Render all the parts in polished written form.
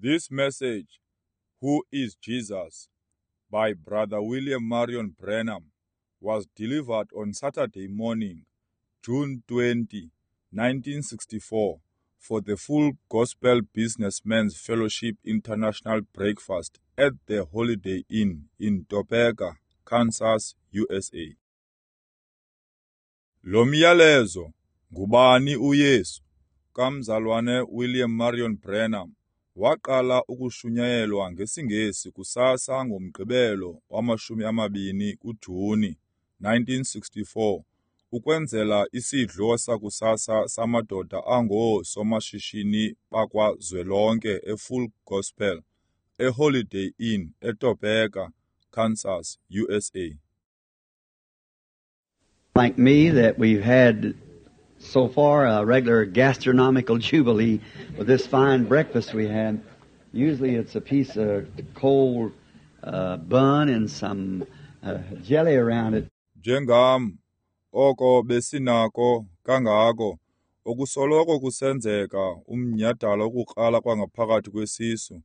This message, Who is Jesus? By Brother William Marion Branham, was delivered on Saturday morning, June 20, 1964, for the Full Gospel Businessmen's Fellowship International Breakfast at the Holiday Inn in Topeka, Kansas, USA. Lo myalezo, Ngubani uYesu? Kamzalwane William Marion Branham waqala ukushunyayelwa ngesiNgesi kusasa ngoMgqibelo wama-20 kuJuni 1964 ukwenzela isidlo sakusasa samadoda angoosomashishini bakwaZwelonke eFull Gospel eHoliday Inn eTopeka, Kansas, USA. Like me, that we've had so far a regular gastronomical jubilee with this fine breakfast we had. Usually it's a piece of cold bun and some jelly around it. Njengam, oko besinako kangako, okusoloko kusenzeka umnyhadala wokukrala kwangaphakathi kwesisu,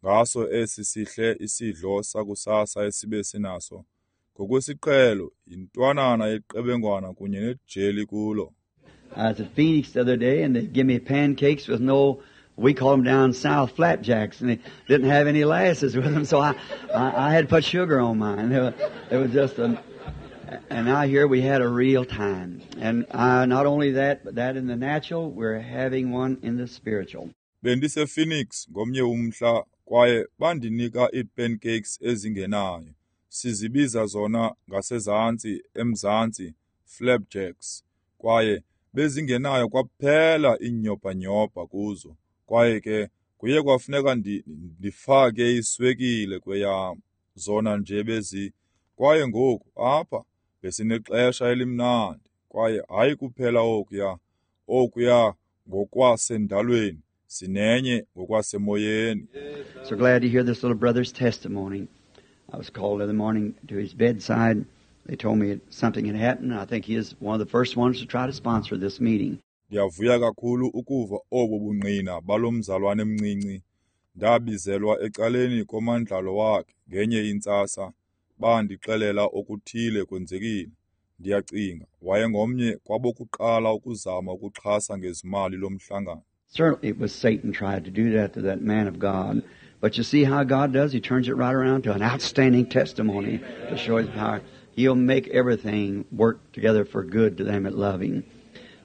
ngaso esi sihle isidlo sakusasa esibe sinaso. Ngokwesiqhelo, yintwanana yeqebengwana kunye nejeli kulo. I was at Phoenix the other day, and they give me pancakes with no, we call them down south flapjacks, and they didn't have any lasses with them, so I had to put sugar on mine. It was just a, and out here we had a real time. And not only that, but that in the natural, we're having one in the spiritual. Bendise Phoenix ngomnye umhla kwaye bandinika ii-pancakes ezingenayo. Sizibiza zona ngasezantsi emzantsi flapjacks kwaye bezingenayo kwaphela iinyobhanyobha kuzo kwaye ke kuye kwafuneka ndifake iswekile kweyam zona nje bezi kwaye ngoku apha besinexesha elimnandi kwaye hayi kuphela okuya ngokwasendalweni sinenye ngokwasemoyeni. So glad to hear this little brother's testimony. I was called in the morning to his bedside. They told me something had happened. I think he is one of the first ones to try to sponsor this meeting. Ndiyavuya kakhulu ukuva obu bungqina balomzalwane mncinci. Ndabizelwa ecaleni komandlalo wakhe ngenye intsasa. Bandixelela okuthile kwenzekile. Ndiyacinga wayengomnye kwabokuqala ukuzama ukuxhasa ngezimali lomhlangano. Certainly it was Satan tried to do that to that man of God. But you see how God does? He turns it right around to an outstanding testimony to show his power. He'll make everything work together for good to them that love him.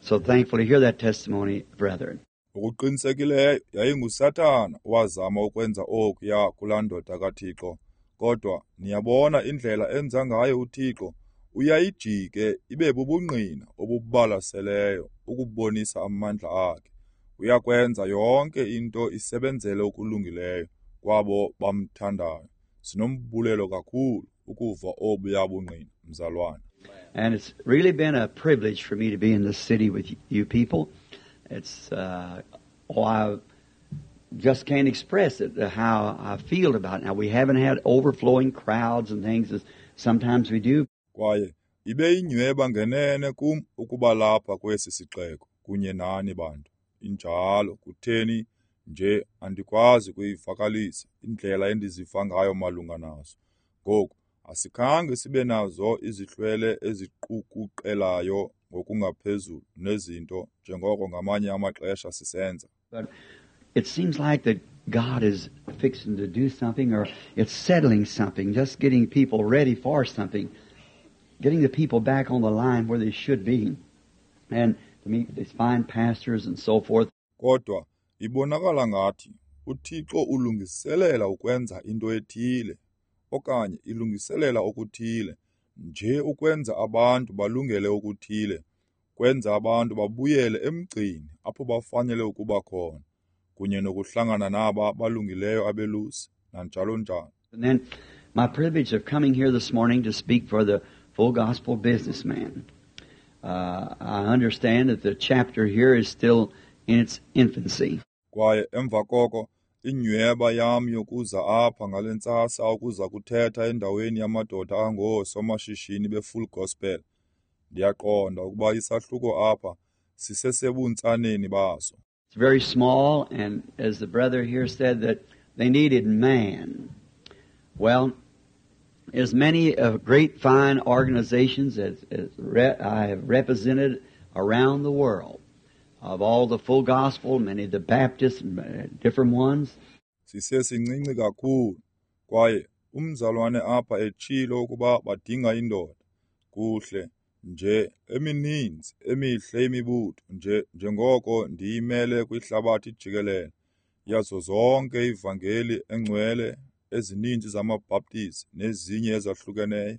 So thankful to hear that testimony, brethren. Ngokuqinisekileyo yayinguSathana owazama ukwenza okuya kulaa ndoda kaThixo. Kodwa niyabona indlela enza ngayo uThixo, uyayijike ibe bubungqina obubalaseleyo ukubonisa amandla akhe. Uyakwenza yonke into isebenzele okulungileyo kwabo bamthandayo. Sinombulelo kakhulu ukuva obuya bungqina, mzalwana. And it's really been a privilege for me to be in this city with you people. It's I just can't express it, how I feel about it. Now, we haven't had overflowing crowds and things as sometimes we do. Kwaye ibe inyweba ngenene kum ukuba lapha kwesi sixeko kunye nani bantu. Injalo kutheni nje andikwazi kuyivakalisa indlela endiziva ngayo malunga naso. Ngoku asikhange sibe nazo izihlwele eziqukuqelayo ngokungaphezulu nezinto njengoko ngamanye amaxesha sisenza. But it seems like that God is fixing to do something, or it's settling something, just getting people ready for something, getting the people back on the line where they should be, and to meet these fine pastors and so forth. Kodwa ibonakala ngathi uThixo ulungiselela ukwenza into ethile okanye ilungiselela okuthile, nje ukwenza abantu balungele okuthile, kwenza abantu babuyele emgcini apho bafanele ukuba khona, kunye nokuhlangana naba balungileyo abelusi nanjalo njalo. And then my privilege of coming here this morning to speak for the Full Gospel Businessman. I understand that the chapter here is still in its infancy. Kwaye emva koko inyweba yam yokuza apha ngale ntsasa ukuza kuthetha endaweni yamadoda angoosomashishini beFull Gospel. Ndiyaqonda ukuba isahluko apha sisesebuntsaneni baso. It's very small, and as the brother here said, that They needed man. Well, as many of great fine organizations as I have represented around the world, of all the full gospel, many of the Baptists, different ones. Sisesincinci kakhulu, kwaye umzalwane apha etshilo ukuba badinga indoda. Kuhle nje emininzi emihle imibutho nje njengoko ndiyimele kwihlabathi jikelele yazo zonke ivangeli engcwele ezininzi zamaBaptist nezinye ezahlukeneyo.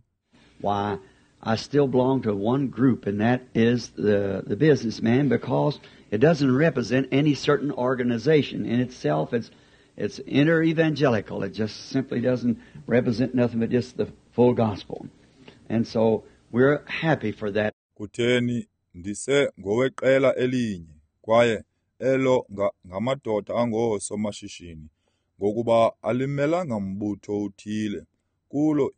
Why, I still belong to one group, and that is the businessman, because it doesn't represent any certain organization. In itself, it's inter-evangelical. It just simply doesn't represent nothing but just the full gospel. And so we're happy for that. Kutheni ndise ngoweqela elinye, kwaye elo ngamadoda angoosomashishini, ngokuba alimelanga mbutho uthile kulo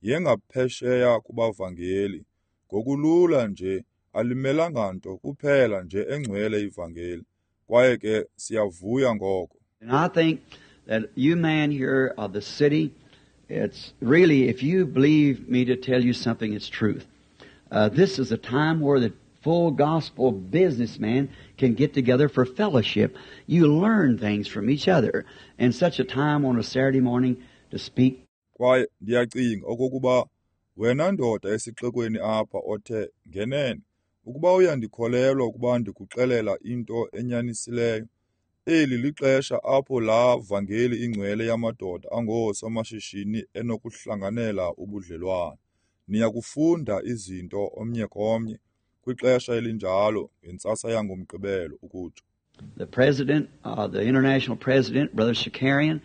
yengaphesheya kubavangeli. Ngokulula nje alimelanga nto kuphela nje engcwele ivangeli, kwaye ke siyavuya ngoko. And I think that you man here of the city, it's really, if you believe me to tell you something, it's truth. This is a time where the full gospel businessman can get together for fellowship. You learn things from each other. And such a time on a Saturday morning to speak. Kwaye ndiyacinga okokuba wena ndoda esixekweni apha othe ngenene, ukuba uyandikholelwa ukuba ndikuxelela into enyanisileyo, eli lixesha apho laa vangeli ingcwele yamadoda angoosomashishini enokuhlanganela ubudlelwane. Niyakufunda izinto omnye komnye kwixesha elinjalo ngentsasa yangoMgqibelo ukutsho. The president, the international president, Brother Shakarian,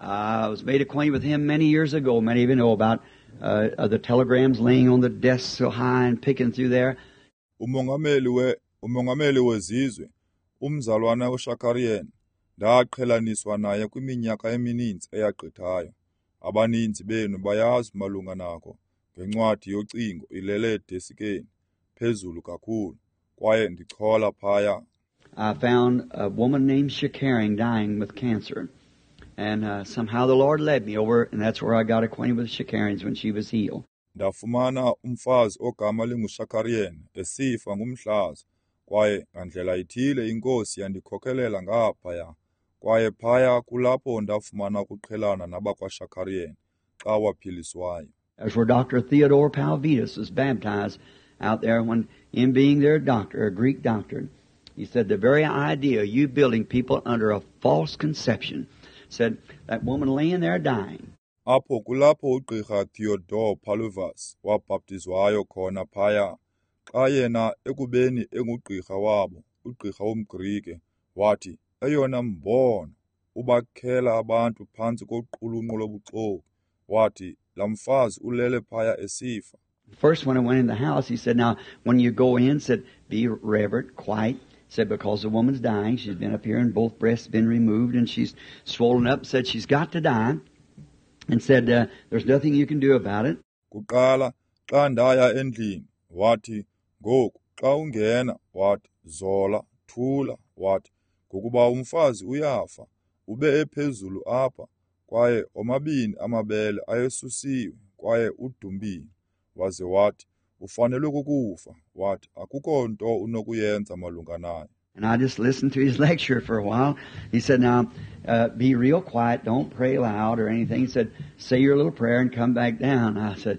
I was made acquainted with him many years ago. Many of you know about the telegrams laying on the desk so high and picking through there. Umongameli wezizwe, umzalwana uShakarian, ndaqhelaniswa naye kwiminyaka emininzi eyagqithayo. Abaninzi benu bayazi malunga nako ngencwadi yocingo ilele edesikeni phezulu kakhulu, kwaye ndichola phaya. I found a woman named Shakarian dying with cancer. And somehow the Lord led me over, and that's where I got acquainted with Shakarians when she was healed. Ndafumana umfazi ogama linguShakarian esifa ngumhlaza, kwaye ngandlela ithile inkosi yandikhokelela ngaphaya, kwaye phaya kulapho ndafumana ukuqhelana nabakwaShakarian xa waphiliswayo. That's where Dr. Theodore Palvidas was baptized out there when him being their doctor, a Greek doctor. He said the very idea of you building people under a false conception, said that woman laying there dying. Apho kulapho ugqirha Theodore Paluvas wabhaptizwayo khona phaya, xa yena ekubeni engugqirha wabo, ugqirha womGrike, wathi eyona mbono ubakhela abantu phantsi koqulunqo lobuxoki, wathi laa mfazi ulele phaya esifa. First, when I went in the house, he said, now, when you go in, said, be reverent, quiet. Said, because the woman's dying, she's been up here and both breasts been removed and she's swollen up, said she's got to die, and said, there's nothing you can do about it. Kuqala, xa ndaya endlini, wathi, ngoku, xa ungena, wathi, zola, thula, wathi, ngokuba umfazi uyafa, ube ephezulu apha, kwaye omabini amabele ayesusiwe, kwaye udumbile. Waze wathi, ufanelwe kukufa, wathi, akukho nto unokuyenza malunga nayo. And I just listened to his lecture for a while. He said, now, be real quiet, don't pray loud or anything. He said, say your little prayer and come back down. I said,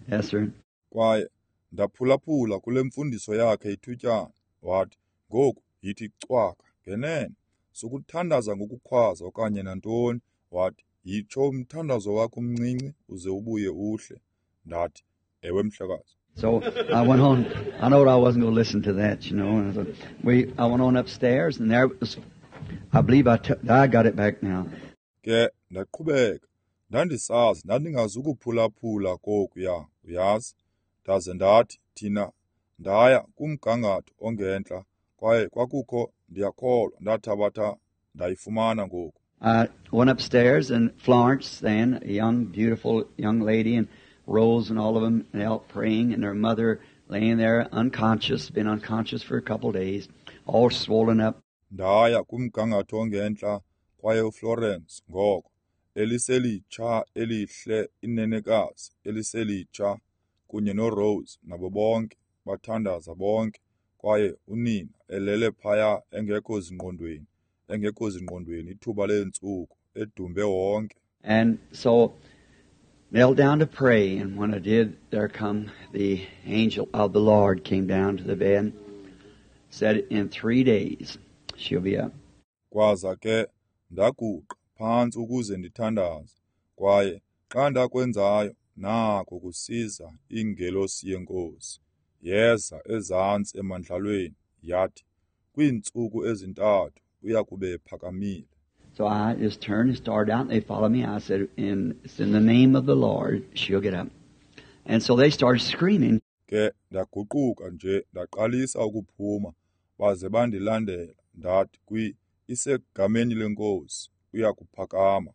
yes, sir. Kwaye ndaphulaphula kule mfundiso yakhe ithutyana. Wathi, ngoku yithi cwaka, ngenene, sukuthandaza ngokukhwaza okanye nantoni. Wathi, yitsho umthandazo wakho umncinci uze ubuye uhle. Ndathi, ewe mhlekazi. So I went on. I know I wasn't going to listen to that, you know. And so I went on upstairs, and there was, I believe I got it back now. Ke ndaqhubeka, ndandisazi ndandingazukuphulaphula kokuya, uyazi. Ndaze ndathi thina ndaya kumgangatho ongentla, kwaye kwakukho, ndiyakholwa, ndathabatha ndayifumana ngoku. I went upstairs, and Florence then, a young, beautiful young lady, and Rose and all of them out praying, and their mother laying there unconscious, been unconscious for a couple of days, all swollen up. Ndaya kumgangatho ongentla, Kwaye uFlorence ngoko, eliselitsha elihle inenekazi eliselitsha, kunye noRose nabo bonke, bathandaza bonke. Kwaye unina elele phaya engekho zingqondweni ithuba leentsuku, edumbe wonke. And so knelt down to pray, and when I did, there come the angel of the Lord came down to the bed, said in 3 days she'll be up. Kwaza ke ndaguqa phantsi ukuze ndithandaze, kwaye xa ndakwenzayo, nako kusiza ingelosi yeNkosi. Yeza ezantsi emandlalweni, yathi, kwiintsuku ezintathu uyakube ephakamile. So I just turned and started out, and they followed me. I said, it's in the name of the Lord, she'll get up. And so they started screaming. Ke ndaguquka nje ndaqalisa ukuphuma, baze bandilandela. Ndathi, isegameni leNkosi, uyakuphakama.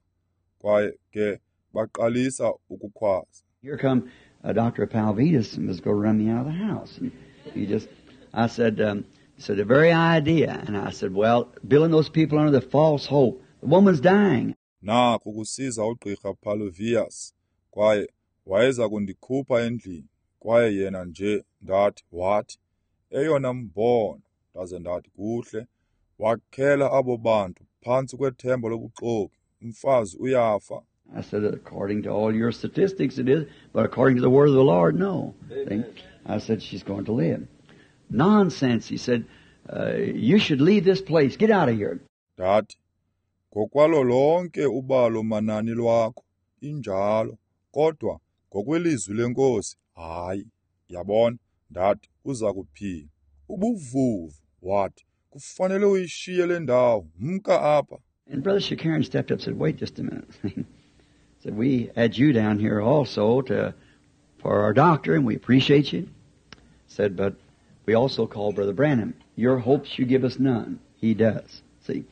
Kwaye ke baqalisa ukukhwaza. Here come Dr. Palvidas and was going to run me out of the house. And he just, I said, he said, the very idea. And I said, well, building those people under the false hope. The woman's dying. Naku kusiza ugqirha Palvidas, kwaye wayeza kundikhupha endlini. Kwaye yena nje, ndathi, wathi, eyona mbono. Ndaze ndathi, kuhle, wakhela abo bantu phantsi kwethemba lobuxoki. Umfazi uyafa. I said, according to all your statistics it is, but according to the word of the Lord, no. I said, she's going to live. Nonsense, he said, you should leave this place. Get out of here. Ndathi, ngokwalo lonke ubalo manani lwakho, injalo, kodwa ngokwelizwi leNkosi, hayi. Yabona, ndathi, uza kuphila. Ubuvuvu, wathi, kufanele uyishiye le ndawo, mka apha. And Brother Shakarian stepped up and said, wait just a minute. Said, we had you down here also for our doctor, and we appreciate you. Said, but we also called Brother Branham. Your hopes you give us none. He does. See?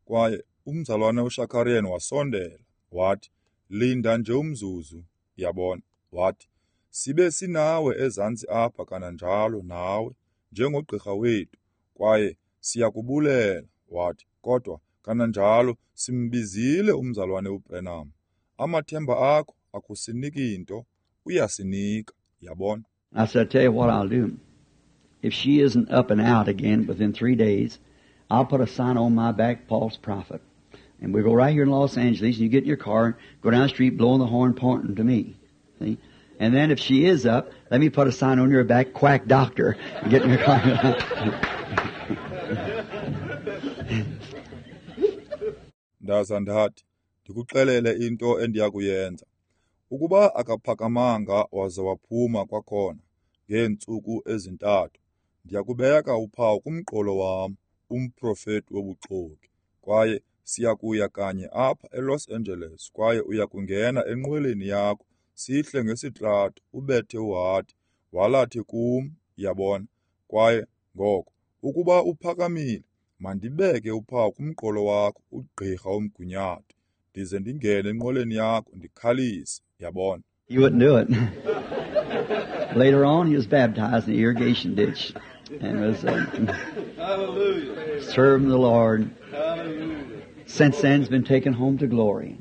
Kwaye umzalwane uShakarian wasondela, wathi, linda nje umzuzu, yabona. Wathi, sibe sinawe ezantsi apha kananjalo nawe, njengogqirha wethu, kwaye siyakubulela. Wathi, kodwa kananjalo simbizile umzalwane uBranham. Amathemba akho akusiniki nto, uyasinika, yabona. I said, I tell you what I'll do. If she isn't up and out again within 3 days, I'll put a sign on my back, false prophet. And we go right here in Los Angeles, and you get in your car and go down the street blowing the horn, pointing to me. See? And then if she is up, let me put a sign on your back, quack doctor, and get in your car. Ndaza ndathi, ndikuxelele into endiyakuyenza. Ukuba akaphakamanga waze waphuma kwakhona ngeentsuku ezintathu, ndiyakubeka uphawu kumqolo wam, umprofeti wobuxoki. Kwaye siyakuya kanye apha eLos Angeles, kwaye uyakungena enqweleni yakho, sihle ngesitrato, ubethe uhadi, walathe kum, yabona. Kwaye ngoko, ukuba uphakamile, mandibeke uphawu kumqolo wakho, ugqirha womgunyathi, ndize ndingene enqweleni yakho, ndikhalise, yabona. He wouldn't do it. Later on, he was baptized in the irrigation ditch and was serving the Lord. Hallelujah. Since then, he's been taken home to glory.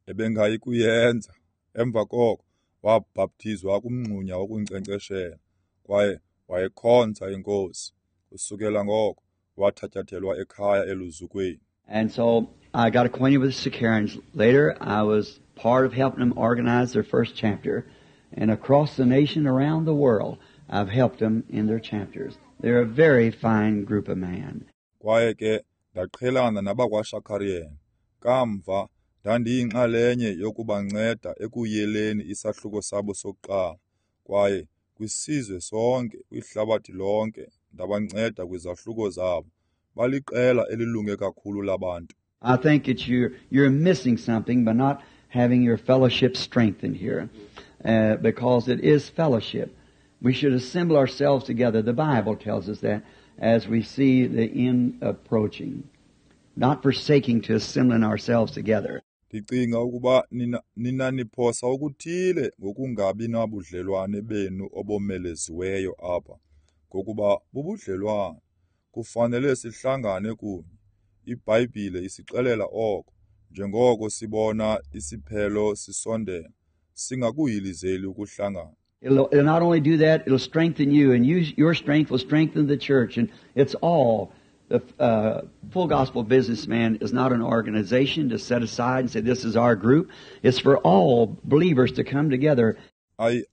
Ebengayi kuyenza. Emva koko, wabhaptizwa kumngxunya wokunkcenkceshela, kwaye wayekhonza iNkosi. Kusukela ngoko, wathatyathelwa ekhaya eluzukweni. And so I got acquainted with the Shakarians. Later, I was part of helping them organize their first chapter. And across the nation, around the world, I've helped them in their chapters. They're a very fine group of men. Kwaye ke ndaqhelana nabakwaShakarian. Kamva ndandiyinxalenye yokubanceda ekuyeleni isahluko sabo sokuqala. Kwaye kwisizwe sonke, kwihlabathi lonke, ndabanceda kwizahluko zabo. Baliqela elilunge kakhulu labantu. I think that you're missing something by not having your fellowship strengthened here, because it is fellowship. We should assemble ourselves together. The Bible tells us that as we see the end approaching, not forsaking to assembling ourselves together. Ndicinga ukuba nina niphosa okuthile ngokungabi nabudlelwane benu obomeleziweyo apha, ngokuba bubudlelwane. Kufanele sihlangane kunye. IBhayibhile isixelela oko. Njengoko sibona isiphelo sisondela, singakuhilizeli ukuhlangana. It'll not only do that, it'll strengthen you, and your strength will strengthen the church. And it's all. The Full Gospel Businessman is not an organization to set aside and say this is our group. It's for all believers to come together.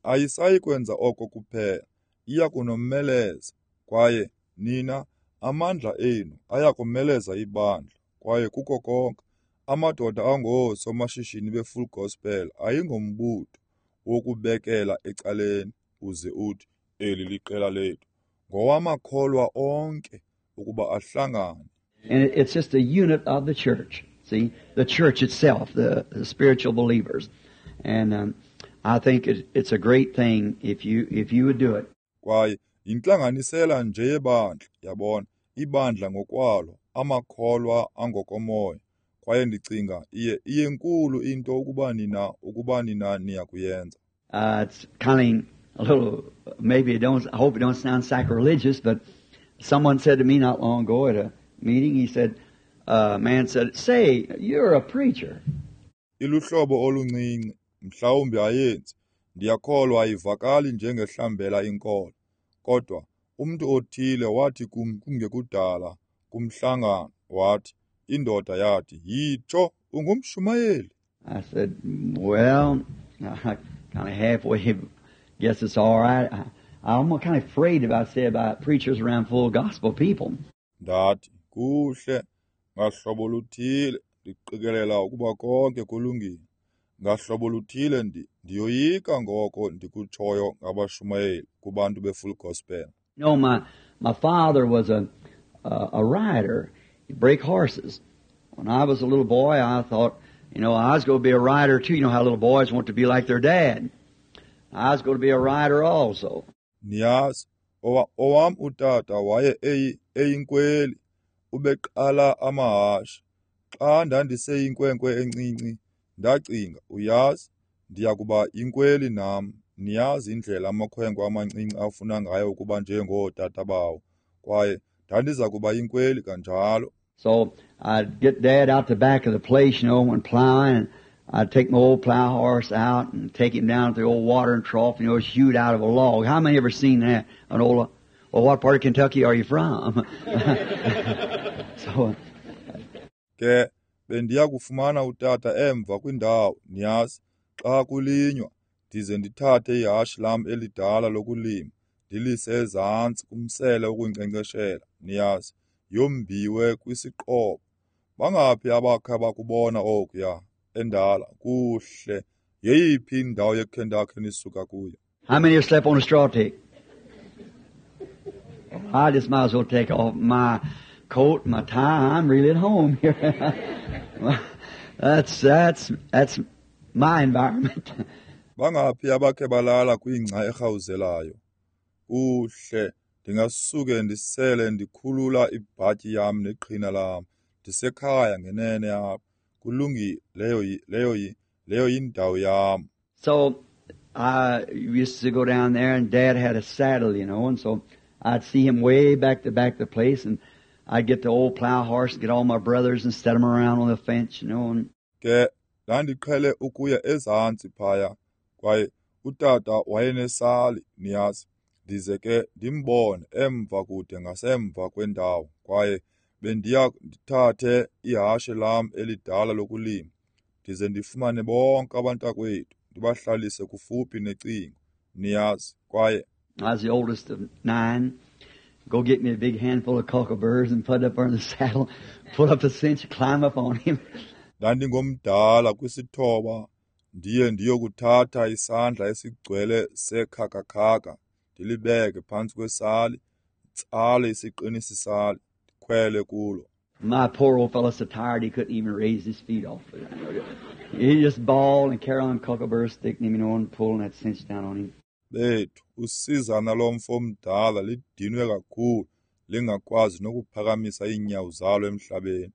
Ayisayi kwenza oko kuphela, iya kunomeleza, kwaye nina amandla enu aya kumeleza ibandla, kwaye kuko konke. Amadoda angoosomashishini be-Full Gospel ayingombutho wokubekela ecaleni uze uthi eli liqela lethu. Ngowamakholwa onke ukuba ahlangane. And it's just a unit of the church. See, the church itself, the spiritual believers. And I think it's a great thing if you would do it. Kwaye yintlanganisela nje yebandla, yabona, ibandla ngokwalo, amakholwa angokomoya. Kwaye ndicinga iyenkulu into ukuba nina niyakuyenza. It's kind of a little, maybe it don't, I hope it don't sound sacrilegious, but someone said to me not long ago at a meeting, he said, a man said, "Say, you're a preacher." Iluhlobo oluncinci, mhlawumbi ayenzi, ndiyakholwa ayivakali njengehlambela inkolo. Kodwa umntu othile wathi kum kungekudala kumhlangano, wathi, indoda yathi, "Yitsho, ungumshumayeli." I said, "Well, I kind of halfway guess it's all right. I'm kind of afraid about say about preachers around full gospel people." Ndathi, kuhle, ngahlobo luthile ndiqikelela ukuba konke kulungile. Ngahlobo luthile ndiyoyika ngoko ndikutshoyo ngabashumayeli kubantu be-Full Gospel. You know, my father was a rider. He'd break horses. When I was a little boy, I thought, you know, I was going to be a rider too. You know how little boys want to be like their dad. I was going to be a rider also. Niyazi, owam utata waye eyinkweli, ubeqala amahashe. Xa ndandiseyinkwenkwe encinci, ndacinga, uyazi, ndiya kuba yinkweli nam. Niyazi indlela amakhwenkwe amancinci afuna ngayo ukuba njengootata bawo, kwaye ndandiza kuba yinkweli kanjalo. So I'd get Dad out the back of the place, you know, when plowing, and I'd take my old plow horse out and take him down to the old watering trough, you know, it's hewed out of a log. How many ever seen that? An old, well, what part of Kentucky are you from? So, ke bendiya kufumana utata emva kwindawo, niyazi, xa kulinywa, ndize ndithathe ihashe lam elidala lokulima, ndilise ezantsi kumsele wokunkcenkceshela, niyazi, yombiwe kwisiqobo. Bangaphi abakhe bakubona okuya endala? Kuhle, yeyiphi indawo yeKentucky nisuka kuyo? How many have slept on a straw tick? I just might as well take off my coat and my tie. I'm really at home here. That's my environment. Bangaphi abakhe balala kwingca erhawuzelayo? Kuhle, ndingasuke ndisele ndikhulula ibhatyi yam neqhina lam. Ndisekhaya ngenene apha. Kulungile, leyo yindawo yam. So I used to go down there, and Dad had a saddle, you know, and so I'd see him way back to back the place, and I'd get the old plow horse and get all my brothers and set them around on the fence, you know. And ke ndandiqhele ukuya ezantsi phaya, kwaye utata wayenesali, niyazi, ndize ke ndimbone emva kude ngasemva kwendawo, kwaye bendiya ndithathe ihashe lam elidala lokulima, ndize ndifumane bonke abantakwethu, ndibahlalise kufuphi necingo, niyazi, kwaye I was the oldest of 9. Go get me a big handful of cockleburrs and put it up on the saddle, pull up the cinch, climb up on him. Ndandingomdala kwisithoba, ndiye ndiyokuthatha isandla esigcwele sekhakakhaka, ndilibeke phantsi kwesali, tsale isiqinisi sali, ndikhwele kulo. My poor old fellow so tired he couldn't even raise his feet off it. He just bawled and carry on cockleburrs sticking him, you know, and pulling that cinch down on him. Bethu, usizana lomfo omdala lidinwe kakhulu, lingakwazi nokuphakamisa iinyawo zalo emhlabeni.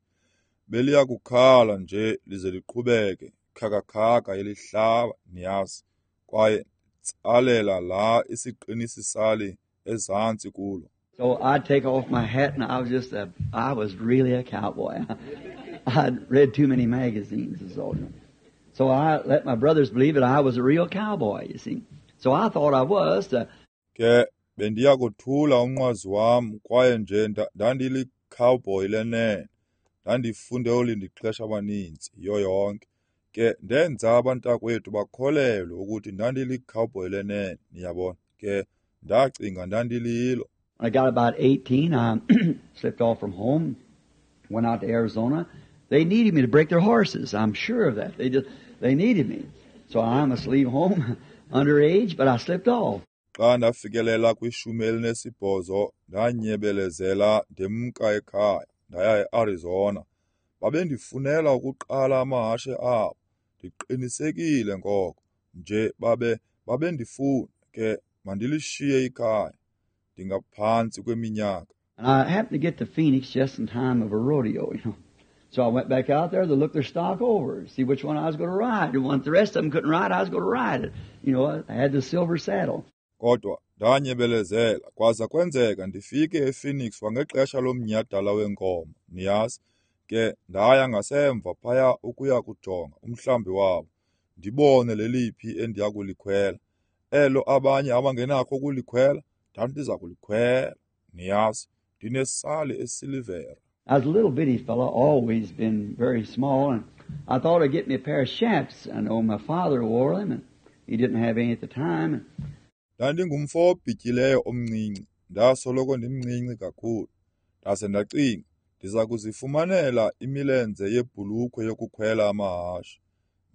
Beliya kukhala nje lize liqhubeke, khakakhaka elihlaba, niyazi, kwaye tsalela la isiqinisi sali ezantsi kulo. So I'd take off my hat, and I was really a cowboy. I'd read too many magazines and so on. So I let my brothers believe that I was a real cowboy, you see. So I thought I was. Ke bendiya kothula umnqwazi wam kwaye nje ndandili-cowboy lenene. Ndandifunde oolindixesha abaninzi yiyo yonke. Ke ndenza abantakwethu bakholelwe ukuthi ndandili-cowboy lenene, niyabona. Ke ndacinga ndandililo. When I got about 18, I slipped off from home, went out to Arizona. They needed me to break their horses. I'm sure of that. They needed me. So I must leave home underage, but I slipped off. Xa ndafikelela kwishumi elinesibhozo, ndanyebelezela ndemka ekhaya, ndaya eArizona. Babendifunela ukuqala amahashe abo. Ndiqinisekile ngoko. Nje babendifuna ke mandilishiye ikhaya. Ndingaphantsi kweminyaka. And I happened to get to Phoenix just in time of a rodeo, you know. So I went back out there to look their stock over, see which one I was going to ride. And once the rest of them couldn't ride, I was going to ride it. You know, I had the silver saddle. Kodwa ndanyebelezela kwaza kwenzeka ndifike ePhoenix kwangexesha lomnyhadala wenkomo, niyazi. Ke ndaya ngasemva phaya ukuya kujonga umhlambi wabo, ndibone leliphi endiya kulikhwela. Elo abanye abangenakho ukulikhwela, ndandiza kulikhwela, niyazi. Ndinesali esilivera. I was a little bitty fellow, always been very small, and I thought I'd get me a pair of chaps. I know my father wore them, and he didn't have any at the time. Ndandingumfo obhityileyo omncinci, ndasoloko ndimncinci kakhulu. Ndase ndacinga, ndiza kuzifumanela imilenze yebhulukhwe yokukhwela amahashe.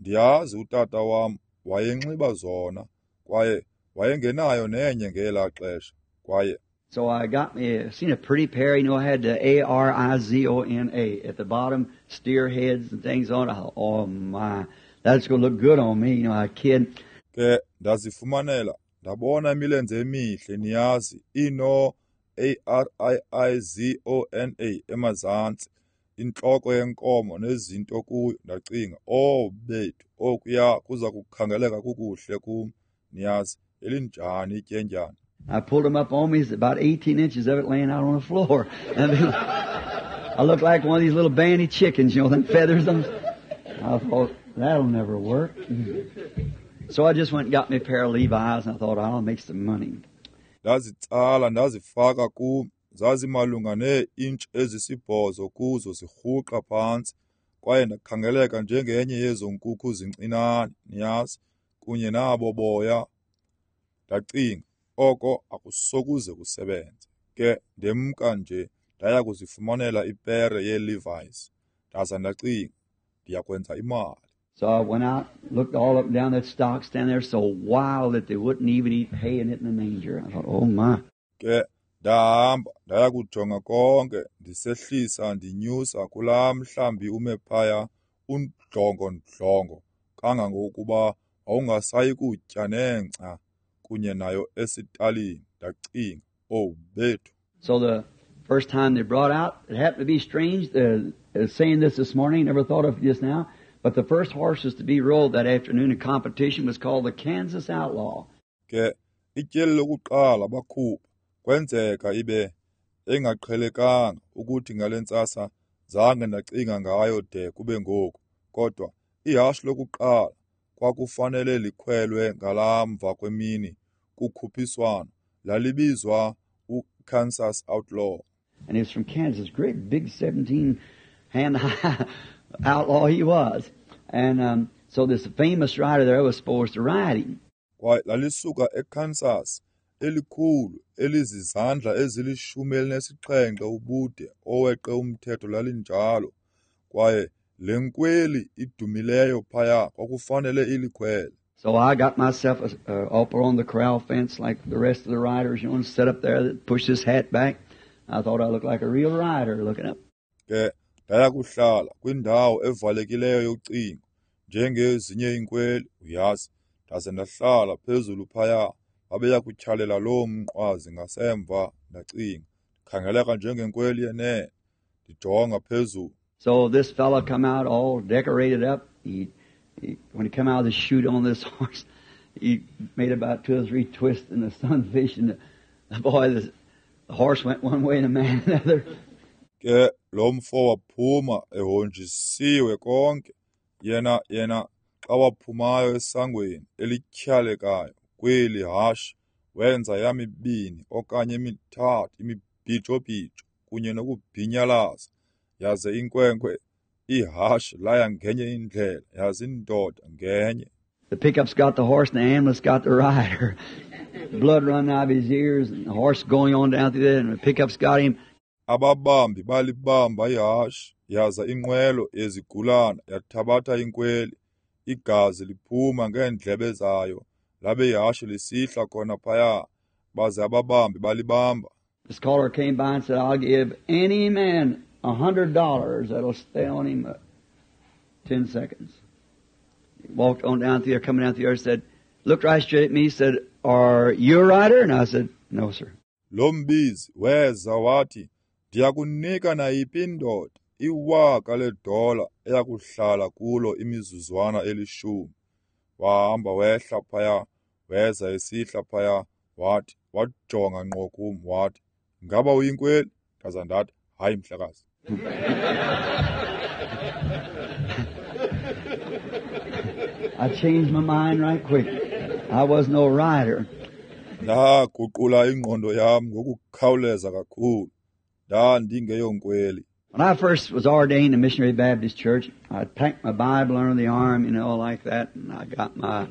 Ndiyazi utata wam wayenxiba zona, kwaye wayengenayo nenye ngelaa xesha, kwaye So I got me, seen a pretty pair, you know, I had the A-R-I-Z-O-N-A at the bottom, steer heads and things on it. I thought, oh my, that's going to look good on me, you know, a kid. Ke ndazifumanela, ndabona imilenze emihle, niyazi, ino A-R-I-I-Z-O-N-A emazantsi, intloko yenkomo nezinto kuyo. Ndacinga, oh bethu, okuya kuza kukhangeleka kukuhle kum, niyazi, elinjani ityendyana. I pulled them up on me. It's about 18 inches of it laying out on the floor. I looked like one of these little bandy chickens, you know, them feathers. I thought, that'll never work. So I just went and got me a pair of Levi's, and I thought, I'll make some money. Ndazitsala ndazifaka kum, zazimalunga nee-intshi ezisibhozo kuzo zirhuqa phantsi, kwaye ndakhangeleka njengenye yezo nkukhu zincinane, niyazi, kunye nabo boya. Ndacinga, oko akusokuze kusebenze. Ke ndemka nje ndaya kuzifumanela ipere yeeLevi's. Ndaza ndacinga, ndiyakwenza imali. So I went out, looked all up and down that stock stand there, so wild that they wouldn't even eat hay in it in the manger. I thought, oh my. Ke ndahamba ndaya kujonga konke, ndisehlisa ndinyusa kulaa mhlambi ume phaya undlongondlongo kangangokuba wawungasayi kutya nengca kunye nayo esitalini. Ndacinga, oh bethu. So the first time they brought out, it happened to be strange, saying this morning, never thought of it just now, but the first horses to be rolled that afternoon in competition was called the Kansas Outlaw. Ke ityeli lokuqala bakhupha, kwenzeka ibe engaqhelekanga ukuthi ngale ntsasa zange ndacinga ngayo de kube ngoku, kodwa ihashe lokuqala kwakufanele likhwelwe ngalamva kwemini kukhuphiswano lalibizwa uKansas Outlaw. And he was from Kansas, great big 17-hand high outlaw he was. And so this famous rider there was supposed to ride him. Kwaye lalisuka eKansas, elikhulu elizizandla ezilishumi elinesixhenxe ubude oweqe umthetho lalinjalo. Kwaye le nkweli idumileyo phaya kwakufanele ilikhwele. So I got myself up on the corral fence like the rest of the riders, you know, and set up there, pushed his hat back. I thought I looked like a real rider looking up. Ke ndaya kuhlala kwindawo evalekileyo yocingo njengezinye iinkweli, uyazi, ndaze ndahlala phezulu phaya. Babeya kutyhalela loo mnqwazi ngasemva. Ndacinga, ndikhangeleka njengenkweli yenene, ndijonga phezulu. So this fellow come out all decorated up. He when he come out of the chute on this horse, he made about 2 or 3 twists in the sunfish, and the boy, the horse went one way and the man another. Ke Lo mfo waphuma ehonjisiwe konke. Yena xa waphumayo esangweni elityhalekayo kweli hashe, wenza yamibini okanye emithathu imibhijobhijo kunye nokubhinyalaza, yaze inkwenkwe ihashe laya ngenye indlela, yaze indoda ngenye. The pickup's got the horse and the ambulance got the rider. Blood running out of his ears and the horse going on down through there and the pickup's got him. Ababambi balibamba ihashe, yaza inqwelo yezigulana yathabatha inkweli, igazi liphuma ngeendlebe zayo, labe ihashe lisihla khona phaya, baze ababambi balibamba. This caller came by and said, I'll give any man $100 that'll stay on him 10 seconds. He walked on down through there, coming down through there, said, looked right straight at me, said, are you a rider? And I said, no, sir. Lo mbizi weza wathi, ndiyakunika nayiphi indoda $1,000 eyakuhlala kulo imizuzwana 10. Wahamba wehla phaya, weza esihla phaya, wathi, wajonga ngqo kum, wathi, ngaba uyinkweli? Ndaza ndathi, hayi mhlekazi. I changed my mind right quick. I was no rider. Ndaguqula ingqondo yam ngokukhawuleza kakhulu. Ndandingeyonkweli. When I first was ordained in Missionary Baptist Church, I packed my Bible under the arm, you know, like that, and I got my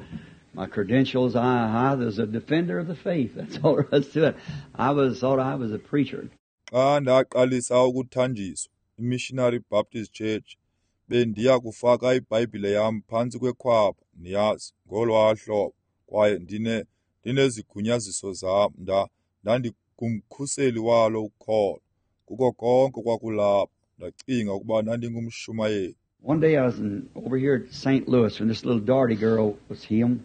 credentials. I was a defender of the faith. That's all there was to it. I thought I was a preacher. Xa ndaqalisa ukuthanjiswa iMissionary Baptist Church, bendiya kufaka iBhayibhile yam phantsi kwekhwapha, niyazi, ngolwaa hlobo, kwaye ndinezigunyaziso zam. Ndandingumkhuseli walo ukholo. Kuko konke kwakulapho, ndacinga ukuba ndandingumshumayeli. One day I was over here at St. Louis when this little Doherty girl was healed,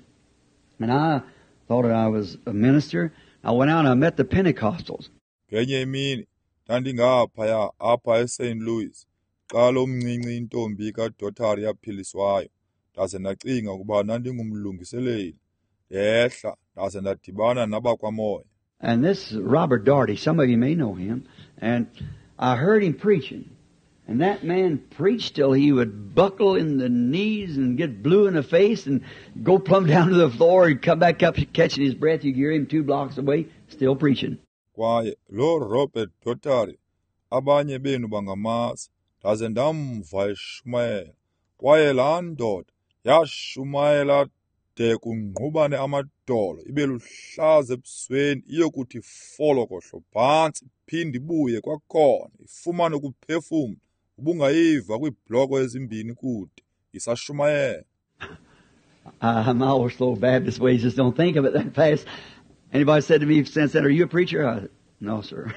and I thought that I was a minister. I went out and I met the Pentecostals. Ngenye imini ndandingaphaya apha eSt. Louis xa lo mncinci intombi kaDoherty yaphiliswayo, ndaze ndacinga ukuba ndandingumlungiseleli. Ndehla ndaze ndadibana nabakwamoya. And this Robert Doherty, some of you may know him, and I heard him preaching. And that man preached till he would buckle in the knees and get blue in the face and go plumb down to the floor and come back up catching his breath. You could hear him 2 blocks away, still preaching. Kwaye lo Robert Doherty, abanye benu bangamazi, ndaze ndamva eshumayela. Kwaye laa ndoda yashumayela de kungqubane amadolo, ibe luhlaza ebusweni, iyokuthi folokohlo phantsi, iphinde ibuye kwakhona, ifumane ukuphefumla. Ubungayiva kwiibhloko ezimbini kude, isashumayela. My old slow Baptist ways just don't think of it that fast. Anybody said to me since then, are you a preacher? I said, no, sir.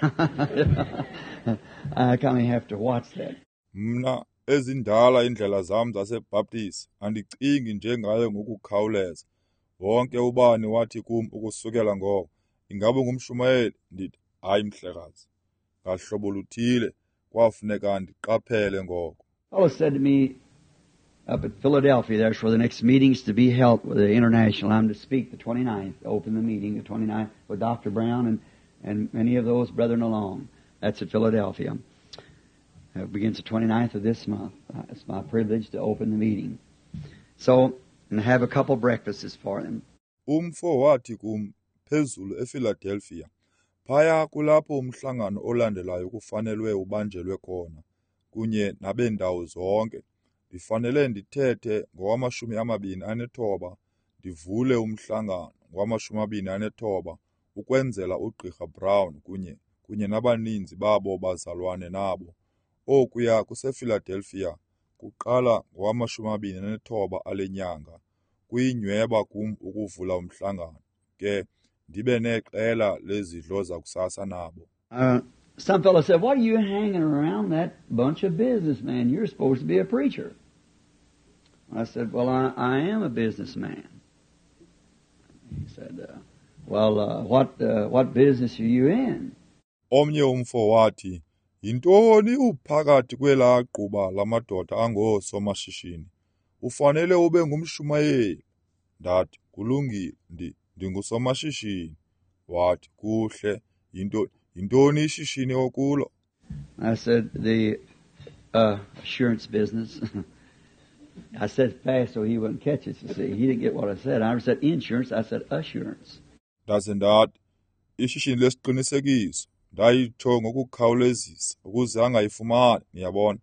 I kind of have to watch that. Mna ezindala indlela zam zaseBaptist andicingi njengayo ngokukhawuleza. Wonke ubani wathi kum ukusukela ngoko, ingaba ungumshumayeli? Ndithi, hayi mhlekazi. Ngahlobo luthile kwafuneka ndiqaphele ngoko. Fellow said to me up at Philadelphia, there's where the next meeting's to be held with the international. I'm to speak the 29th, open the meeting the 29th with Dr. Brown and many of those brethren along. That's at Philadelphia. It begins the 29th of this month. It's my privilege to open the meeting. So, and have a couple breakfasts for them. Umfo wathi kum phezulu ePhiladelphia, phaya kulapho umhlangano olandelayo kufanelwe ubanjelwe khona, kunye nabendawo zonke. Ndifanele ndithethe ngowama-29, ndivule umhlangano ngowama-29 ukwenzela uGqirha Brown kunye nabaninzi babo bazalwane nabo. Okuya kusePhiladelphia kuqala ngowama-29 ale nyanga. Kuyinyweba kum ukuvula umhlangano, ke ndibe neqela lezidlo zakusasa nabo. Some fellow said, "Why are you hanging around that bunch of businessmen? You're supposed to be a preacher." I said, "Well, I am a businessman." He said, "Well, what business are you in?" Omnye umfo wathi, "Yintoni uphakathi kwelaa gquba lamadoda angoosomashishini? Ufanele ube ngumshumayeli." Ndathi, "Kulungile, ndingusomashishini." Wathi, "Kuhle, yintoni ishishini okulo?" I said, the assurance business. I said fast so he wouldn't catch it, you see. He didn't get what I said. I said insurance. I said assurance. Ndaze ndathi, ishishini lesiqinisekiso. Ndayitsho ngokukhawulezisa ukuze angayifumani, niyabona.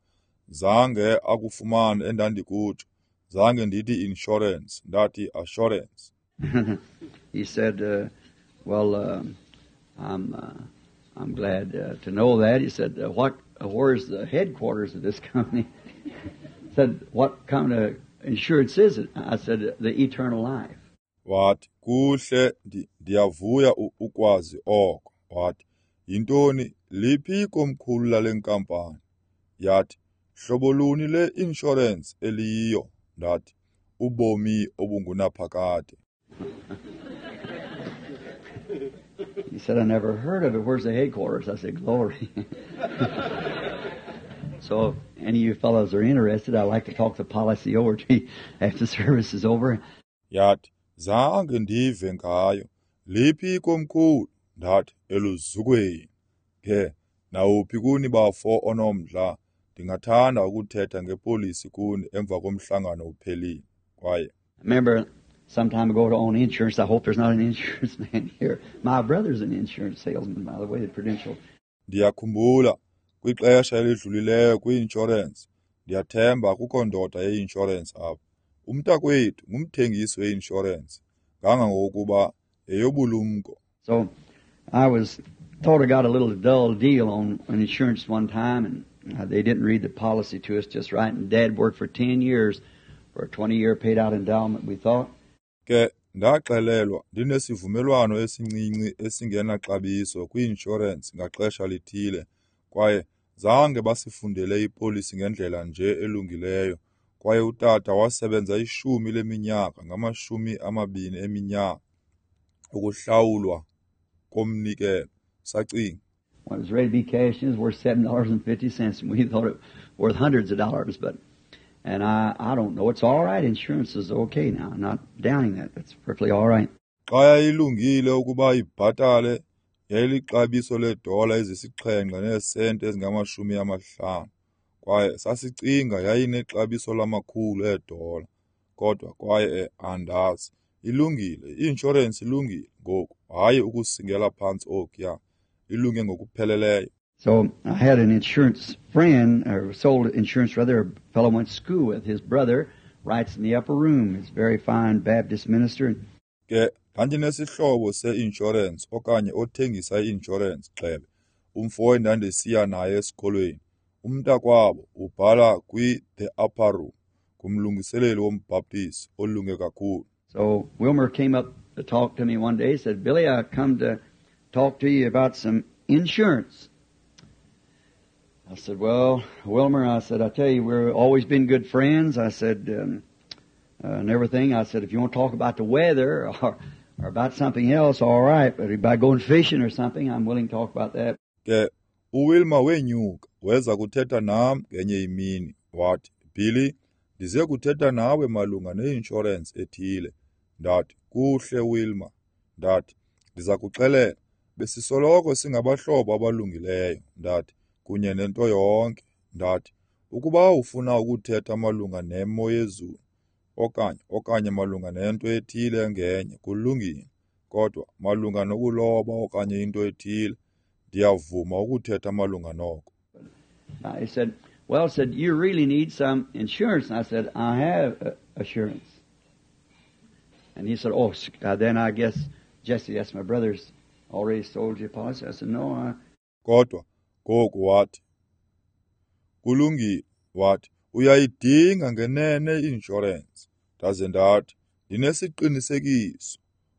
Zange akufumane endandikutsho. Zange ndithi insurance, ndathi assurance. He said, well, I'm glad to know that. He said, where's the headquarters of this company? He said, what kind of insurance is it? I said, the eternal life. Wathi, kuhle, ndiyavuya ukwazi oko. Wathi, yintoni, liphi ikomkhulu lale nkampani? Yathi, hlobo luni le insurance eliyiyo? Ndathi, ubomi obungunaphakade. He said, I never heard of it. Where's the headquarters? I said, glory. So if any of you fellows are interested, I'd like to talk the policy over to you after the service is over. Yathi, zange ndive ngayo. Liphi ikomkhulu? Ndathi, eluzukweni. Ke, nawuphi kuni bafo onomdla, ndingathanda ukuthetha ngepolisi kuni emva komhlangano uphelile. Kwaye remember some time ago to own insurance. I hope there's not an insurance man here. My brother's an insurance salesman, by the way, at Prudential. Ndiyakhumbula kwixesha elidlulileyo kwi-insurance. Ndiyathemba akukho ndoda ye-insurance apha. Umntakwethu ngumthengisi we-insurance, kangangokuba yeyobulumko. So I was thought I got a little dull deal on an insurance one time, and they didn't read the policy to us just right. And Dad worked for 10 years for a 20-year paid-out endowment, we thought. Ke ndaxelelwa ndinesivumelwano esincinci esingenaxabiso kwi-insurance ngaxesha lithile, kwaye zange basifundele ipolisi ngendlela nje elungileyo. Kwaye utata wasebenza 10 leminyaka ngama-20 eminyaka ukuhlawulwa komnikelo. Sacinga. When it was ready to be cashed in, it was worth $7.50, and we thought it worth hundreds of dollars. But, and I don't know. It's all right. Insurance is okay now. I'm not downing that. That's perfectly all right. Xa yayilungile ukuba ibhatale, yayilixabiso leedola ezisixhenxe neesenti ezingama-50. Kwaye sasicinga yayinexabiso lamakhulu eedola. Kodwa kwaye andazi. Ilungile. I-inshorensi ilungile ngoku. Hayi ukusingela phantsi okuya. Ilunge ngokupheleleyo. So I had an insurance friend, or sold insurance rather, a fellow I went to school with. His brother writes in the upper room. He's a very fine Baptist minister. Ke ndandinesihlobo se-insurance okanye othengisa i-insurance gxebe, umfo endandisiya naye esikolweni. Umntakwabo ubhala kwi-The Upper Room, ngumlungiseleli wombhaptizi olunge kakhulu. So Wilmer came up to talk to me one day. He said, Billy, I come to talk to you about some insurance. I said, well, Wilmer, I said, I tell you, we've always been good friends. I said, and everything. I said, if you want to talk about the weather or about something else, all right. But about going fishing or something, I'm willing to talk about that. Ke, uWilmer wenyuka, weza kuthetha nam ngenye imini. Wathi, Billy, ndize kuthetha nawe malunga ne-insurance ethile. Ndathi, kuhle, Wilmer. Ndathi, ndiza kuxelela, besisoloko singabahlobo abalungileyo. Ndathi, kunye nento yonke. Ndathi, ukuba ufuna ukuthetha malunga nemo yezulu, okanye malunga nento ethile engenye, kulungile. Kodwa malunga nokuloba okanye into ethile, ndiyavuma ukuthetha malunga noko. He said, well, said, you really need some insurance. And I said, I have assurance. And he said, oh, then I guess Jesse, that's my brother's, already sold you a policy. I said, no, I... Kodwa, ngoku wathi, kulungile, wathi, uyayidinga ngenene i-insurance. Ndaze ndathi, ndinesiqinisekiso.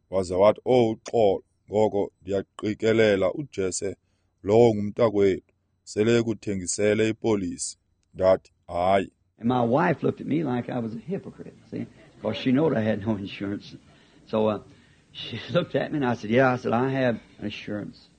Waze wathi, oh, uxolo, ngoko ndiyaqikelela uJesse, lowo ngumntakwethu, sele ekuthengisele ipolisi. Ndathi, hayi. And my wife looked at me like I was a hypocrite, see, because she knowed I had no insurance. So she looked at me and I said, yeah, I said, I have assurance.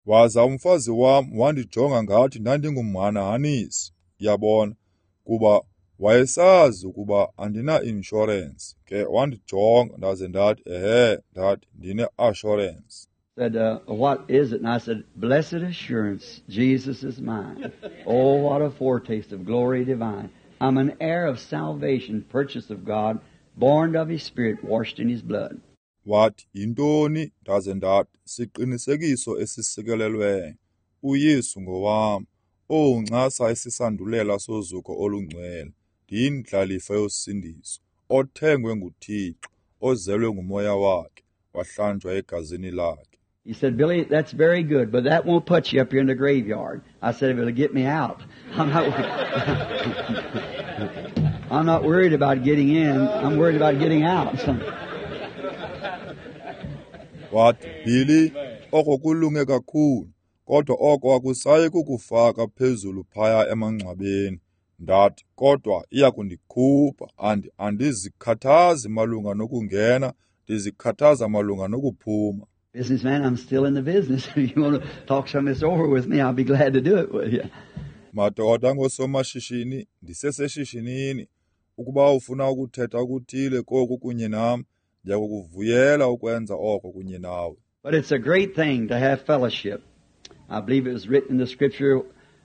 Waza umfazi wam wandijonga ngathi ndandingumhanahanisi, yabona, kuba wayesazi ukuba andina-insurance. Ke wandijonga ndaze ndathi, ehe, ndathi ndine-assurance. Said, what is it? And I said, blessed assurance, Jesus is mine. Oh, what a foretaste of glory divine. I'm an heir of salvation, purchased of God, born of His Spirit, washed in His blood. Wathi, yintoni? Ndaze ndathi, siqinisekiso esisikelelweyo. UYesu ngowam. Owu, ncasa isisandulela sozuko olungcwele. Ndiyindlalifa yosindiso, othengwe nguThixo, ozelwe nguMoya wakhe, wahlanjwa egazini lakhe. He said, Billy, that's very good, but that won't put you up here in the graveyard. I said, if it'll get me out. I'm not worried about getting in. I'm worried about getting out. Wathi, Billy, oko kulunge kakhulu, kodwa oko akusayi kukufaka phezulu phaya emangcwabeni. Ndathi, kodwa iyakundikhupha. Andizikhathazi malunga nokungena, ndizikhathaza malunga nokuphuma. Businessman, I'm still in the business. If you want to talk some of this over with me, I'll be glad to do it with you. Madoda ngosomashishini, ndiseseshishinini. Ukuba ufuna ukuthetha okuthile koku kunye nam, ndiyakuvuyela ukwenza oko kunye nawe. But it's a great thing to have fellowship. I believe it was written in the scripture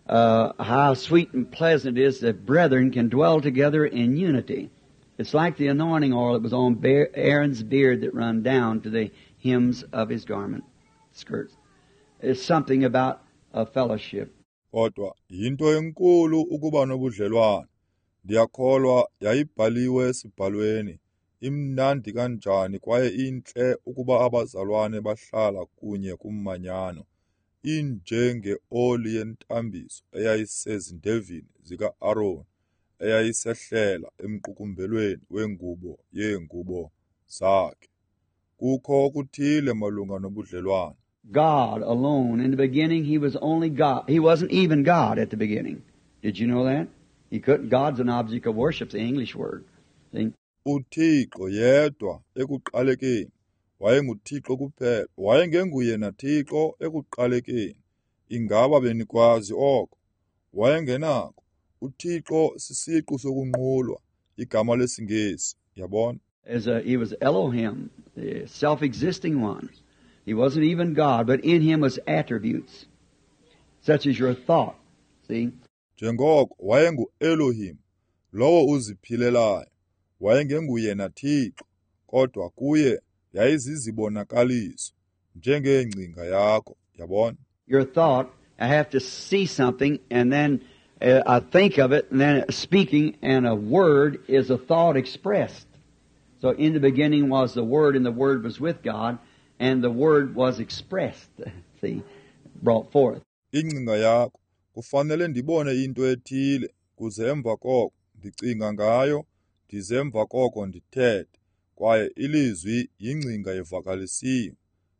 how sweet and pleasant it is that brethren can dwell together in unity. It's like the anointing oil that was on Aaron's beard that run down to the hems of his garment, skirts. It's something about a fellowship. Kodwa yinto enkulu ukuba nobudlelwane. Ndiyakholwa yayibhaliwe esibhalweni. Imnandi kanjani kwaye intle ukuba abazalwane bahlala kunye kummanyano. Injengeoli yentambiso eyayisezindevini zika-Aron, eyayisehlela emqukumbelweni wengubo yeengubo zakhe. Kukho okuthile malunga nobudlelwane. God alone. In the beginning, He was only God. He wasn't even God at the beginning. Did you know that? He couldn't. God's an object of worship, the English word. See? UThixo yedwa ekuqalekeni. WayenguThixo kuphela. Wayengenguye naThixo ekuqalekeni. Ingaba benikwazi oko? Wayengenako. UThixo sisiqu sokunqulwa, igama lesiNgesi, yabona? He was Elohim, the self-existing one. He wasn't even God, but in Him was attributes, such as your thought. See? Njengoko wayengu-Elohim, lowo uziphilelayo. Wayengenguye naThixo, kodwa kuye yayizizibonakaliso, njengengcinga yakho, yabona? Your thought, I have to see something, and then I think of it, and then speaking, and a word is a thought expressed. So in the beginning was the Word, and the Word was with God, and the Word was expressed, see, brought forth. Ingcinga yakho, kufanele ndibone into ethile, kuze emva koko ndicinga ngayo, ndize emva koko ndithethe, kwaye ilizwi yingcinga evakalisiwe.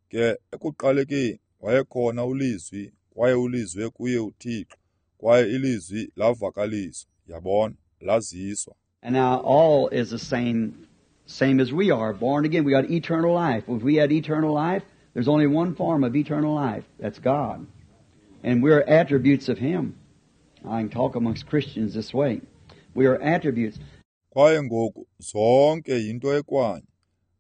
Ke ekuqalekeni wayekhona uLizwi, kwaye uLizwi kuye uThixo, kwaye ilizwi lavakaliswa, yabona, laziswa. And now all is the same as we are, born again. We got eternal life. If we had eternal life, there's only one form of eternal life. That's God. And we're attributes of Him. I can talk amongst Christians this way. We are attributes. Kwaye ngoku zonke yinto ekwanye,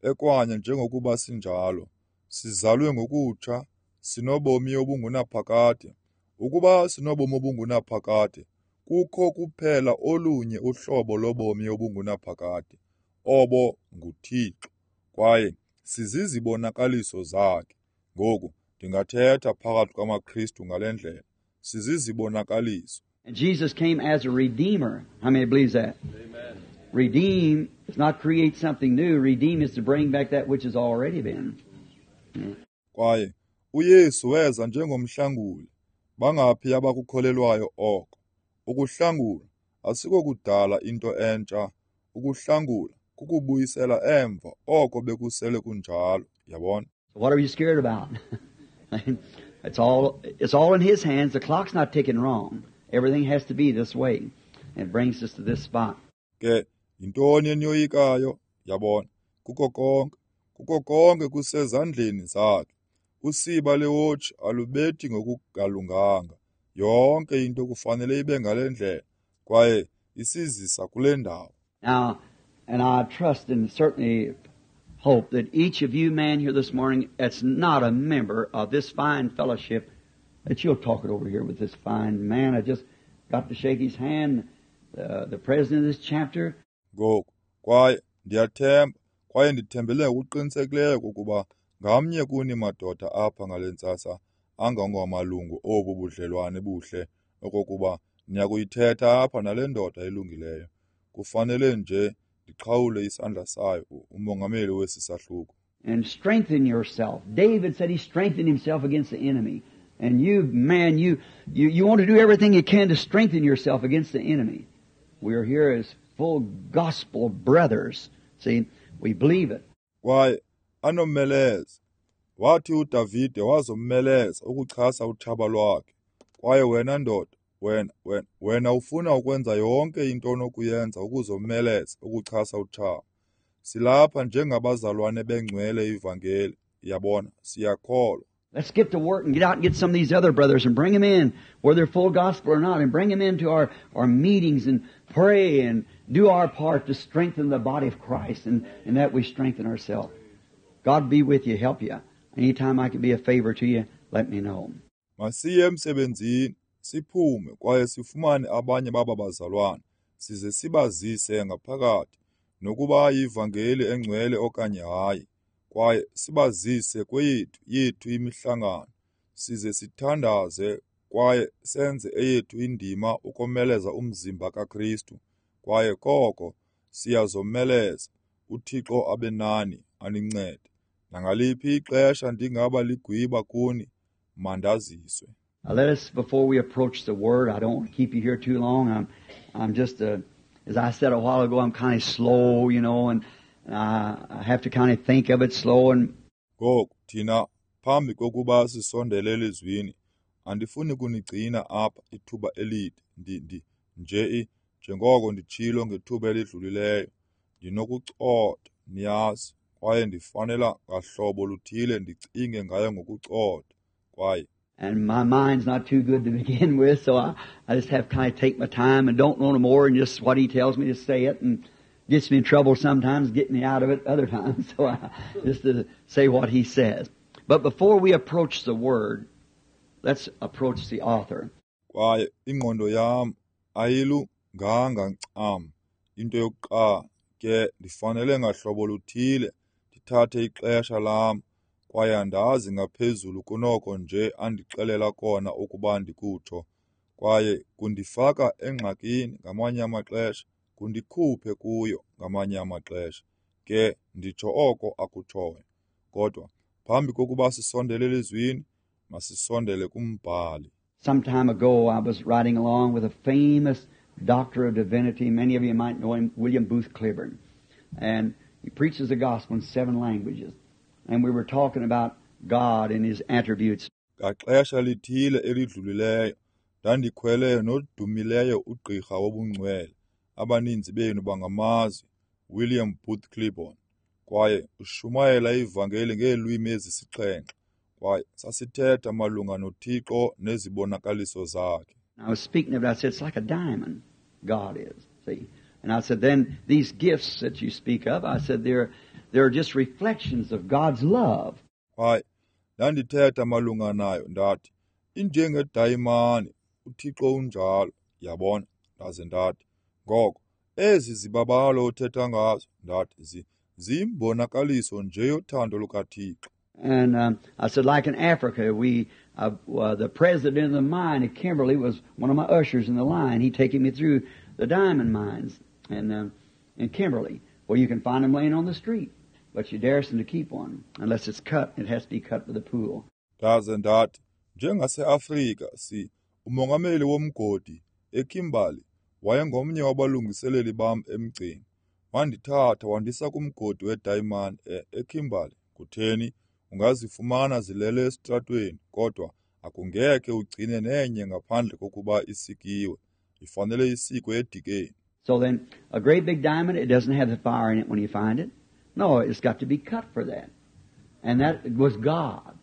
ekwanye njengokuba sinjalo. Sizalwe ngokutsha, sinobomi obungunaphakade. Ukuba sinobomi obungunaphakade, kukho kuphela olunye uhlobo lobomi obungunaphakade, obo nguThixo, kwaye sizizibonakaliso zakhe. Ngoku ndingathetha phakathi kwamaKristu ngale ndlela, sizizibonakaliso. And Jesus came as a redeemer. How many believes that? Amen. Redeem is not create something new. Redeem is to bring back that which has already been. Yeah. Kwaye uYesu weza njengomhlanguli. Bangaphi abakukholelwayo oko? Ukuhlangula asikokudala into entsha. Ukuhlangula kukubuyisela emva oko bekusele kunjalo, yabona? What are you scared about? It's all in His hands. The clock's not ticking wrong. Everything has to be this way. It brings us to this spot. Ke yintoni eniyoyikayo, yabona? Kuko konke kusezandleni zakhe. Usiba lewotshi alubethi ngokungalunganga. Yonke into kufanele ibe ngale ndlela, kwaye isizisa kule ndawo. Now, and I trust and certainly hope that each of you men here this morning that's not a member of this fine fellowship, that you'll talk it over here with this fine man. I just got to shake his hand, the president of this chapter. Ngoku, kwaye ndiyathemba, kwaye ndithembele ngokuqinisekileyo ukuba ngamnye kuni madoda apha ngale ntsasa angangamalungu obu budlelwane buhle okokuba niyakuyithetha apha nale ndoda ilungileyo. Kufanele nje ndiqhawule isandla sayo, umongameli wesi sahluko. And strengthen yourself. David said he strengthened himself against the enemy. And you, man, you want to do everything you can to strengthen yourself against the enemy. We are here as full gospel brothers. See, we believe it. Kwaye anomeleza. Wathi uDavide wazomeleza ukuchasa utshaba lwakhe. Kwaye wena ndoda, wena ufuna ukwenza yonke into onokuyenza ukuzomeleza ukuchasa utshaba. Silapha njengabazalwane bengcwele ivangeli. Yabona, siyakholwa. Let's get to work and get out and get some of these other brothers and bring them in, whether they're full gospel or not, and bring them into our meetings and pray and do our part to strengthen the body of Christ, and that we strengthen ourselves. God be with you, help you. Anytime I can be a favor to you, let me know. Masiye emsebenzini, siphume kwaye sifumane abanye baba bazalwane, size sibazise ngaphakathi, nokuba yivangeli engcwele okanye hayi. Kwaye sibazise kweyethu yethu imihlangano, size sithandaze kwaye senze eyethu indima ukomeleza umzimba kaKristu. Kwaye koko siyazomeleza. uThixo abe nani, anincede. Nangaliphi ixesha ndingaba ligwiba kuni, mandaziswe. Let us, before we approach the Word, I don't want to keep you here too long. I'm just, as I said a while ago, I'm kind of slow, you know, and I have to kind of think of it slow. And ngoku thina phambi kokuba sisondele elizwini, andifuni kunigcina apha ithuba elide. Nje njengoko nditshilo ngethuba elidlulileyo, ndinokucotha, niyazi, kwaye ndifanela ngahlobo luthile ndicinge ngayo ngokucotha. Kwaye and my mind's not too good to begin with, so I just have to kind of take my time and don't know no more, and just what he tells me to say it, and gets me in trouble sometimes, getting me out of it other times. So I just to say what he says. But before we approach the Word, let's approach the author. Kwaye ingqondo yam ayilunganga ncam. Into yokuqala ke ndifanele ngahlobo luthile ndithathe ixesha lam, kwaye andazi ngaphezulu kunoko nje andixelela kona ukuba ndikutsho. Kwaye kundifaka engxakini ngamanye amaxesha, kundikhuphe kuyo ngamanye amaxesha. Ke nditsho oko akutshoyo. Kodwa phambi kokuba sisondele elizwini, masisondele kumbhali. Some time ago I was riding along with a famous doctor of divinity. Many of you might know him, William Booth Clibborn. And he preaches the gospel in 7 languages. And we were talking about God and His attributes. Ngaxesha lithile elidlulileyo, ndandikhwele nodumileyo ugqirha wobungcwele. Abaninzi benu bangamazi, William Booth Clibborn. Kwaye ushumayela ivangeli ngeelwimi ezisixhenxe. Kwaye sasithetha malunga noThixo nezibonakaliso zakhe. I was speaking of it, I said, it's like a diamond, God is. See? And I said, then these gifts that you speak of, I said, they're just reflections of God's love. Kwaye ndandithetha malunga nayo, ndathi, injengedayimani, uThixo unjalo, yabona. Ndaze ndathi, ngoko ezi zibabalo othetha ngazo, ndathi, ziyimbonakaliso nje yothando lukaThixo. And I said, like in Africa, the president of the mine at Kimberley was one of my ushers in the line. He taking me through the diamond mines in Kimberley. Well, you can find them laying on the street, but you dare to keep one unless it's cut. It has to be cut with a pool. Ndaze ndathi, njengaseAfrika, umongameli womgodi eKimberley wayengomnye wabalungiseleli bam emgceni. Wandithatha wandisa kumgodi wedayimani eKimberley. Kutheni? Ungazifumana zilele esitratweni, kodwa akungekhe ugcine nenye ngaphandle kokuba isikiwe. Ifanele isikwe edikeni. So then, a great big diamond, it doesn't have the fire in it when you find it. No, it's got to be cut for that. And that was God.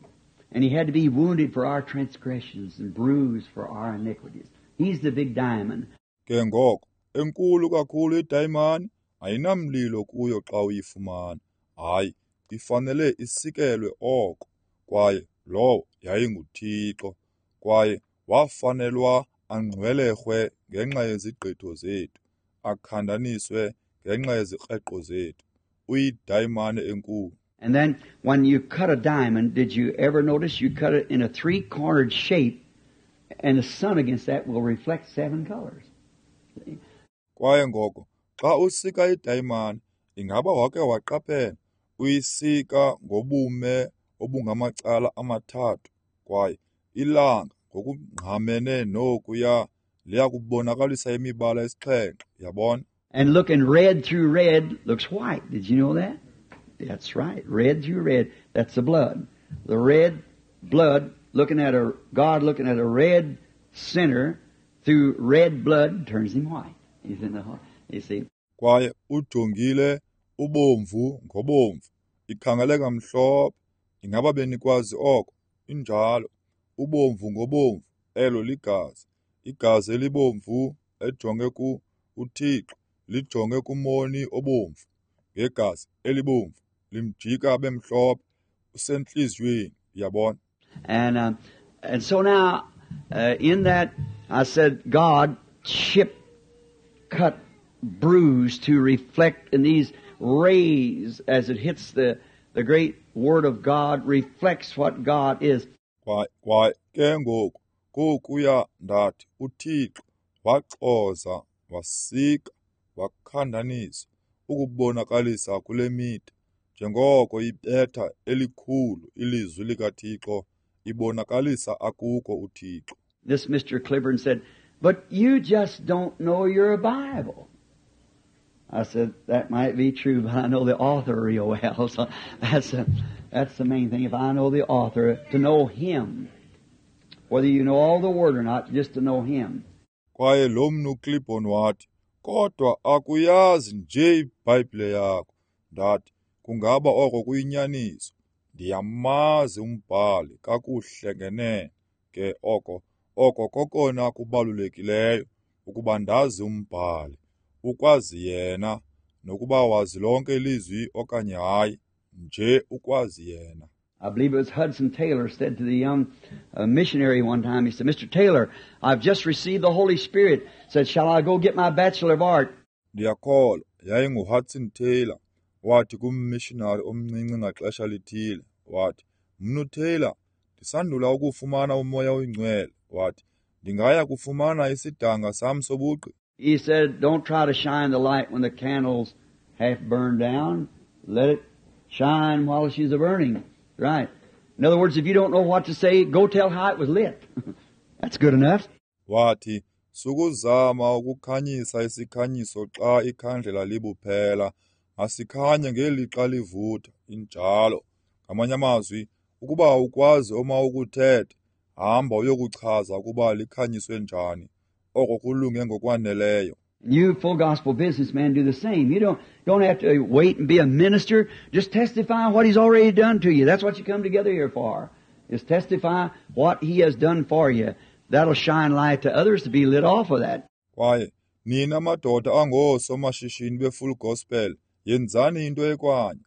And He had to be wounded for our transgressions and bruised for our iniquities. He's the big diamond. Ke ngoko, enkulu kakhulu idayimani ayinamlilo kuyo xa uyifumana. Hayi, Ifanele isikelwe oko, kwaye lowo yayinguThixo, kwaye wafanelwa angxwelerhwe ngenxa yezigqitho zethu, akhandaniswe ngenxa yezikreqo zethu. Uyidayimane enkulu. And then when you cut a diamond, did you ever notice you cut it in a three-cornered shape, and the sun against that will reflect 7 colors? See? Kwaye ngoko, xa usika idayimane, ingaba wake waqaphela, uyisika ngobume obungamacala amathathu, kwaye ilanga ngokungqamene nokuya liyakubonakalisa imibala esixhenxe, yabona? And looking red through red looks white. Did you know that? That's right. Red through red. That's the blood. The red blood looking at a God looking at a red sinner through red blood turns him white. He's in the you see. Kwaye ujongile ubomvu ngobomvu. Ikhangeleka mhlophe. Ingaba benikwazi oko? Injalo. Ubomvu ngobomvu. Elo ligazi. Igazi elibomvu ejonge ku uThixo lijonge kumoni obomvu. Ngegazi elibomvu limjika bemhlophe usentliziyweni, uyabona. And so now in that I said God chipped, cut, bruised to reflect in these rays as it hits the great Word of God reflects what God is. Kwaye ke ngoku kokuya ndathi uThixo waxoza, wasika, wakhandanisa ukubonakalisa kule mida njengoko ibetha elikhulu ilizwi likaThixo ibonakalisa akuko uThixo. This Mr. Cliburn said, "But you just don't know your Bible." I said, "That might be true, but I know the author real well." So that's the main thing. If I know the author, to know him, whether you know all the word or not, just to know him. Kwaye lo mnu Cliburn wathi, "Kodwa akuyazi nje iBhayibhile yakho." Ndathi, "Kungaba oko kuyinyaniso. Ndiyamazi umbhali kakuhle ngenene. Ke oko kokona kubalulekileyo, ukuba ndazi umbhali, ukwazi yena, nokuba wazi lonke ilizwi okanye hayi, nje ukwazi yena." I believe it was Hudson Taylor said to the young missionary one time, he said, "Mr. Taylor, I've just received the Holy Spirit." He said, "Shall I go get my Bachelor of Art?" Ndiyakholwa yayinguHudson Taylor wathi kummissionary omncinci ngaxesha lithile, wathi, "Mnu Taylor, ndisandula ukufumana uMoya oyiNgcwele." Wathi, "Ndingaya kufumana isidanga sam sobugqi." He said, "Don't try to shine the light when the candle's half burned down. Let it shine while she's a-burning." Right. In other words, if you don't know what to say, go tell how it was lit. That's good enough. Wathi, "Sukuzama ukukhanyisa isikhanyiso xa ikhandlela libuphela. Asikhanye ngelixa livutha." Injalo. Ngamanye amazwi, ukuba awukwazi omawukuthethe, hamba uyokuchaza ukuba likhanyiswe njani. Oko kulunge ngokwaneleyo. You full gospel businessmen do the same. You don't have to wait and be a minister. Just testify what he's already done to you. That's what you come together here for, is testify what he has done for you. That'll shine light to others to be lit off of that. Kwaye nina madoda angoosomashishini be-full gospel, yenzani into ekwanye.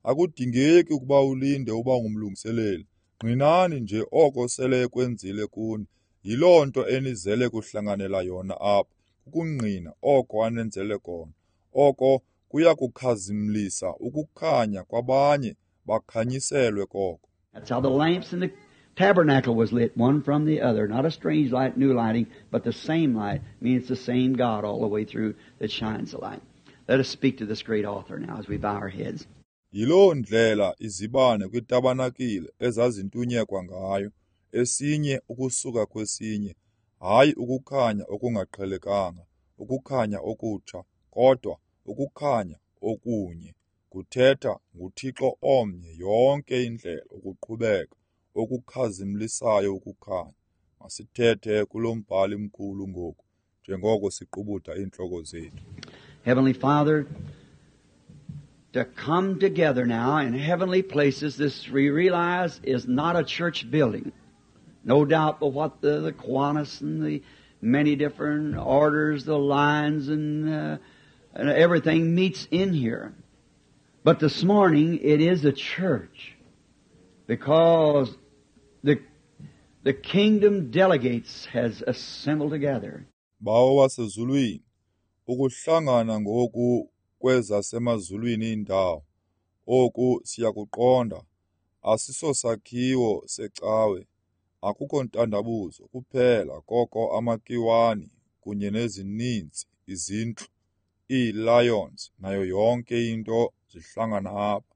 Akudingeki ukuba ulinde uba ngumlungiseleli. Ngqinani nje oko sele ekwenzile kuni. Yiloo nto enizele kuhlanganela yona apha, ukungqina oko anenzele kona. Oko kuyakukhazimlisa ukukhanya kwabanye bakhanyiselwe koko. That's how the lamps in the tabernacle was lit, one from the other. Not a strange light, new lighting, but the same light. I mean, it's the same God all the way through that shines the light. Let us speak to this great author now as we bow our heads. Yiloo ndlela izibane kwitabanakile ezazintunyekwa ngayo, esinye ukusuka kwesinye, hayi ukukhanya okungaqhelekanga, ukukhanya okutsha, kodwa ukukhanya okunye. Kuthetha nguThixo omnye yonke indlela ukuqhubeka, okukhazimlisayo ukukhanya. Masithethe kulo mbhali mkhulu ngoku, njengoko siqubuda iintloko zethu. Heavenly Father, to come together now in heavenly places, this we realize is not a church building. No doubt but what the Kiwanis and the many different orders, the lines and everything meets in here. But this morning it is a church because the kingdom delegates has assembled together. Bawo wasezulwini, ukuhlangana ngoku kwezasemazulwini indawo, oku siyakuqonda, asisosakhiwo secawe, akukho ntandabuzo kuphela koko amakiwani kunye nezininzi izintlu, ii-lions nayo yonke into zihlangana apha.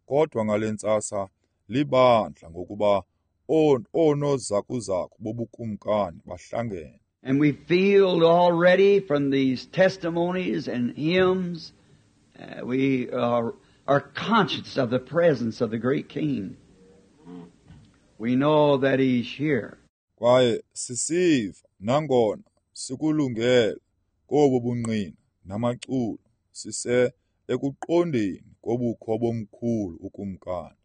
Kodwa ngale ntsasa libandla ngokuba oonozakuzaku bobukumkani bahlangene. And we feel already from these testimonies and hymns, we are conscious of the presence of the great King. We know that He's here. Kwaye sisiva nangona sikulungele kobu bungqina namaculo sise ekuqondeni kobukho bomkhulu ukumkani.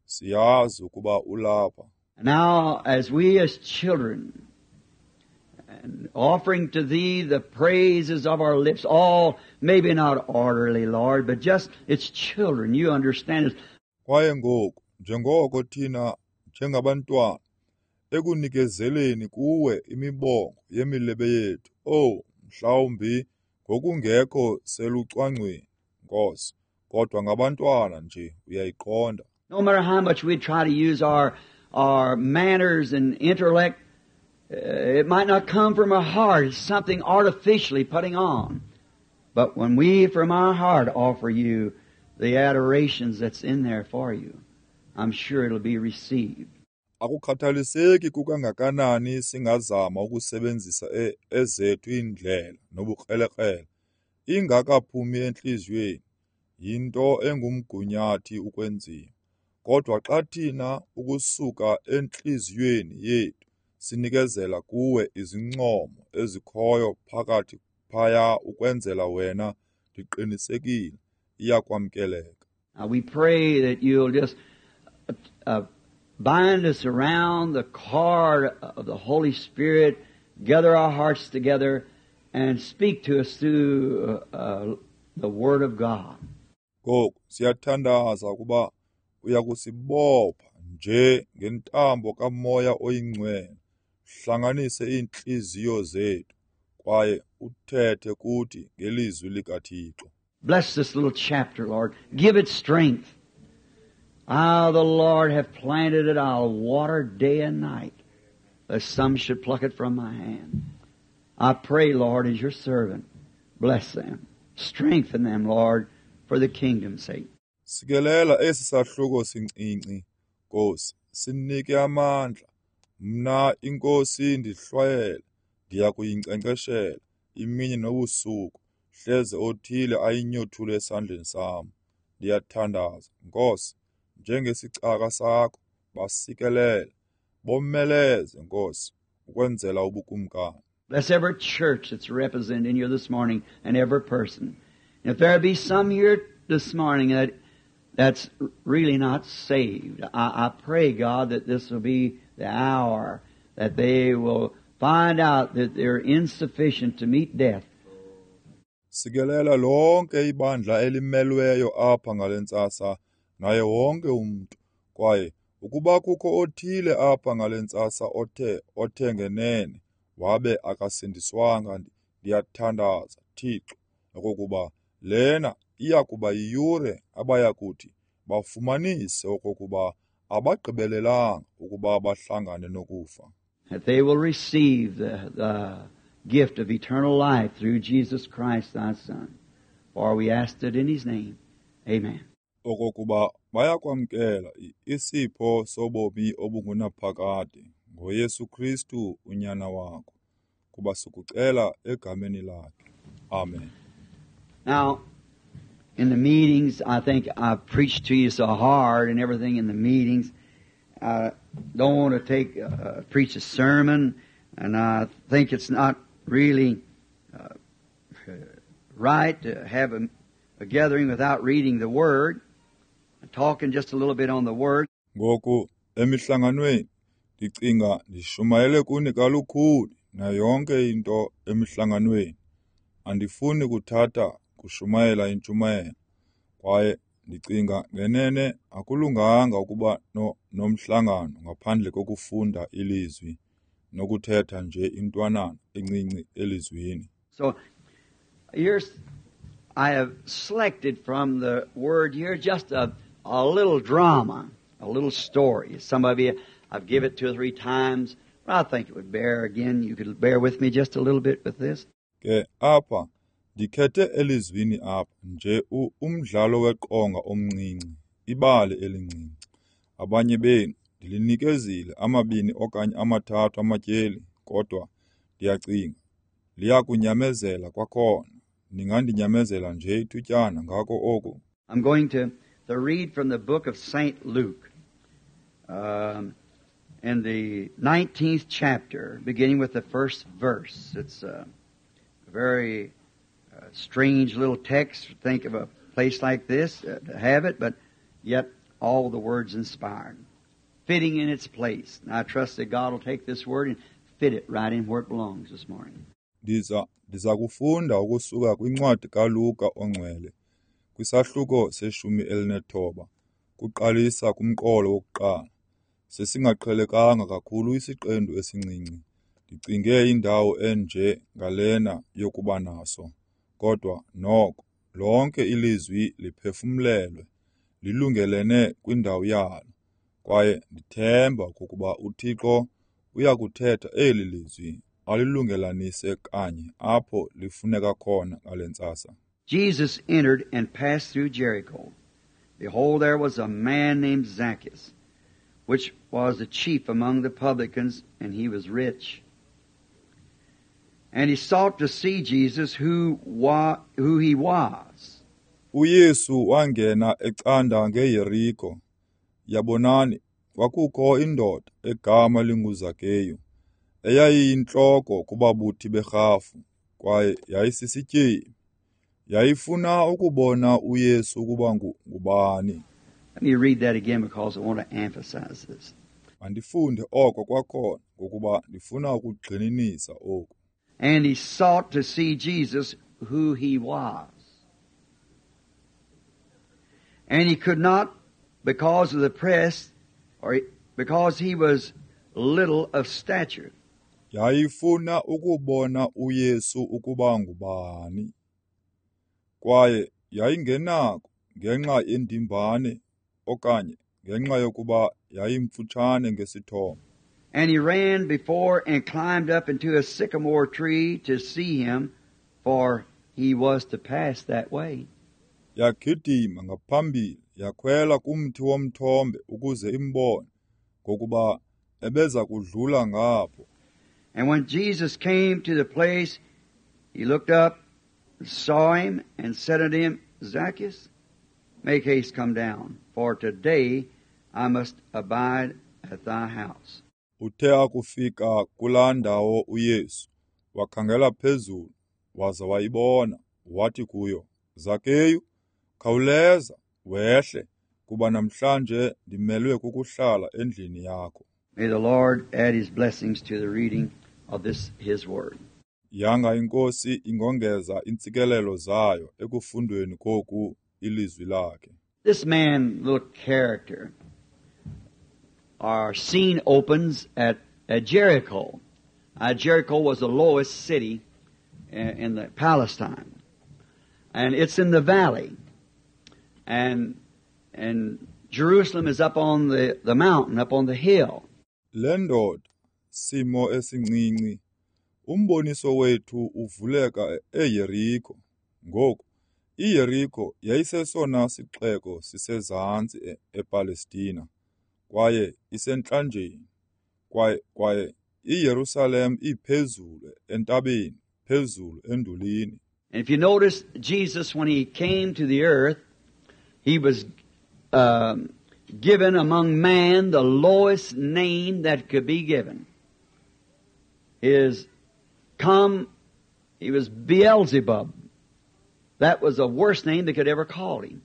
Siyazi ukuba ulapha. Now, as we as children, and offering to Thee the praises of our lips, all maybe not orderly, Lord, but just it's children, you understand it. Kwaye ngoku, njengoko thina njengabantwana, ekunikezeleni kuwe imibongo yemilebe yethu, oh, mhlawumbi ngokungekho selucwangcweni, Nkosi, kodwa ngabantwana nje uyayiqonda. No matter how much we try to use our manners and intellect, it might not come from our heart. It's something artificially putting on. But when we from our heart offer you the adorations that's in there for you, I'm sure it'll be received. Akukhathaliseki kukangakanani singazama ukusebenzisa ezethu iindlela nobukrelekrele, ingakaphumi entliziyweni, yinto engumgunyathi ukwenziwa. Kodwa xa thina ukusuka entliziyweni yethu sinikezela kuwe izincomo ezikhoyo phakathi phaya ukwenzela wena, ndiqinisekile iyakwamkeleka. Now we pray that you'll just bind us around the cord of the Holy Spirit, gather our hearts together, and speak to us through the Word of God. Ngoku siyathandaza ukuba uyakusibopha nje ngentambo kaMoya oyiNgcwele, hlanganise iintliziyo zethu kwaye uthethe kuthi ngelizwi likaThixo. Bless this little chapter, Lord. Give it strength. I, the Lord, have planted it. I'll water day and night, lest some should pluck it from my hand. I pray, Lord, as your servant, bless them. Strengthen them, Lord, for the kingdom's sake. Sikelela esi sahluko sincinci, Nkosi, sinike amandla. Mna iNkosi ndihlwayele, ndiya kuyinkcenkceshela imini nobusuku, hleze othile ayinyothule esandleni sam. Ndiyathandaza, Nkosi, njengesicaka sakho, basikelele, bomeleze, Nkosi, ukwenzela ubukumkani. Bless every church that's represented in here this morning and every person. And if there be some here this morning that's really not saved, I pray, God, that this will be the hour that they will find out that they're insufficient to meet death. Sikelela lonke ibandla elimelweyo apha ngale ntsasa naye wonke umntu. Kwaye ukuba kukho othile apha ngale ntsasa othe ngenene wabe akasindiswanga, ndiyathandaza, Thixo, okokuba lena iyakuba yiyure abayakuthi bafumanise okokuba abagqibelelanga ukuba bahlangane nokufa. That they will receive the gift of eternal life through Jesus Christ thy Son. For we asked it in His name. Amen. Okokuba bayakwamkela isipho sobomi obungunaphakade ngoYesu Kristu unyana wakho, kuba sikucela egameni lakhe. Amen. Now, in the meetings, I think I've preached to you so hard and everything in the meetings. I don't want to preach a sermon, and I think it's not really right to have a gathering without reading the Word, and talking just a little bit on the Word. Ngoku emihlanganweni ndicinga ndishumayele kuni kalukhuni nayo yonke into emihlanganweni. Andifuni kuthatha kushumayela intshumayelo, kwaye Ndicinga ngenene akulunganga ukuba nomhlangano ngaphandle kokufunda iLizwi nokuthetha nje intwanana encinci eLizwini. So here's I have selected from the Word here just a little drama, a little story. Some of you, I've given it 2 or 3 times, but I think it would bear again. You could bear with me just a little bit with this. Ke apha ndikhethe elizwini apha nje umdlalo weqonga omncinci, ibali elincinci. Abanye benu ndilinikezile 2 okanye 3 amatyeli, kodwa ndiyacinga liyakunyamezela kwakhona. Ningandinyamezela nje ithutyana ngako oku. I'm going to read from the book of St. Luke, in the 19th chapter, beginning with the first verse. It's a very strange little text to think of a place like this to have it, but yet all the words inspired, fitting in its place. And I trust that God will take this word and fit it right in where it belongs this morning. Ndiza kufunda ukusuka kwincwadi kaLuka ongcwele kwisahluko se-19 kuqalisa kumqolo wokuqala. Sesingaqhelekanga kakhulu isiqendu esincinci. Ndicinge indawo enje ngalena yokuba naso, kodwa noko lonke ilizwi liphefumlelwe, lilungelene kwindawo yalo. Kwaye ndithemba ukuba uThixo uyakuthetha eli lizwi alilungelanise kanye apho lifuneka khona ngale ntsasa. Jesus entered and passed through Jericho. Behold, there was a man named Zacchaeus, which was the chief among the publicans, and he was rich. And he sought to see Jesus, who he was. uYesu wangena ecanda ngeYeriko. Yabonani, kwakukho indoda egama linguZakeyu, eyayiyintloko kubabuthi berhafu, kwaye yayisisityebi. Yayifuna ukubona uYesu ukuba ngubani. Let me read that again because I want to emphasize this. Mandifunde oko kwakhona ngokuba ndifuna ukugxininisa oku. And he sought to see Jesus, who he was. And he could not because of the press, or because he was little of stature. Yayifuna ukubona uYesu ukuba ngubani. Kwaye yayingenako ngenxa yendimbane okanye ngenxa yokuba yayimfutshane ngesithomo. And he ran before and climbed up into a sycamore tree to see him, for he was to pass that way. Yagidima ngaphambili yakhwela kumthi womthombe ukuze imbone, ngokuba ebeza kudlula ngapho. And when Jesus came to the place, he looked up, saw him, and said unto him, Zacchaeus, make haste, come down, for today I must abide at thy house. Uthe akufika kulaa ndawo uYesu, wakhangela phezulu, waza wayibona, wathi kuyo, Zakeyu, khawuleza, wehle, kuba namhlanje ndimelwe kukuhlala endlini yakho. May the Lord add his blessings to the reading of this his word. Yanga iNkosi ingongeza intsikelelo zayo ekufundweni koku ilizwi lakhe. This man, little character, our scene opens at Jericho. Jericho was the lowest city in the Palestine. And it's in the valley. And Jerusalem is up on the mountain, up on the hill. Le ndoda, simo esincinci, umboniso wethu uvuleka eYeriko. Ngoku, iYeriko yayisesona sixeko sisezantsi ePalestina, kwaye isentlanjeni. Kwaye iYerusalem iphezulu entabeni, phezulu endulini. And if you notice, Jesus, when he came to the earth, he was given among man the lowest name that could be given. He was Beelzebub. That was the worst name they could ever call him.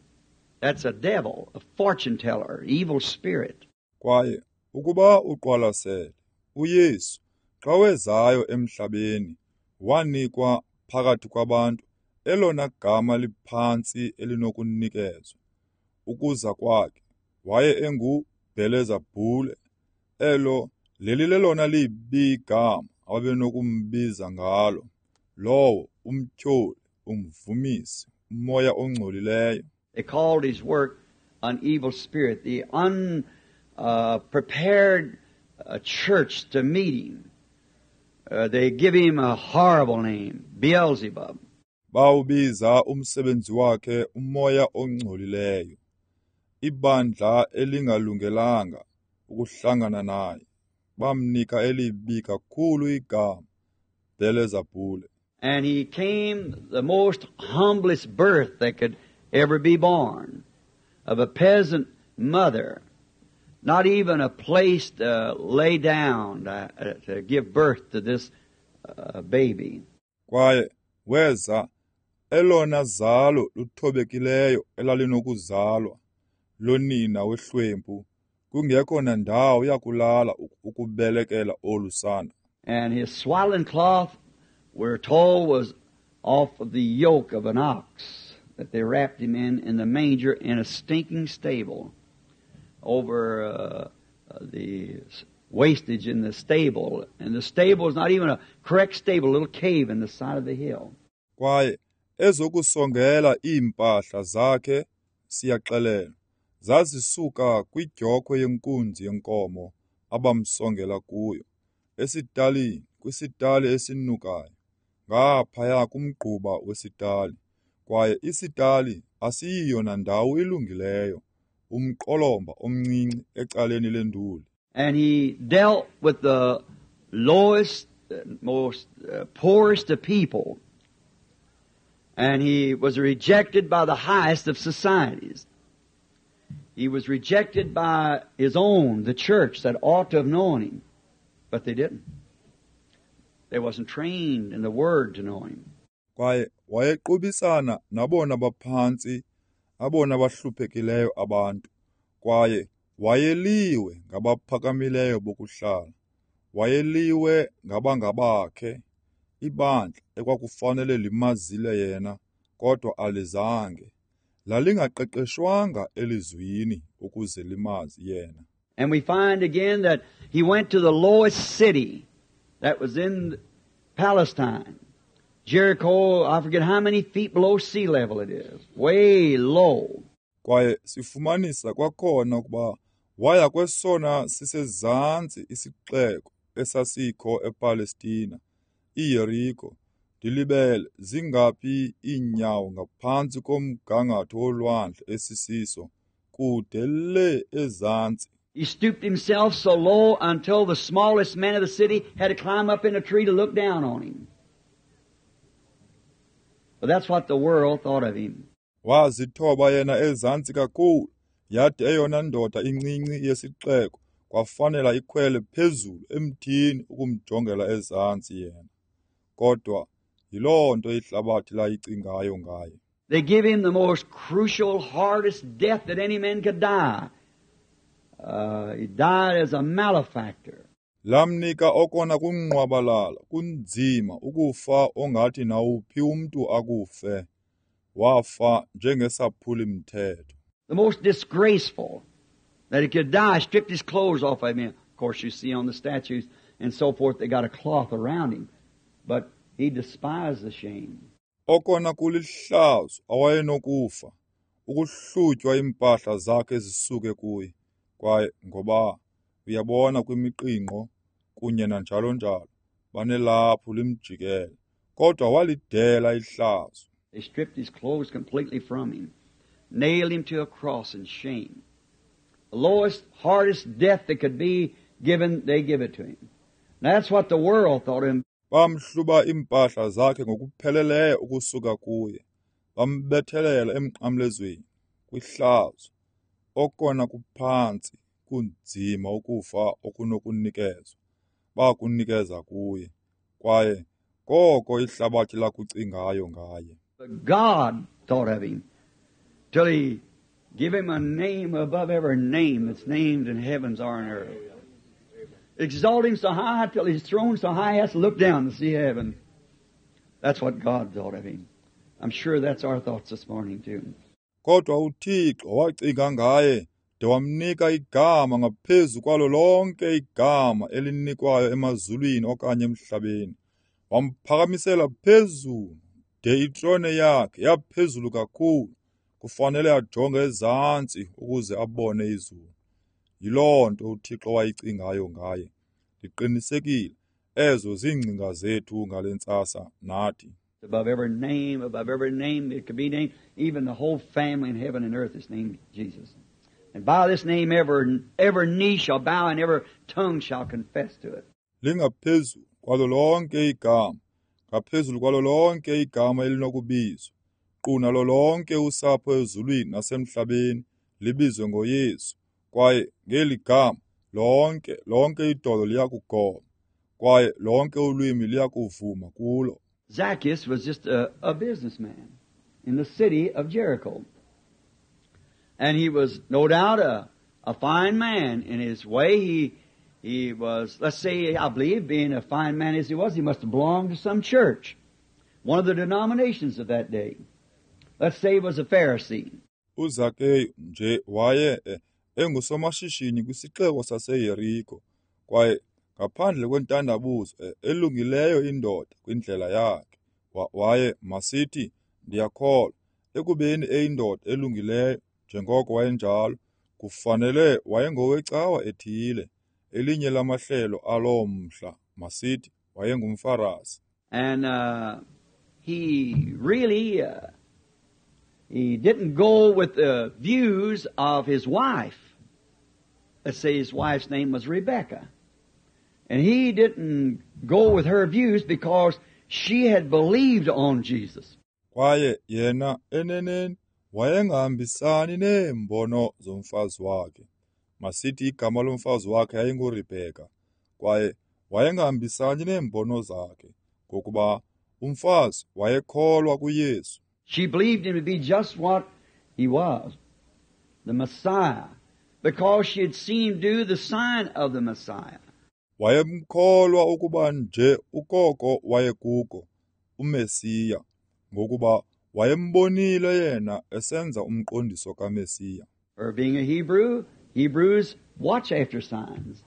That's a devil, a fortune teller, evil spirit. Kwaye ukuba uqwalasele, uYesu xa wezayo emhlabeni wanikwa phakathi kwabantu elona gama liphantsi elinokunikezwa. Ukuza kwakhe waye enguBhelezabhule, elo lelilelona libi igama ababenokumbiza ngalo, lowo umtyholi, umvumisi, umoya ongcolileyo. They called his work an evil spirit, the unprepared church to meet him. They give him a horrible name, Beelzebub. Bawubiza umsebenzi wakhe umoya ongcolileyo, ibandla elingalungelanga ukuhlangana naye. Bamnika elibi kakhulu igama, Bhelezabhule. And he came the most humblest birth that could ever be born, of a peasant mother, not even a place to lay down to give birth to this baby. Kwaye weza elona zalo luthobekileyo elalinokuzalwa lonina wehlwempu, kungekho nandawo yakulala ukubelekela olu sana. And his swaddling cloth, we're told, was off of the yoke of an ox that they wrapped him in the manger in a stinking stable, over the wastage in the stable. And the stable is not even a correct stable, a little cave in the side of the hill. Kwaye ezokusongela iimpahla zakhe, siyaxelelwa, zazisuka kwidyokhwe yenkunzi yenkomo abamsongela kuyo, esitalini, kwisitali esinukayo, ngaphaya kumgquba wesitali. Kwaye isitali asiyiyo nandawo ilungileyo, umqolomba omncinci ecaleni lenduli. And he dealt with the lowest, most poorest of people. And he was rejected by the highest of societies. He was rejected by his own, the church that ought to have known him. But they didn't. They wasn't trained in the Word to know him. Kwaye wayequbisana nabona baphantsi, abona bahluphekileyo abantu. Kwaye wayeliwe ngabaphakamileyo bokuhlala. Wayeliwe ngabangabakhe, ibandla ekwakufanele limazile yena, kodwa alizange. Lalingaqeqeshwanga elizwini ukuze limazi yena. And we find again that he went to the lowest city that was in Palestine. Jericho, I forget how many feet below sea level it is. Way low. Kwaye sifumanisa kwakhona ukuba waya kwesona sisezantsi isixeko esasikho ePalestina, iYeriko. Ndilibele zingaphi iinyawo ngaphantsi komgangatho wolwandle esisiso, kude le ezantsi. He stooped himself so low until the smallest man of the city had to climb up in a tree to look down on him. But that's what the world thought of him. Wazithoba yena ezantsi kakhulu, yade eyona ndoda incinci yesixeko kwafanela ikhwele phezulu emthini ukumjongela ezantsi yena. Kodwa yiloo nto ihlabathi layicingayo ngaye. They give him the most crucial, hardest death that any man could die. He died as a malefactor. Lamnika okona kunqwabalala, kunzima ukufa ongathi nawuphi umntu akufe. Wafa njengesaphuli-mthetho. The most disgraceful that he could die, stripped his clothes off of him. Of course, you see on the statues and so forth, they got a cloth around him. But he despised the shame. Okona kulihlazo awayenokufa, ukuhlutywa iimpahla zakhe zisuke kuye. Kwaye ngoba uyabona kwimiqingqo kunye nanjalo njalo, banelaphu limjikele, kodwa walidela ihlazo. They stripped his clothes completely from him, nailed him to a cross in shame. The lowest, hardest death that could be given, they give it to him. And that's what the world thought of him. Bamhluba iimpahla zakhe ngokupheleleyo ukusuka kuye, bambethelela emnqamlezweni kwihlazo. Okona kuphantsi kunzima ukufa okunokunikezwa, bakunikeza kuye. Kwaye koko ihlabathi lakucingayo ngaye. But God thought of him till he gave him a name above every name that's named in heavens or on earth. Exalt him so high till he's thrown so high he has to look down to see heaven. That's what God thought of him. I'm sure that's our thoughts this morning too. Kodwa uThixo wacinga ngaye de wamnika igama ngaphezu kwalo lonke igama elinikwayo emazulwini okanye emhlabeni. Wamphakamisela phezulu de itrone yakhe yaphezulu kakhulu, kufanele ajonge ezantsi ukuze abone izulu. Yiloo nto uThixo wayicingayo ngaye. Ndiqinisekile ezo ziingcinga zethu ngale ntsasa nathi. Above every name it could be named, even the whole family in heaven and earth is named Jesus. And by this name every knee shall bow and every tongue shall confess to it. Lingaphezulu kwalo lonke igama, ngaphezulu kwalo lonke igama elinokubizwa, nkqu nalo lonke usapho ezulwini nasemhlabeni libizwe ngoYesu. Kwaye ngeli gama lonke idolo liyakugoba, kwaye lonke ulwimi liyakuvuma kulo. Zacchaeus was just a businessman in the city of Jericho. And he was no doubt a fine man in his way. He was, let's say, I believe, being a fine man as he was, he must have belonged to some church, one of the denominations of that day. Let's say he was a Pharisee. UZakeyu nje waye engusomashishini kwisixeko saseYeriko, kwaye ngaphandle kwentandabuzo elungileyo indoda kwindlela yakhe. Waye masithi, ndiyakholwa, ekubeni eyindoda elungileyo njengoko wayenjalo, kufanele wayengowecawa ethile, elinye lamahlelo aloo mhla, masithi wayengumFarasi. And he really he didn't go with the views of his wife. Let's say his wife's name was Rebecca. And he didn't go with her views because she had believed on Jesus. Kwaye yena eneneni wayengahambisani neembono zomfazi wakhe. Masithi igama lomfazi wakhe yayinguRebheka, kwaye wayengahambisani neembono zakhe ngokuba umfazi wayekholwa kuYesu. She believed him to be just what he was, the Messiah, because she had seen him do the sign of the Messiah. Wayemkholwa ukuba nje ukoko wayekuko, uMesiya, ngokuba wayembonile yena esenza umqondiso kaMesiya. Or being a Hebrew, Hebrews watch after signs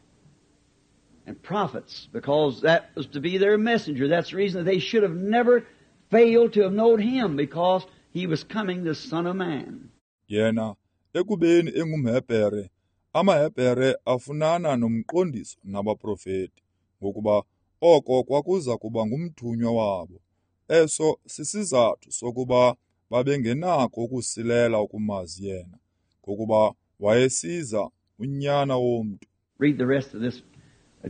and prophets, because that was to be their messenger. That's the reason that they should have never failed to have known him, because he was coming, the Son of Man. Yena ekubeni engumHebhere, amaHebhere afunana nomqondiso nabaprofeti, ngokuba oko kwakuza kuba ngumthunywa wabo. Eso sisizathu sokuba babengenako ukusilela ukumazi yena, ngokuba wayesiza unyana womntu. Read the rest of this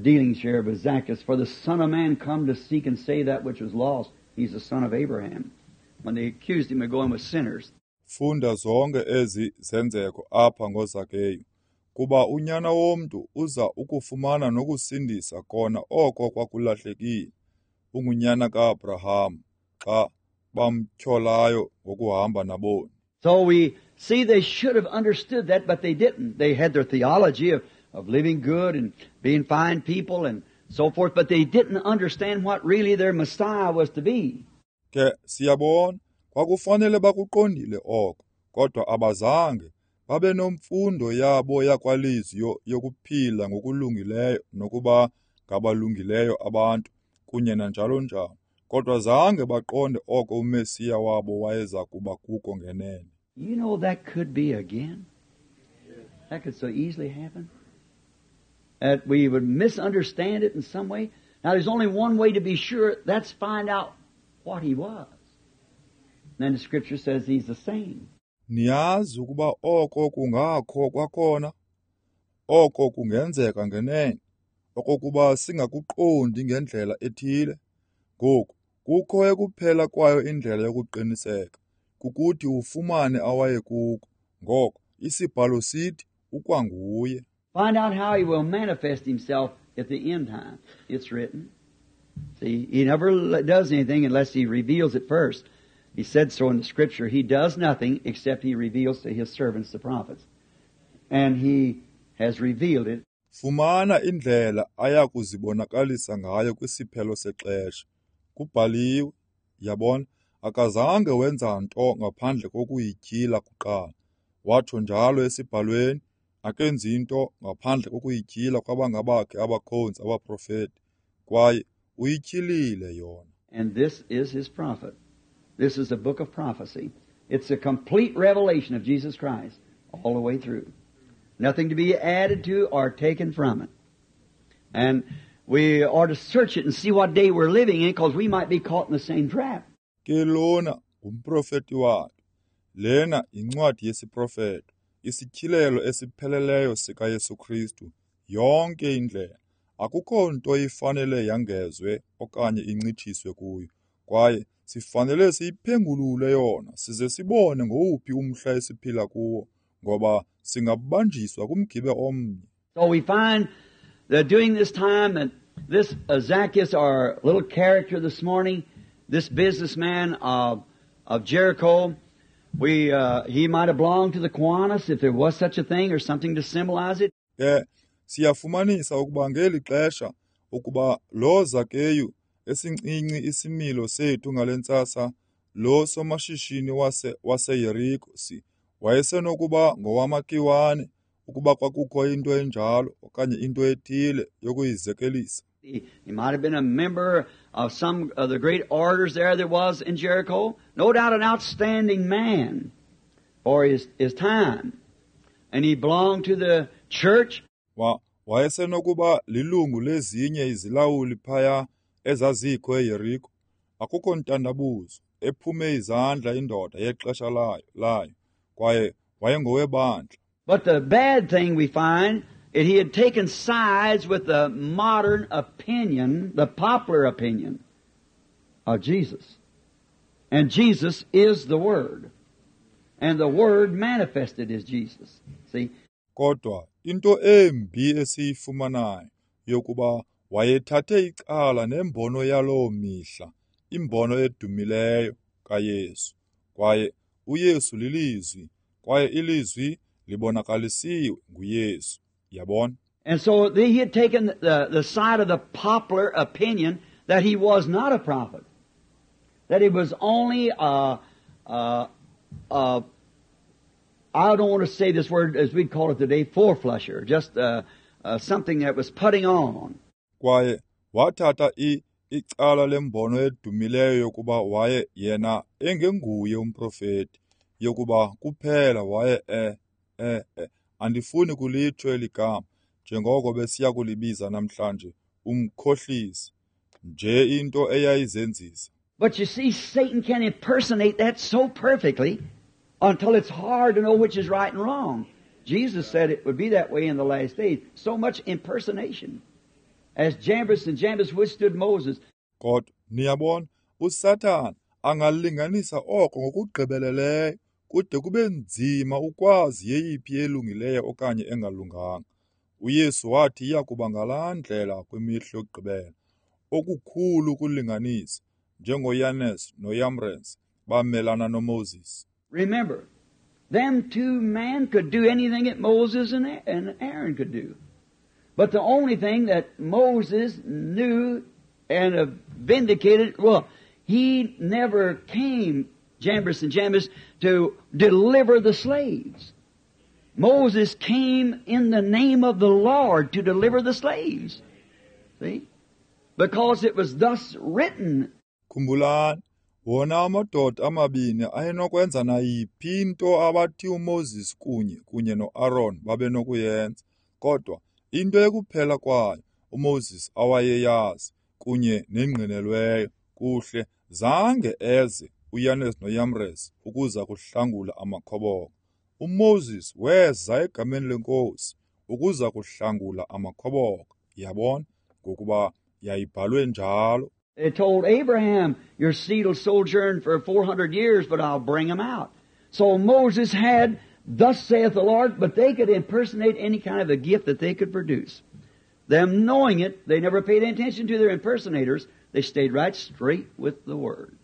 dealings here with Zacchaeus. For the Son of Man come to seek and save that which was lost. He's the son of Abraham. When they accused him of going with sinners. Funda zonke ezi zenzeko apha ngoZakeyu, kuba unyana womntu uza ukufumana nokusindisa kona oko kwakulahlekile. Ungunyana kaAbraham xa bamtyholayo ngokuhamba naboni. So we see they should have understood that, but they didn't. They had their theology of living good and being fine people and so forth, but they didn't understand what really their Messiah was to be. Ke siyabona kwakufanele bakuqondile oko, kodwa abazange babe nomfundo yabo yakwalizwi yokuphila ngokulungileyo nokuba ngabalungileyo abantu kunye nanjalo njalo, kodwa zange baqonde oko uMesiya wabo wayeza kuba kuko ngenene. You know that could be again. That could so easily happen. That we would misunderstand it in some way. Now there's only one way to be sure, that's find out what he was. And then the scripture says he's the same. Niyazi ukuba oko kungakho kwakhona, oko kungenzeka ngenene, okokuba singakuqondi ngendlela ethile. Ngoku kukho ekuphela kwayo indlela yokuqiniseka, kukuthi ufumane awayekuko. Ngoko isibhalo sithi ukwanguye. Find out how he will manifest himself at the end time. It's written. See, he never does anything unless he reveals it first. He said so in the scripture. He does nothing except he reveals to his servants, the prophets. And he has revealed it. Fumana indlela ayakuzibonakalisa ngayo kwisiphelo sexesha. Kubhaliwe, yabona, Akazange wenza nto ngaphandle kokuyityhila kuqala. Watsho njalo esibhalweni, akenzi nto ngaphandle kokuyityhila kwabangabakhe abakhonzi abaprofeti, kwaye uyityhilile yona. And this is his prophet. This is a book of prophecy. It's a complete revelation of Jesus Christ all the way through. Nothing to be added to or taken from it. And we are to search it and see what day we're living in, because we might be caught in the same trap. Ke lona ngumprofeti wakhe. Lena yincwadi yesiprofeto, isityhilelo esipheleleyo sikaYesu Kristu, yonke indlela. Akukho nto ifanele yangezwe okanye incitshiswe kuyo, kwaye sifanele siyiphengulule yona size sibone ngowuphi umhla esiphila kuwo, ngoba singabanjiswa kumgibe omnye. So we find that during this time that this Zacchaeus, our little character this morning, this businessman of Jericho, he might have belonged to the Kiwanis if there was such a thing or something to symbolize it. Ke siyafumanisa ukuba ngeli xesha ukuba lo Zakeyu esincinci isimilo sethu ngale ntsasa, lo somashishini waseYeriko wayesenokuba ngowamaKiwane ukuba kwakukho into enjalo okanye into ethile yokuyizekelisa. He might have been a member of some of the great orders there was in Jericho. No doubt an outstanding man for his time. And he belonged to the church. Wayesenokuba lilungu lezinye izilawuli phaya ezazikho eYeriko. Akukho ntandabuzo, ephume izandla indoda yexesha layo, kwaye wayengowebandla. But the bad thing we find that he had taken sides with the modern opinion, the popular opinion of Jesus. And Jesus is the Word. And the Word manifested as Jesus. See? Kodwa into embi esiyifumanayo yokuba wayethathe icala nembono yaloo mihla, imbono edumileyo kaYesu. Kwaye uYesu lilizwi, kwaye ilizwi libonakalisiwe nguYesu. Yabona? And so he had taken the side of the popular opinion that he was not a prophet, that he was only I don't want to say this word as we'd call it today, four-flusher, just something that was putting on. Kwaye wathatha icala lembono edumileyo yokuba waye yena engenguye umprofeti, yokuba kuphela waye andifuni kulitsho eli gama njengoko besiya kulibiza namhlanje, umkhohlisi, nje into eyayizenzisa. But you see, Satan can impersonate that so perfectly until it's hard to know which is right and wrong. Jesus said it would be that way in the last days. So much impersonation. As Jambres and Jambres withstood Moses. Kodwa niyabona, uSathana angalinganisa oko ngokugqibeleleyo kude kube nzima ukwazi yeyiphi elungileyo okanye engalunganga. uYesu wathi iya kuba ngalaa ndlela kwimihla yokugqibela. Okukhulu ukulinganisa, njengoYanes noYambres bamelana noMoses. Remember, them two men could do anything that Moses and Aaron could do. But the only thing that Moses knew and vindicated, well, he never came, Jambres and Jambres, to deliver the slaves. Moses came in the name of the Lord to deliver the slaves. See? Because it was thus written. Khumbulani, wona amadoda amabini ayenokwenza nayiphi into abathi uMoses kunye noAaron babenokuyenza. Kodwa into ekuphela kwayo uMoses awayeyazi kunye nengqinelweyo kuhle zange eze uYanes noYambres ukuza kuhlangula amakhoboka. uMoses weza egameni leNkosi ukuza kuhlangula amakhoboka. Yabona, ngokuba yayibhalwe njalo. It told Abraham, your seed will sojourn for 400 years, but I'll bring them out. So Moses had, thus saith the Lord, but they could impersonate any kind of a gift that they could produce. Them knowing it, they never paid attention to their impersonators. They stayed right straight with the Word.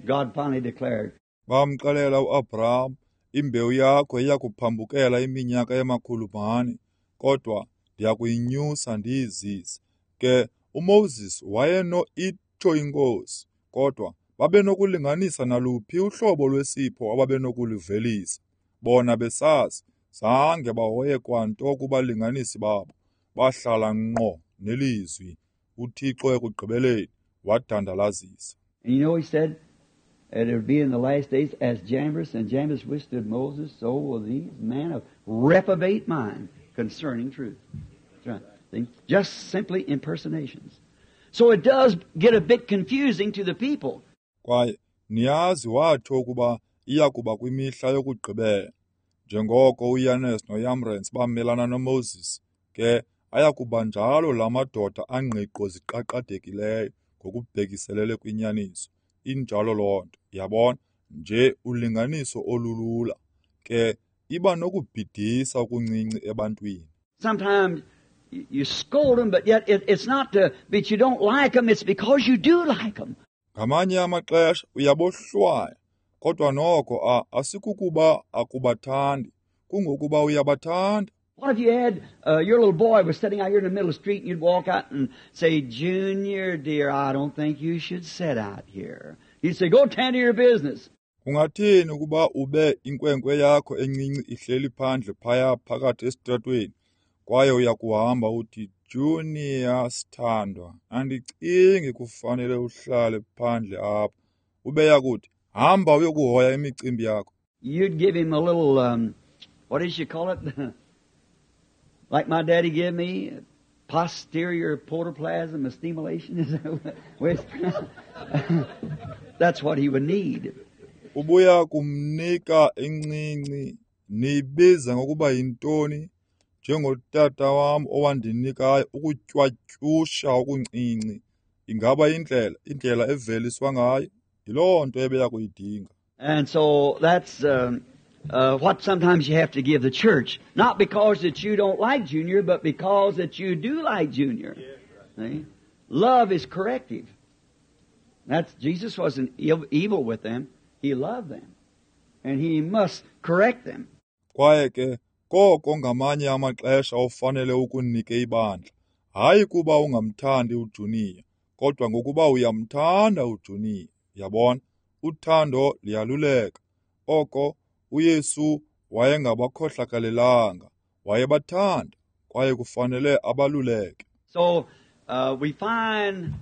God finally declared. Bamxelela uAbraham, imbewu yakho iyakuphambukela iminyaka ema-400, kodwa ndiyakuyinyusa ndiyizise. Ke uMoses wayeno itsho inkosi, kodwa Babenokulinganisa naluphi uhlobo lwesipho ababenokuluvelisa. Bona besazi, zange bahoye kwanto kubalinganisi babo. Bahlala ngqo nelizwi. UThixo ekugqibeleni wadandalazisa. And you know, he said that it would be in the last days as Jambres and Jambres withstood Moses, so will these men of reprobate mind concerning truth. That's right. See? Just simply impersonations. So it does get a bit confusing to the people. Kwaye niyazi watsho ukuba iya kuba kwimihla yokugqibela. Njengoko uYanes noYambresi bamelana noMoses, ke aya kuba njalo la madoda angqiqo ziqaqadekileyo ngokubhekiselele kwinyaniso. Injalo loo nto, yabona, nje ulinganiso olulula. Ke iba nokubhidisa okuncinci ebantwini. Sometimes you scold them, but yet it's not that you don't like them, it's because you do like them. Ngamanye amaxesha uyabohlwaya, kodwa noko asikukuba akubathandi, kungokuba uyabathanda. What if you had your little boy was sitting out here in the middle of the street and you'd walk out and say, Junior, dear, I don't think you should sit out here. He'd say, go tend to your business. Ungathini ukuba ube inkwenkwe yakho encinci ihleli phandle phaya phakathi esitratweni, kwaye uyakuhamba uthi, Junior, sithandwa, andicingi kufanele uhlale phandle apha. Ubeya kuthi, hamba uyokuhoya imicimbi yakho. You'd give him a little, what did you call it? Like my daddy gave me, posterior protoplasm stimulation. Is that what That's what he would need. Ubuya kumnika encinci, niyibiza ngokuba yintoni? Njengotata wam owandinikayo ukutywatyusha okuncinci. Ingaba indlela eveliswa ngayo? Yiloo nto ebeya kuyidinga. And so that's what sometimes you have to give the church. Not because that you don't like Junior, but because that you do like Junior. Yeah, right. See? Love is corrective. That's Jesus wasn't evil with them. He loved them. And he must correct them. Kwaye ke koko ngamanye amaxesha ofanele ukunike ibandla. Hayi kuba ungamthandi uJunior, kodwa ngokuba uyamthanda uJunior. Yabona, uthando liyaluleka. Oko uYesu wayengabakhohlakalelanga, wayebathanda, kwaye kufanele abaluleke. So we find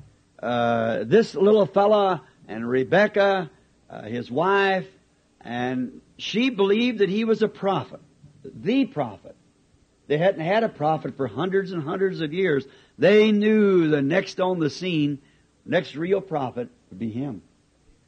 this little fella and Rebecca, his wife, and she believed that he was a prophet, the prophet. They hadn't had a prophet for hundreds and hundreds of years. They knew the next on the scene, next real prophet would be him.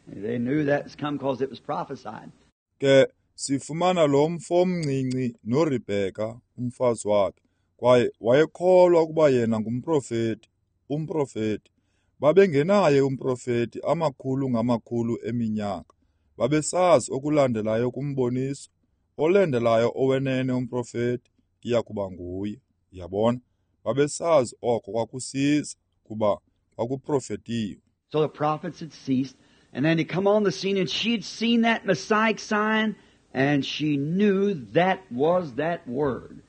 They knew that's come because it was prophesied. Ke sifumana lo mfo omncinci noRebeka umfazi wakhe, kwaye wayekholwa ukuba yena ngumprofeti, umprofeti. Babengenaye umprofeti amakhulu ngamakhulu eminyaka. Babesazi okulandelayo kumboniso, olandelayo owenene umprofeti iya kuba nguye. Yabona, babesazi oko kwakusiza kuba kwakuprofetiwe. So the prophets had ceased, and then he come on the scene, and she'd seen that Messiah sign, and she knew that was that word.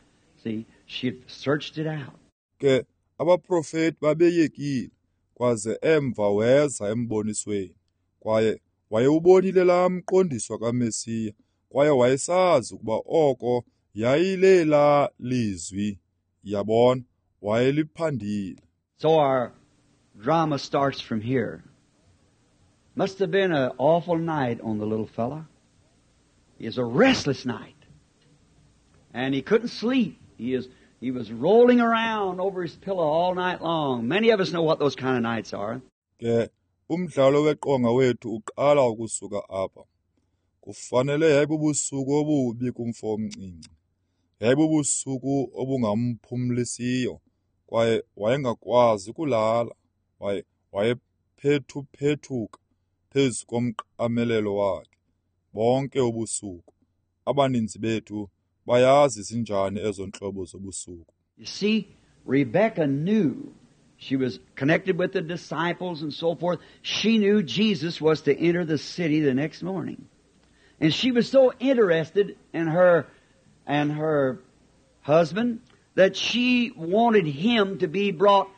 See, she had searched it out. Ke abaprofeti babeyekile, kwaze emva weza embonisweni, kwaye wayewubonile laa mqondiso kaMesiya, kwaye wayesazi ukuba oko yayilela lizwi. Yabona, wayeliphandile. So our drama starts from here. Must have been an awful night on the little fella. It was a restless night. And he couldn't sleep. He was rolling around over his pillow all night long. Many of us know what those kind of nights are. Ke umdlalo weqonga wethu uqala ukusuka apha. Kufanele yayibubusuku obubi kumfo omncinci. Yayibubusuku obungamphumlisiyo, kwaye wayengakwazi kulala. Wayephethu-phethuka phezu komqamelelo wakhe bonke ubusuku. Abaninzi bethu bayazi zinjani ezo ntlobo zobusuku. You see, Rebecca knew. She was connected with the disciples and so forth. She knew Jesus was to enter the city the next morning. And she was so interested in her and her husband that she wanted him to be brought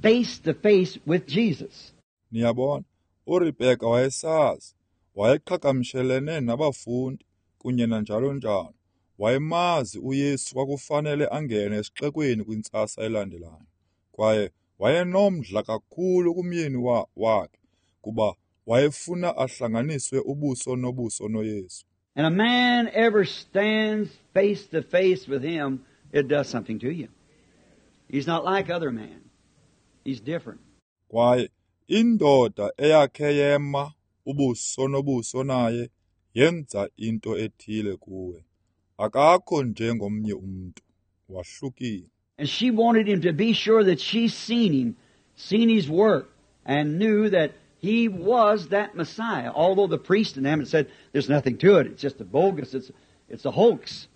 face to face with Jesus. Niyabona, uRebheka wayesazi, wayeqhagamshelene nabafundi kunye nanjalo njalo. Wayemazi uYesu kwakufanele angene esixekweni kwintsasa elandelayo. Kwaye wayenomdla kakhulu kumyeni wakhe kuba wayefuna ahlanganiswe ubuso nobuso noYesu. And a man ever stands face to face with him, it does something to you. He's not like other men. He's different. Kwaye indoda eyakhe yema ubuso nobuso naye yenza into ethile kuwe. Akakho njengomnye umntu, wahlukile. And she wanted him to be sure that she seen him, seen his work, and knew that he was that Messiah. Although the priest and them had said, there's nothing to it, it's just a bogus, it's a hoax.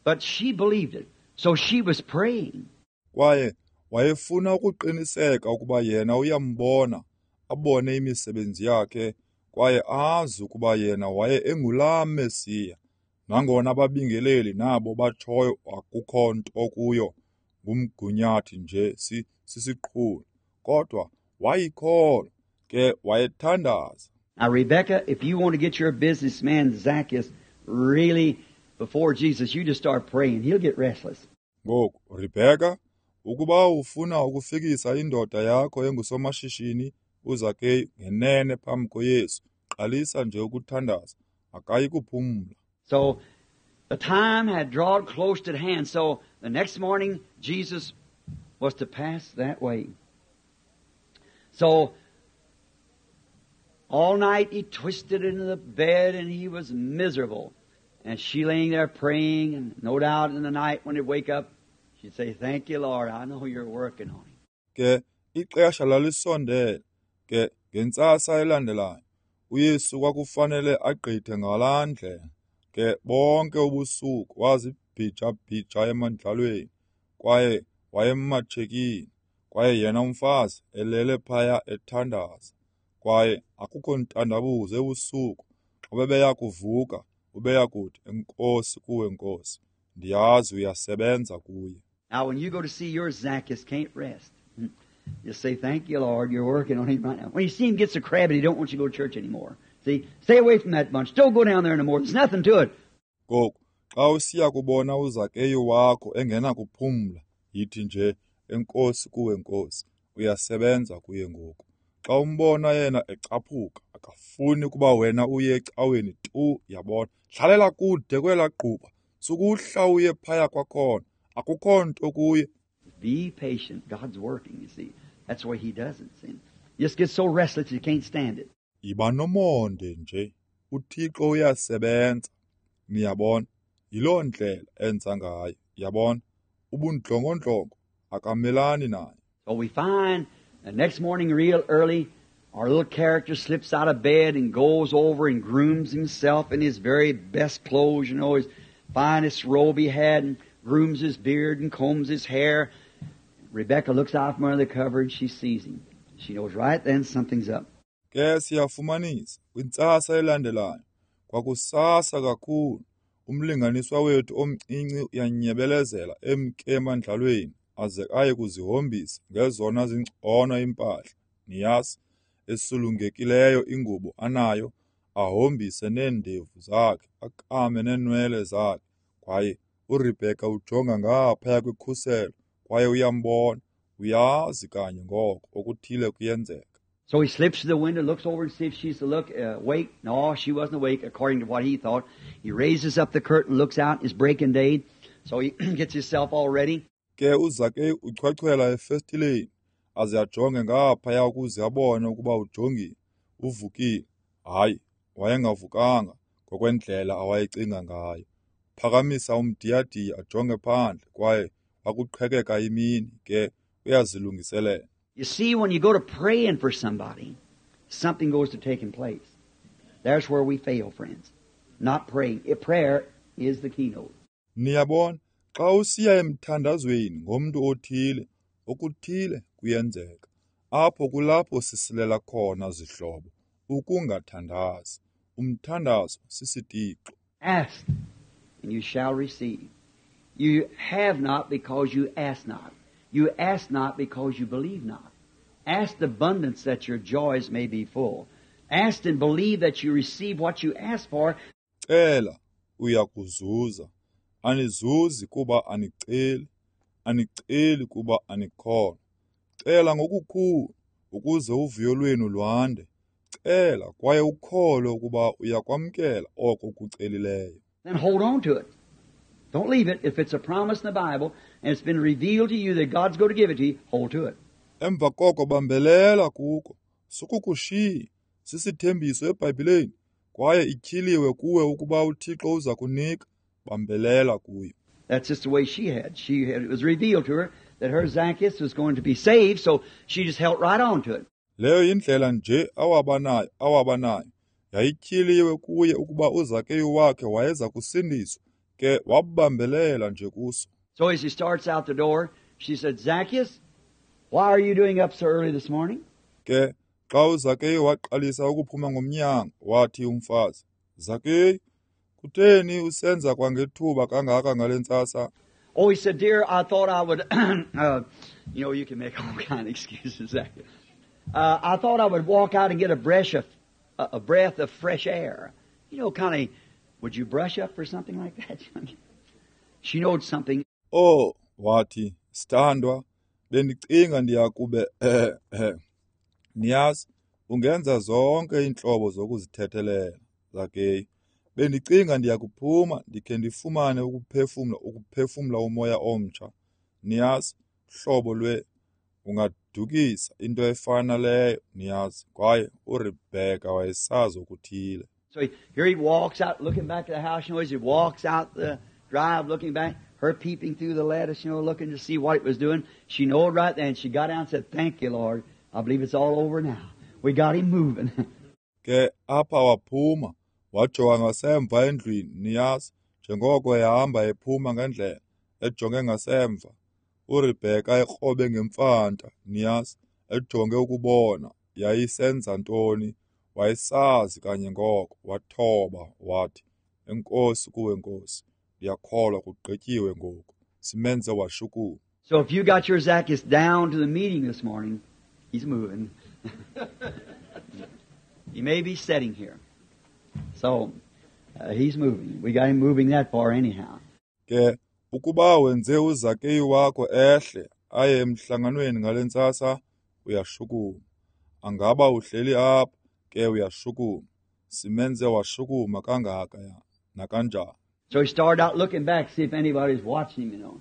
But she believed it. So she was praying. Kwaye wayefuna ukuqiniseka ukuba yena uyambona, abone imisebenzi yakhe, kwaye azi ukuba yena waye engulaa Mesiya. Nangona ababingeleli nabo batshoyo akukho nto kuyo, ngumgunyathi nje sisiqhulo. Kodwa wayikholwa, ke wayethandaza. Now, Rebecca, if you want to get your businessman Zacchaeus really before Jesus, you just start praying. He'll get restless. Ngoku, Rebecca, ukuba ufuna ukufikisa indoda yakho engusomashishini uZakeyu ngenene phambi koYesu, qalisa nje ukuthandaza, akayi kuphumla. So the time had drawn close at hand. So the next morning, Jesus was to pass that way. So all night he twisted into the bed and he was miserable. And she laying there praying, and no doubt in the night when he'd wake up, she'd say, "Thank you, Lord, I know you're working on him." Ke ixesha lalisondele, ke ngentsasa elandelayo, uYesu kwakufanele agqithe ngalaa ndlela. Ke bonke ubusuku wazibhija-bhija emandlalweni, kwaye wayematshekile, kwaye yena umfazi elele phaya ethandaza. Kwaye akukho ntandabuzo ebusuku xa bebeya kuvuka, ubeya kuthi, "Enkosi kuwe, Nkosi, ndiyazi uyasebenza kuye." Now when you go to see your Zacchaeus can't rest, just say, "Thank you, Lord, you're working on him right now." When you see him gets a crab and he don't want you to go to church anymore. See, stay away from that bunch. Don't go down there no more. There's nothing to it. Ngoku, xa usiya kubona uZakeyu wakho engenakuphumla, yithi nje, "Enkosi kuwe, Nkosi, uyasebenza kuye ngoku." Xa umbona yena ecaphuka, akafuni kuba wena uye ecaweni tu, yabona. Hlalela kude kwelaa gquba, sukuhla uye phaya kwakhona, akukho nto kuye. Be patient. God's working, you see. That's the way he does it. See? You just get so restless you can't stand it. Yiba nomonde nje, uThixo uyasebenza, niyabona. Yiloo ndlela enza ngayo, yabona. Ubundlongondlongo akamelani nayo. So we find the next morning real early, our little character slips out of bed and goes over and grooms himself in his very best clothes, you know, his finest robe he had, and grooms his beard and combs his hair. Rebecca looks out from under the cover and she sees him. She knows right then something's up. Ke siyafumanisa kwintsasa elandelayo, kwakusasa kakhulu, umlinganiswa wethu omncinci uyanyebelezela emke emandlalweni aze aye kuzihombisa ngezona zingcono impahla, niyazi, esulungekileyo ingubo anayo, ahombise neendevu zakhe, akame neenwele zakhe. Kwaye uRebheka ujonga ngaphaya kwikhuselo kwaye uyambona, uyazi kanye ngoko okuthile kuyenzeka. So he slips to the window, looks over and sees if she's awake. No, she wasn't awake, according to what he thought. He raises up the curtain, looks out, it's breaking day. So he gets himself all ready. Ke uZakeyu uchwechwela efestileni, aze ajonge ngaphaya ukuze abone ukuba ujongile, uvukile. Hayi, wayengavukanga ngokwendlela awayecinga ngayo. Phakamisa umdiyadiya ajonge phandle, kwaye wakuqhekeka imini, ke uyazilungiselela. You see, when you go to praying for somebody, something goes to taking place. There's where we fail, friends. Not praying. Prayer is the keynote. Niyabona, xa usiya emthandazweni ngomntu othile, okuthile kuyenzeka. Apho kulapho sisilela khona, zihlobo, ukungathandazi. Umthandazo sisitixo. Ask, and you shall receive. You have not because you ask not. You ask not because you believe not. Ask abundance that your joys may be full. Ask and believe that you receive what you ask for. Cela uya kuzuza. Anizuzi kuba aniceli, aniceli kuba anikholwa. Cela ngokukhulu ukuze uvuyo lwenu lwande. Cela kwaye ukholwe ukuba uyakwamkela oko ukucelileyo. Then hold on to it. Don't leave it. If it's a promise in the Bible and it's been revealed to you that God's going to give it to you, hold to it. Emva koko bambelela kuko. Sukukushiya. Sisithembiso eBhayibhileni kwaye ityhiliwe kuwe ukuba uThixo uza kunika. Bambelela kuyo. That's just the way she had. It was revealed to her that her Zacchaeus was going to be saved, so she just held right on to it. Leyo yindlela nje awabanayo. Yayityhiliwe kuye ukuba uZakeyu wakhe wayeza kusindiswa, ke wabambelela nje kuso. So as he starts out the door, she said, Zacchaeus, why are you doing up so early this morning? Ke xa uZakeyu waqalisa ukuphuma ngomnyango, wathi umfazi, Zakeyu, kutheni usenza kwangethuba kangaka ngale ntsasa? Oh, he said, dear, I thought I would, you know, you can make all kind of excuses, Zacchaeus. I thought I would walk out and get a breath of fresh air. You know, kind of, would you brush up for something like that? She knowed something. Oh, wathi, sithandwa, bendicinga ndiyakube, niyazi, ungenza zonke iintlobo zokuzithethelela, Zakeyu. Bendicinga ndiyakuphuma ndikhe ndifumane ukuphefumla umoya omtsha. Niyazi, hlobo lwe ungadukisa into efana leyo, niyazi, kwaye uRebheka wayesazi okuthile. So here he walks out looking back at the house, you know, as he walks out the drive looking back, her peeping through the lattice, you know, looking to see what it was doing. She knowed right then. She got down and said, thank you, Lord. I believe it's all over now. We got him moving. Ke apha waphuma, wajonga ngasemva endlwini, niyazi, njengoko ehamba ephuma ngendlela, ejonge ngasemva. uRebheka ekrobe ngemfanta, niyazi, ejonge ukubona yayisenza ntoni. Wayesazi kanye ngoko, wathoba wathi, enkosi kuwe Nkosi, ndiyakholwa kugqityiwe ngoku. Simenze washukuma. So if you got your Zacchaeus down to the meeting this morning, he's moving. He may be sitting here. So he's moving. We got him moving that far anyhow. Ke ukuba wenze uZakeyu wakho ehle aye emhlanganweni ngale ntsasa, uyashukuma. Angaba uhleli apha, ke uyashukuma. Simenze washukuma kangaka nakanjani. So he started out looking back to see if anybody's watching him, you know.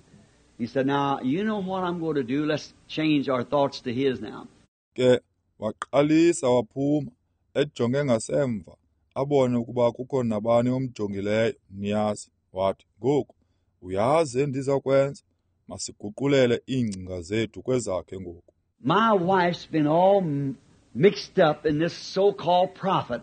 He said, now, you know what I'm going to do? Let's change our thoughts to his now. Ke waqalisa waphuma ejonge ngasemva abone ukuba kukho nabani omjongileyo, niyazi. Wathi, ngoku uyazi endiza kwenza, masiguqulele iingcinga zethu kwezakhe ngoku. My wife's been all mixed up in this so-called prophet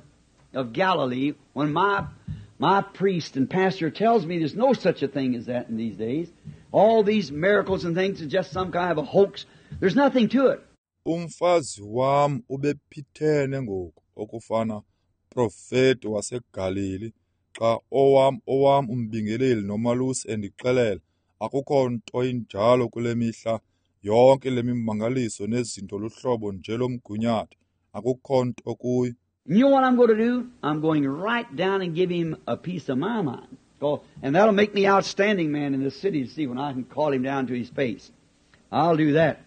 of Galilee when my priest and pastor tells me there's no such a thing as that in these days. All these miracles and things are just some kind of a hoax. There's nothing to it. Umfazi wam ubephithene ngoku okufana profeti waseGalili xa owam umbingeleli nomalusi endixelela akukho nto injalo kule mihla, yonke le mimangaliso nezinto luhlobo nje lomgunyathi, akukho nto kuyo. You know what I'm going to do? I'm going right down and give him a piece of my mind. And that'll make me outstanding man in the city to see when I can call him down to his face. I'll do that.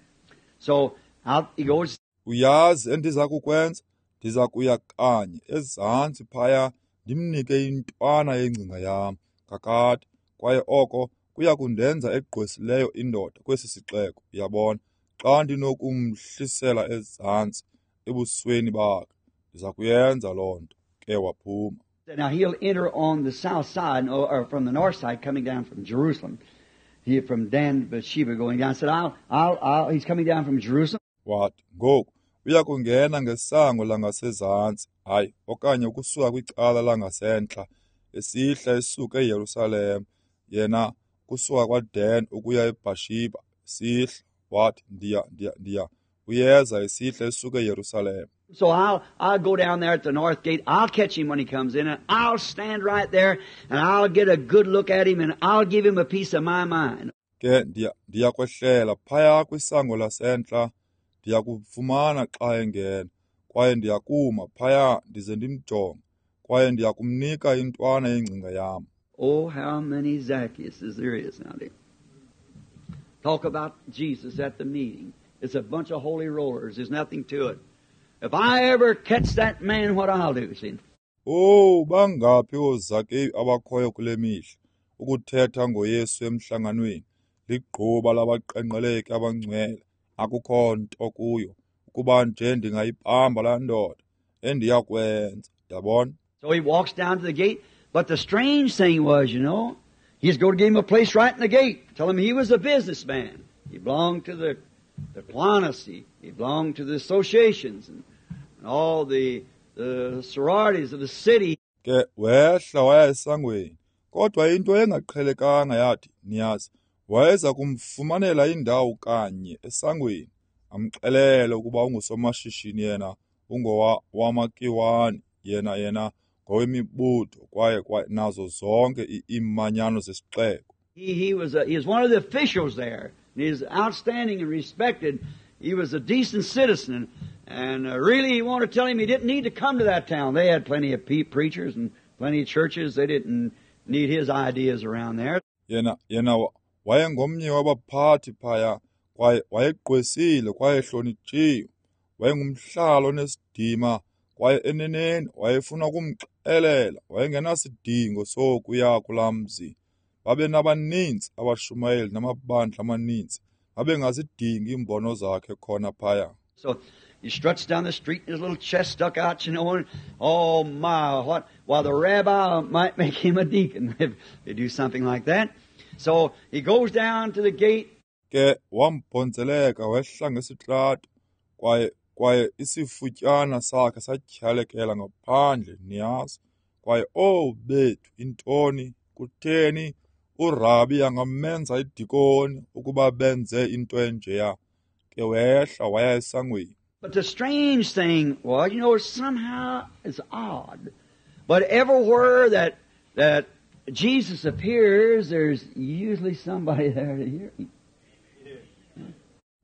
So out he goes. Uyazi endiza kukwenza, ndiza kuya kanye ezantsi phaya ndimnike intwana yengcinga yam kakade, kwaye oko kuya kundenza egqwesileyo indoda kwesi sixeko, uyabona, xa ndinokumhlisela ezantsi ebusweni bakhe. Ndiza kuyenza loo nto. Ke waphuma. Now he'll enter on the south side, or from the north side, coming down from Jerusalem. He from Dan Beersheba going down. Said, I'll, he's coming down from Jerusalem. Wathi, ngoku uya kungena ngesango langasezantsi, hayi, okanye ukusuka kwicala langasentla, esihla esuka eYerusalem, yena kusuka kwaDan ukuya eBeersheba, sihla. Wathi, ndiya, uyeza esihla esuka eYerusalem. So I'll go down there at the north gate. I'll catch him when he comes in, and I'll stand right there, and I'll get a good look at him, and I'll give him a piece of my mind. Ke ndiya kwehlela phaya kwisango lasentla, Ndiyakumfumana xa engena, kwaye ndiyakuma phaya ndize ndimjonge, kwaye ndiyakumnika intwana yengcinga yam. Oh, how many Zacchaeuses there is nowadays. Talk about Jesus at the meeting. It's a bunch of holy rollers. There's nothing to it. If I ever catch that man, what I'll do, see? Oh, bangaphi ooZakeyu abakhoyo kule mihla, ukuthetha ngoYesu emhlanganweni, ligquba labaqenqeleki abangcwele, akukho nto kuyo, ukuba nje ndingayibamba laa ndoda, endiyakwenza, yabona? So he walks down to the gate, but the strange thing was, you know, he's going to give him a place right in the gate, tell him he was a businessman. He belonged to the Kiwanis, he belonged to the associations and all the sororities of the city. Ke wehla waya esangweni, kodwa into engaqhelekanga yathi, niyazi, wayeza kumfumanela indawo kanye esangweni, amxelele ukuba ungusomashishini yena, ungowa wamaKiwani, yena ngowemibutho kwaye nazo zonke iimanyano zesixeko. He was one of the officials there. And he was outstanding and respected. He was a decent citizen. And really, he wanted to tell him he didn't need to come to that town. They had plenty of preachers and plenty of churches. They didn't need his ideas around there. Yena wayengomnye wabaphathi phaya, kwaye wayegqwesile kwaye ehlonitshiwe. Wayengumhlali onesidima kwaye eneneni wayefuna ukumxelela wayengenasidingo sokuya kulaa mzi. Babenabaninzi abashumayeli namabandla amaninzi, babengazidingi iimbono zakhe khona phaya. So he struts down the street and his little chest stuck out, you know, and oh my, what? Why, the rabbi might make him a deacon if they do something like that. So he goes down to the gate. Ke wambhonzeleka wehla ngesitrato, kwaye isifutyana sakhe satyhalekela ngaphandle, niyazi. Kwaye oh bethu, intoni, kutheni uRabi angamenza idikoni ukuba benze into enjeya. Ke wehla waya esangweni. But the strange thing was, you know, somehow it's odd, but everywhere that Jesus appears, there's usually somebody there to hear him.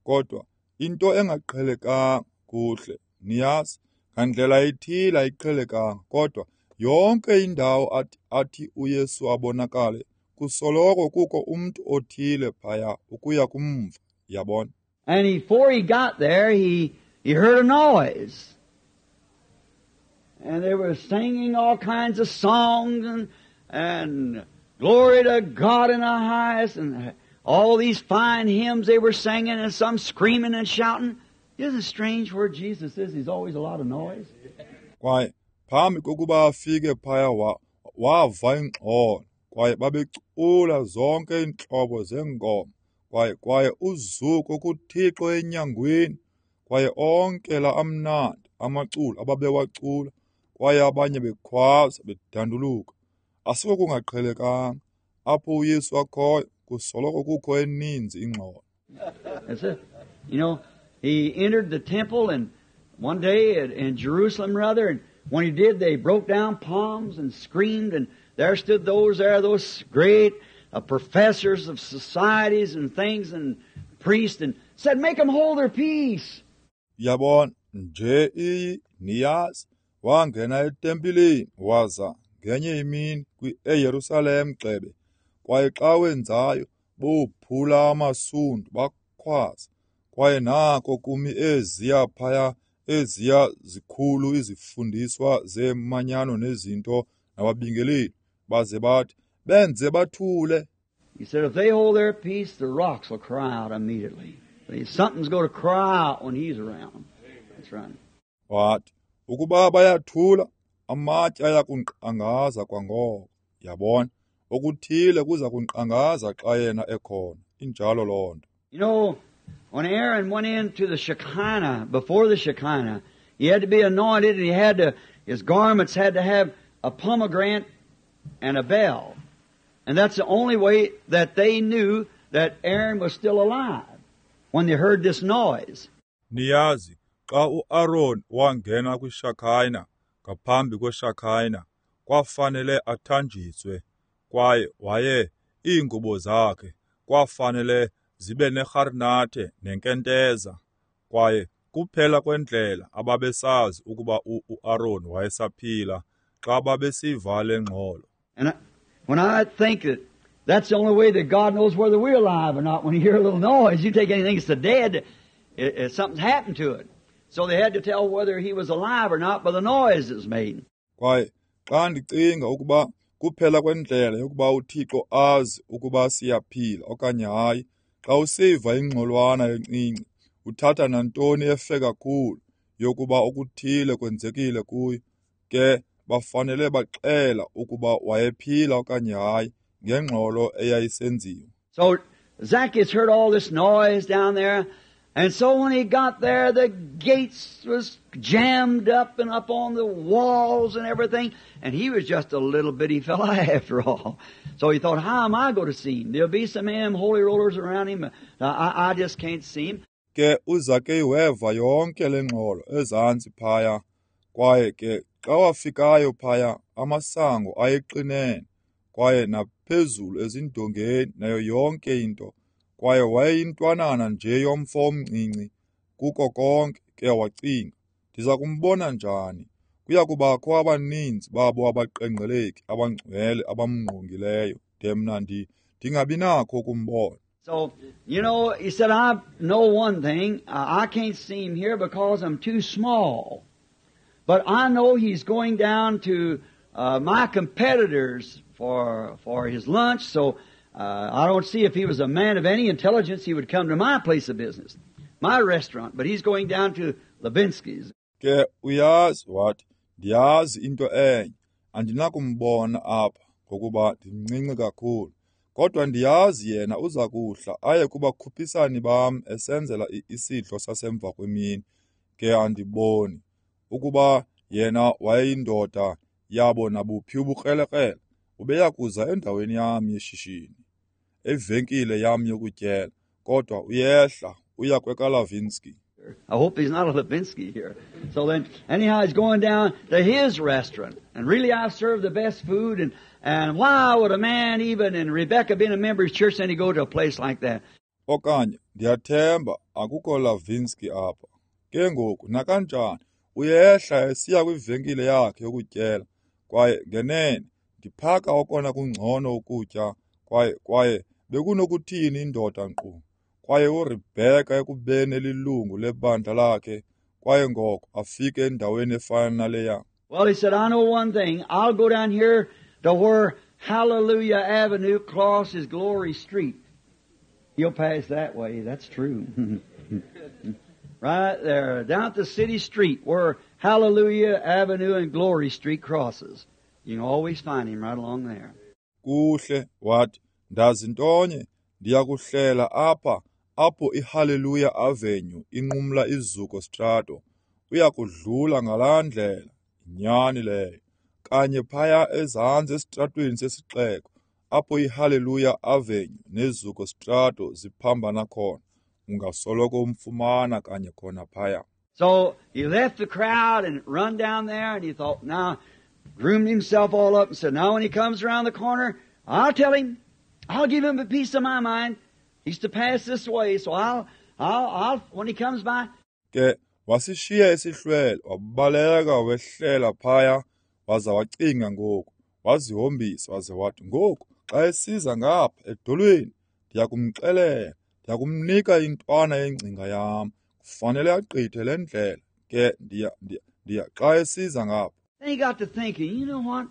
Kodwa into engaqhelekanga kuhle, niyazi, ngandlela ithile ayiqhelekanga, kodwa yonke indawo athi uYesu abonakale, kusoloko kukho umntu othile phaya ukuya kumva, yabona. And before he got there, he heard a noise. And they were singing all kinds of songs and glory to God in the highest, and all these fine hymns they were singing, and some screaming and shouting. Isn't it strange where Jesus is? There's always a lot of noise. Kwaye phambi kokuba afike phaya wava ingxolo, kwaye babecula zonke iintlobo zeengoma, kwaye uzuko kuThixo enyangweni, kwaye onke la amnandi amaculo ababewacula, kwaye abanye bekhwaza bedanduluka. Asiko kungaqhelekanga apho uYesu akhoyo, kusoloko kukho eninzi ingxolo. That's it. You know, he entered the temple and one day in Jerusalem rather, and when he did, they broke down palms and screamed, and there stood those great professors of societies and things and priests, and said, make them hold their peace. Yabona nje iyi niyazi, wangena etempileni waza ngenye imini eYerusalem gxebe, kwaye xa wenzayo bophula amasundu bakhwaza, kwaye nako kumi eziya phaya eziya zikhulu izifundiswa zemanyano nezinto nababingeleli, baze bathi benze bathule. He said, if they hold their peace, the rocks will cry out immediately. Something's going to cry out when he's around. That's right. Wathi ukuba bayathula, amatye ayakunkqangaza kwangoko. Yabona, okuthile kuza kunkqangaza xa yena ekhona. Injalo loo nto. You know, when Aaron went into the Shekinah, before the Shekinah, he had to be anointed, and he had to, his garments had to have a pomegranate and a bell. And that's the only way that they knew that Aaron was still alive, when they heard this noise. Niyazi, xa uAaron wangena kwiShekinah, ngaphambi kweShekinah, kwafanele athanjiswe, kwaye waye iingubo zakhe kwafanele zibe nerharnathe nenkenteza. Kwaye kuphela kwendlela ababesazi ukuba uAron wayesaphila xa babesiva le ngxolo. And when I think that that's the only way that God knows whether we're alive or not, when you hear a little noise, you take anything that's dead, something's happened to it. So they had to tell whether he was alive or not by the noise that was made. Kwaye xa ndicinga ukuba kuphela kwendlela yokuba uThixo azi ukuba siyaphila okanye hayi, xa usiva ingxolwana encinci, uthatha nantoni efe kakhulu yokuba okuthile kwenzekile kuyo, ke bafanele baxela ukuba wayephila okanye hayi ngengxolo eyayisenziwa. So Zacchaeus heard all this noise down there, and so when he got there, the gates was jammed up and up on the walls and everything, and he was just a little bitty fella after all. So he thought, how am I going to see him? There'll be some holy rollers around him. I just can't see him. Ke uZakeyu weva yonke le ngxolo ezantsi phaya, kwaye ke xa wafikayo phaya, amasango ayeqinene, kwaye naphezulu ezindongeni nayo yonke into, kwaye wayeyintwanana nje yomfo omncinci kuko konke. Ke wacinga, ndiza kumbona njani? Kuya kubakho abaninzi babo abaqengqeleki abangcwele abamngqongileyo, de mna ndingabi nakho ukumbona. So, you know, he said, I know one thing. I can't see him here because I'm too small. But I know he's going down to my competitors for his lunch, so I don't see if he was a man of any intelligence, he would come to my place of business, my restaurant. But he's going down to Levinsky's. Ke uyazi wathi, ndiyazi into enye, andinakumbona apha ngokuba ndimncinci kakhulu. Kodwa ndiyazi yena uza kuhla aye kubakhuphisani bam esenzela isidlo sasemva kwemini. Ke andiboni ukuba yena wayeyindoda yabo nabuphi ubukrelekrele, ubeya kuza endaweni yam yeshishini, evenkile yam yokutyela, kodwa uyehla uya kwekaLavinsky. I hope he's not a Levinsky here. So then, anyhow, he's going down to his restaurant. And really, I've served the best food. And why would a man even, and Rebecca being a member of his church, then he go to a place like that? Okanye, ndiyathemba akukho Lavinsky apha. Ke ngoku, nakanjani, uyehla esiya kwivenkile yakhe yokutyela. Kwaye ngenene, ndiphaka okona kungcono ukutya, kwaye bekunokuthini indoda nkqu. Kwaye uRebecca ekubeni elilungu lebandla lakhe, kwaye ngoko afike endaweni efana naleya. Well, he said, I know one thing. I'll go down here to where Hallelujah Avenue crosses Glory Street. He'll pass that way. That's true. Right there, down at the city street where Hallelujah Avenue and Glory Street crosses. You can always find him right along there. Kuhle, wathi, ndazi ntonye, ndiyakuhlela apha, apho iHallelujah Avenue inqumla iZuko Strato. Uyakudlula ngalaa ndlela, nyani leyo. Kanye phaya ezantsi esitratweni sesixeko, apho iHallelujah Avenue neZuko Strato ziphambana khona. Ungasoloko umfumana kanye khona phaya. So he left the crowd and run down there, and he thought, now, groomed himself all up and said, now when he comes around the corner, I'll tell him. I'll give him a piece of my mind. He's to pass this way, so I'll when he comes by. Ke wasishiya isihlwele, wabaleka wehlela phaya, waza wacinga ngoku, wazihombisa, waze wathi, ngoku xa esiza ngapha edolweni, ndiyakumxelela, ndiyakumnika intwana yengcinga yam. Kufanele agqithe le ndlela. Ke ndiya xa esiza ngapha. Then he got to thinking, you know what?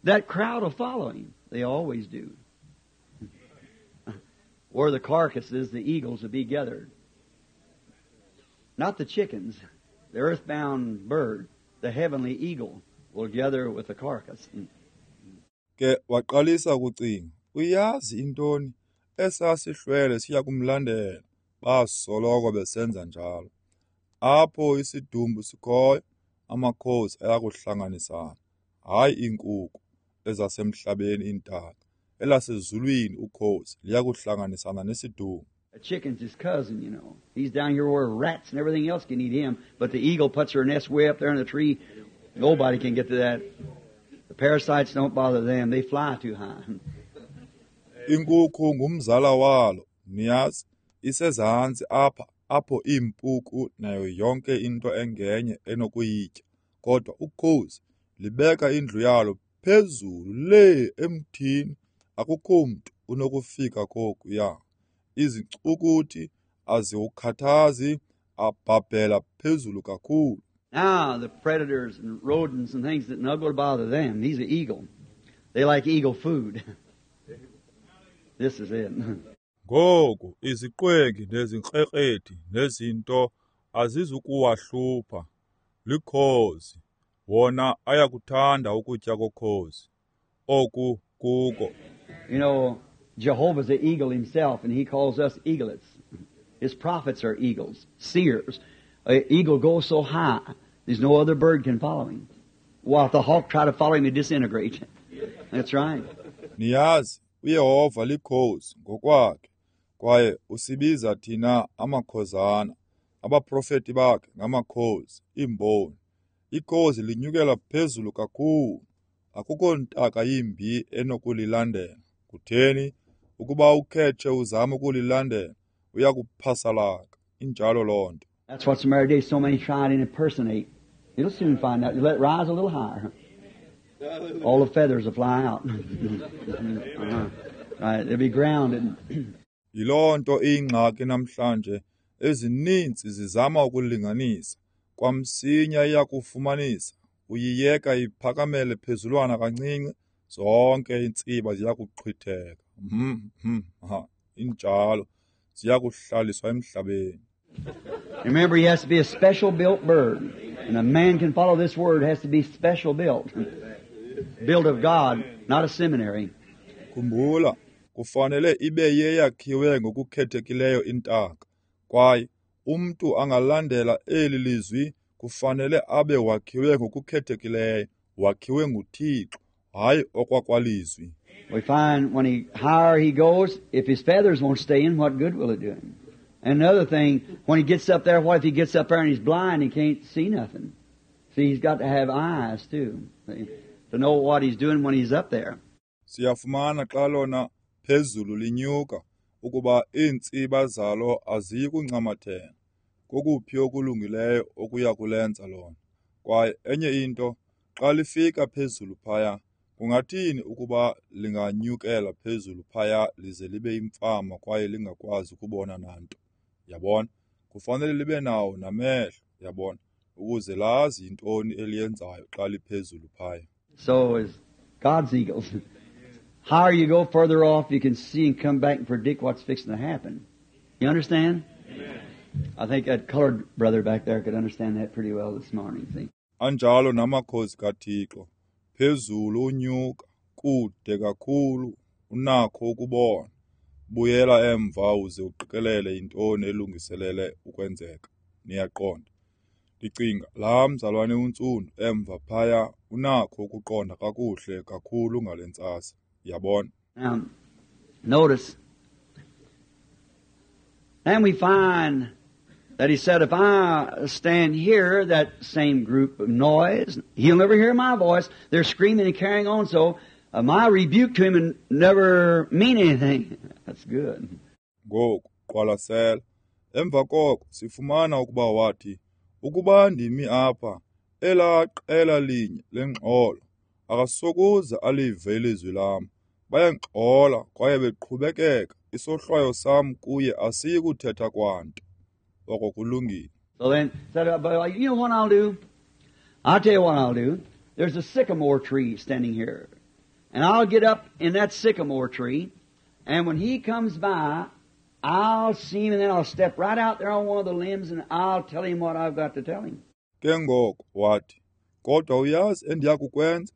That crowd will follow him. They always do. Where the carcasses, the eagles will be gathered. Not the chickens, the earthbound bird, the heavenly eagle will gather with the carcass. Ke waqalisa ukucinga, uyazi intoni? Esasihlwele siya kumlandela, basoloko besenza njalo. Apho isidumbu sikhoyo, amakhosi ayakuhlanganisana, hayi iinkuku ezasemhlabeni iintaka. Elasezulwini ukhosi liyakuhlanganisana nesidumbu. A chicken's his cousin, you know. He's down here where rats and everything else can eat him, but the eagle puts her nest way up there in the tree. Nobody can get to that. The parasites don't bother them. They fly too high. Inkukhu ngumzala walo, niyazi, isezantsi apha apho iimpuku nayo yonke into engenye enokuyitya. Kodwa ukhozi libeka indlu yalo phezulu lee emthini, akukho mntu unokufika kokuya. Izincukuthi aziwukhathazi, abhabhela phezulu kakhulu. Now the predators and rodents and things that not going to bother them. He's an eagle. They like eagle food. This is it. Ngoku iziqwengi nezinkrekrethi nezinto azizukuwahlupha. Likhozi. Wona ayakuthanda ukutya kokhozi. Oku kuko. You know, Jehovah's an eagle himself, and he calls us eaglets. His prophets are eagles, seers. An eagle goes so high, there's no other bird can follow him. Well, if the hawk try to follow him, he disintegrates. That's right. Niyazi, uYehova likhozi ngokwakhe, kwaye usibiza thina amakhozana. Abaprofeti bakhe ngamakhozi, iimboni. Ikhozi linyukela phezulu kakhulu. Akukho ntaka yimbi enokulilandela. Kutheni? Ukuba ukhetshe uzama ukulilandela, uyakuphasalaka. Injalo loo nto. That's what's the matter today. So many try to impersonate. You'll soon find out. You let it rise a little higher. All the feathers will fly out. Right, they'll be grounded. Yiloo nto iyingxaki namhlanje. Ezininzi zizama ukulinganisa. Kwamsinya iyakufumanisa. Uyiyeka iphakamele phezulwana kancinci, zonke iintsiba ziyakuxhwitheka. Injalo. Ziyakuhlaliswa emhlabeni. Remember, he has to be a special built bird. And a man can follow this word has to be special built. Built of God, not a seminary. Khumbula, kufanele ibe yeyakhiwe ngokukhethekileyo intaka. Kwaye umntu angalandela eli lizwi kufanele abe wakhiwe ngokukhethekileyo, wakhiwe nguThixo, hayi okwakwalizwi. We find when he higher he goes, if his feathers won't stay in, what good will it do him? And another thing, when he gets up there, what if he gets up there and he's blind and can't see nothing? See, he's got to have eyes too, see, to know what he's doing when he's up there. Siyafumana xa lona phezulu linyuka ukuba iintsiba zalo aziyi kuncamathela. Kokuphi okulungileyo okuya kulenza lona. Kwaye enye into, xa lifika phezulu phaya, kungathini ukuba linganyukela phezulu phaya lize libe imfama kwaye lingakwazi ukubona nanto? Yabona, kufanele libe nawo namehlo, yabona, ukuze lazi yintoni eliyenzayo xa liphezulu phaya. So is God's eagles. Higher you go, further off you can see and come back and predict what's fixing to happen. You understand? Amen. I think that colored brother back there could understand that pretty well this morning. See? Anjalo namakhozi kaThixo. Phezulu unyuka, kude kakhulu, unakho ukubona. Buyela emva uze uqikelele yintoni elungiselele ukwenzeka. Niyaqonda. Ndicinga laa mzalwane untsundu emva phaya unakho ukuqonda kakuhle kakhulu ngale ntsasa. Yabona. Now, notice. And we find that he said, if I stand here, that same group of noise, he'll never hear my voice. They're screaming and carrying on, so my rebuke to him and never mean anything. That's good. Ngoku, qwalasela. Emva koko, sifumana ukuba wathi, ukuba ndimi apha, elaa qela linye lengxolo, akasokuze alive ilizwi lam. Bayangxola kwaye beqhubekeka, isohlwayo sam kuye asiyi kuthetha kwanto. Oko kulungile. So then, said, but you know what I'll do? I'll tell you what I'll do. There's a sycamore tree standing here. And I'll get up in that sycamore tree, and when he comes by, I'll see him, and then I'll step right out there on one of the limbs, and I'll tell him what I've got to tell him. Ke ngoko wathi, kodwa uyazi endiyakukwenza?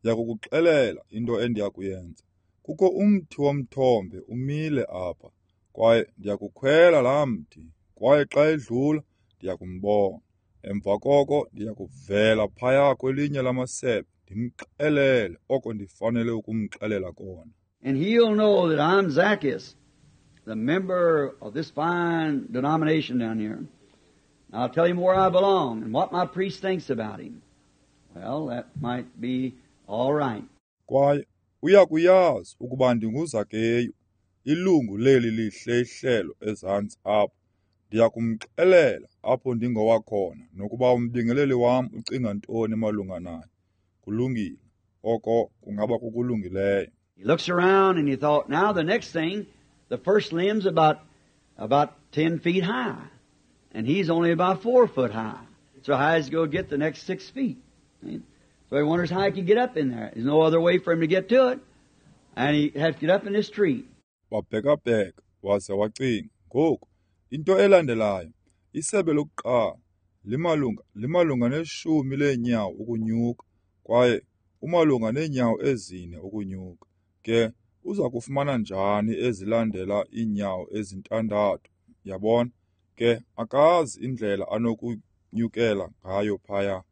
Ndiyakukuxelela into endiyakuyenza. Kukho umthi womthombe umile apha, kwaye ndiyakukhwela laa mthi, kwaye xa edlula ndiyakumbona. Emva koko ndiyakuvela phaya kwelinye lamasebe ndimxelele oko ndifanele ukumxelela kona. And he'll know that I'm Zacchaeus, the member of this fine denomination down here. I'll tell him where I belong and what my priest thinks about him. Well, that might be all right. Kwaye uyakuyazi ukuba ndinguZakeyu, ilungu leli lihle ihlelo ezantsi apha. Ndiyakumxelela apho ndingowakhona nokuba umbingeleli wam ucinga ntoni malunga naye. Kulungile. Oko kungaba kukulungileyo. He looks around and he thought, now the next thing, the first limb's about 10 feet high. And he's only about 4 foot high. So how is he going to get the next 6 feet? So he wonders how he can get up in there. There's no other way for him to get to it. And he has to get up in this tree. Wabhekabheka, waze wacinga, ngoku, into elandelayo, isebe lokuqala, limalunga neshumi leenyawo ukunyuka, kwaye umalunga neenyawo 4 ukunyuka. Ke, uza kufumana njani ezilandela iinyawo 6? Yabona? Ke, akazi indlela anokunyukela ngayo phaya.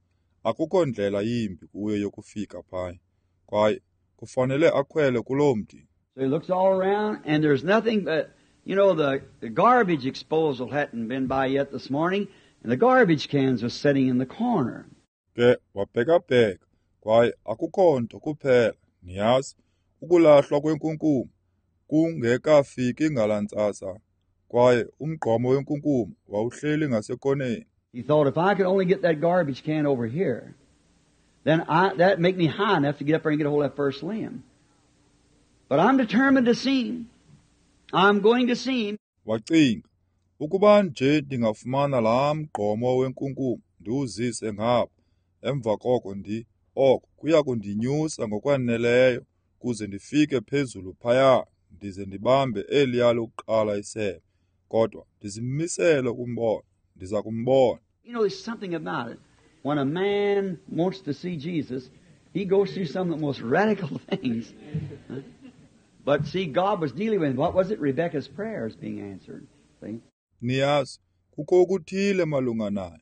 Akukho ndlela yimbi kuye yokufika phaya. Kwaye kufanele akhwele kuloo mthi. So he looks all around and there's nothing but, you know, the garbage disposal hadn't been by yet this morning, and the garbage cans was sitting in the corner. Ke wabhekabheka, kwaye akukho nto kuphela, niyazi, ukulahlwa kwenkunkuma kungekafiki ngalaa ntsasa, kwaye umgqomo wenkunkuma wawuhleli ngasekoneni. He thought, if I could only get that garbage can over here, then that'd make me high enough to get up there and get a hold of that first limb. But I'm determined to see him. I'm going to see him. Wacinga, ukuba nje ndingafumana laa mgqomo wenkunkuma ndiwuzise ngapha, emva koko oko kuya kundinyusa ngokwaneleyo kuze ndifike phezulu phaya ndize ndibambe eliya lokuqala isebe. Kodwa ndizimisele ukumbona, ndiza kumbona. You know, there's something about it. When a man wants to see Jesus, he goes through some of the most radical things. But see, God was dealing with him. What was it? Rebecca's prayers being answered. See? Niyazi, kukho okuthile malunga naye.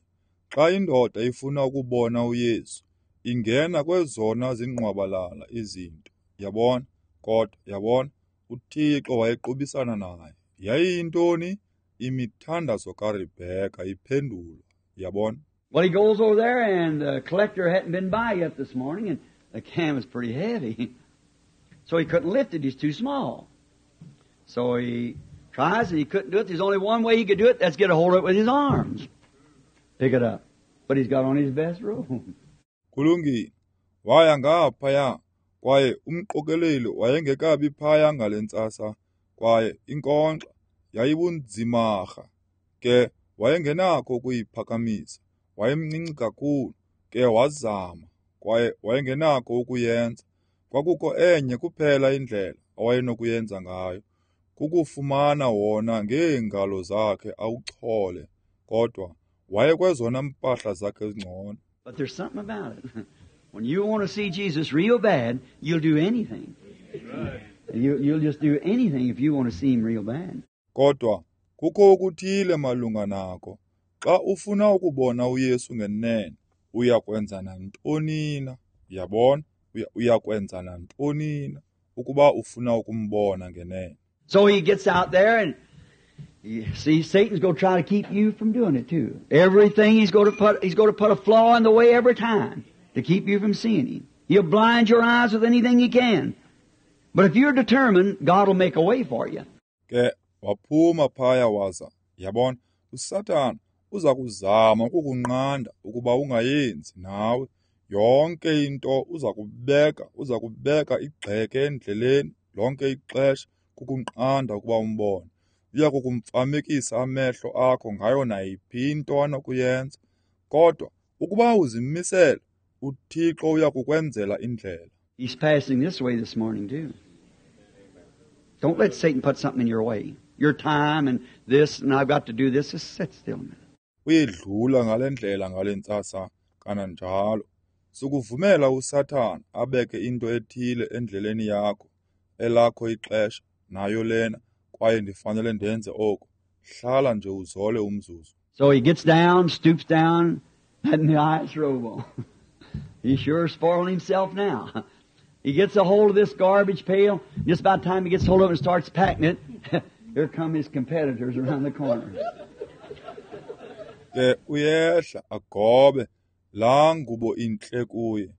Xa indoda ifuna ukubona uYesu, ingena kwezona zingqwabalala izinto. Yabona? Kodwa, yabona, uThixo wayequbisana naye. Yayiyintoni? Imithandazo kaRebecca iphendulwa. Yabona? Well, he goes over there, and the collector hadn't been by yet this morning, and the can was pretty heavy. So he couldn't lift it. He's too small. So he tries, and he couldn't do it. There's only one way he could do it. That's get a hold of it with his arms. Pick it up. But he's got on his best robe. Kulungile. Waya ngaphaya, kwaye umqokeleli wayengekabi phaya ngale ntsasa, kwaye inkonkxa yayibunzimarha. Ke wayengenakho ukuyiphakamisa. Wayemncinci kakhulu, ke wazama, kwaye wayengenakho ukuyenza. Kwakukho enye kuphela indlela awayenokuyenza ngayo, kukufumana wona ngeengalo zakhe awuchole, kodwa wayekwezona mpahla zakhe ezingcono. But there's something about it. When you want to see Jesus real bad, you'll do anything. You'll just do anything if you want to see him real bad. Kodwa kukho okuthile malunga nako. Xa ufuna ukubona uYesu ngenene, uyakwenza nantoni na? Uyabona? Uyakwenza nantoni na ukuba ufuna ukumbona ngenene? So he gets out there and you see, Satan's going to try to keep you from doing it too. Everything he's going to put a flaw in the way every time to keep you from seeing him. He'll blind your eyes with anything he can. But if you're determined, God will make a way for you. Ke waphuma phaya waza, yabona, uSathana uza kuzama ukukunqanda ukuba ungayenzi nawe. Yonke into uza kubeka igxeke endleleni lonke ixesha kukunqanda ukuba umbone. Uya kukumfamekisa amehlo akho ngayo nayiphi into anokuyenza. Kodwa ukuba uzimisele, uThixo uya kukwenzela indlela. He's passing this way this morning too. Don't let Satan put something in your way. Your time and this and I've got to do this. Just sit still a minute. Uyedlula ngale ndlela ngale ntsasa kananjalo. Sukuvumela uSathana abeke into ethile endleleni yakho, elakho ixesha, nayo lena, kwaye ndifanele ndenze oko. Hlala nje uzole umzuzu. So he gets down, stoops down, and the ice robe on. He sure is spoiling himself now. He gets a hold of this garbage pail. Just about the time he gets hold of it and starts packing it, here come his competitors around the corner. Ke uyehla agobe laa ngubo intle kuye.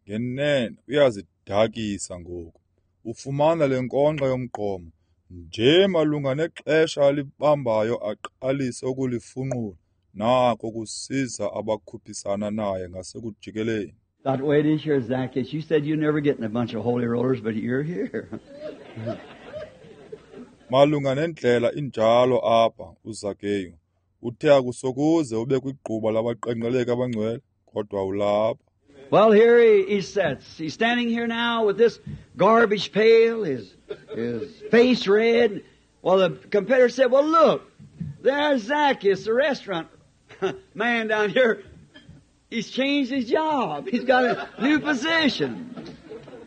Ngenene uyazidakisa ngoku. Ufumana le nkonkxa yomgqomo Nje malunga nexesha alibambayo aqalise ukulifunqula, nako kusiza abakhuphisana naye ngasekujikeleni. That way it is here, Zacchaeus. You said you'd never get in a bunch of holy rollers, but you're here. Malunga nendlela injalo apha, uZakeyu. Uthe akusokuze ube kwigquba labaqengqeleki abangcwele, kodwa ulapha. Well, here he sits. He's standing here now with this garbage pail, his face red. Well, the competitor said, well, look, there's Zacchaeus, the restaurant man down here. He's changed his job. He's got a new position.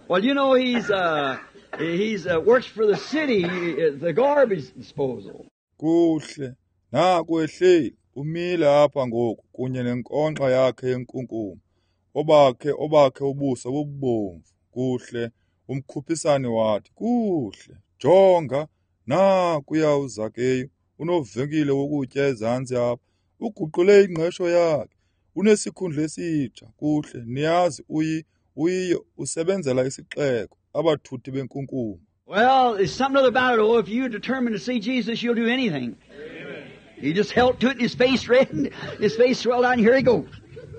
Well, you know, he's works for the city, the garbage disposal. Kuhle, naku ehleli, umile apha ngoku kunye nenkonkxa yakhe yenkunkuma. Obakhe ubuso bubomvu. Kuhle, umkhuphisani wathi, kuhle, jonga, nakuya uZakeyu, unovenkile wokutya ezantsi apha, uguqule ingqesho yakhe, unesikhundla esitsha. Kuhle, niyazi uyiyo usebenzela isixeko, abathuthi benkunkuma. Well, there's something other about it. Oh, if you're determined to see Jesus, you'll do anything. Amen. He just held to it and his face red and his face swelled out, and here he goes.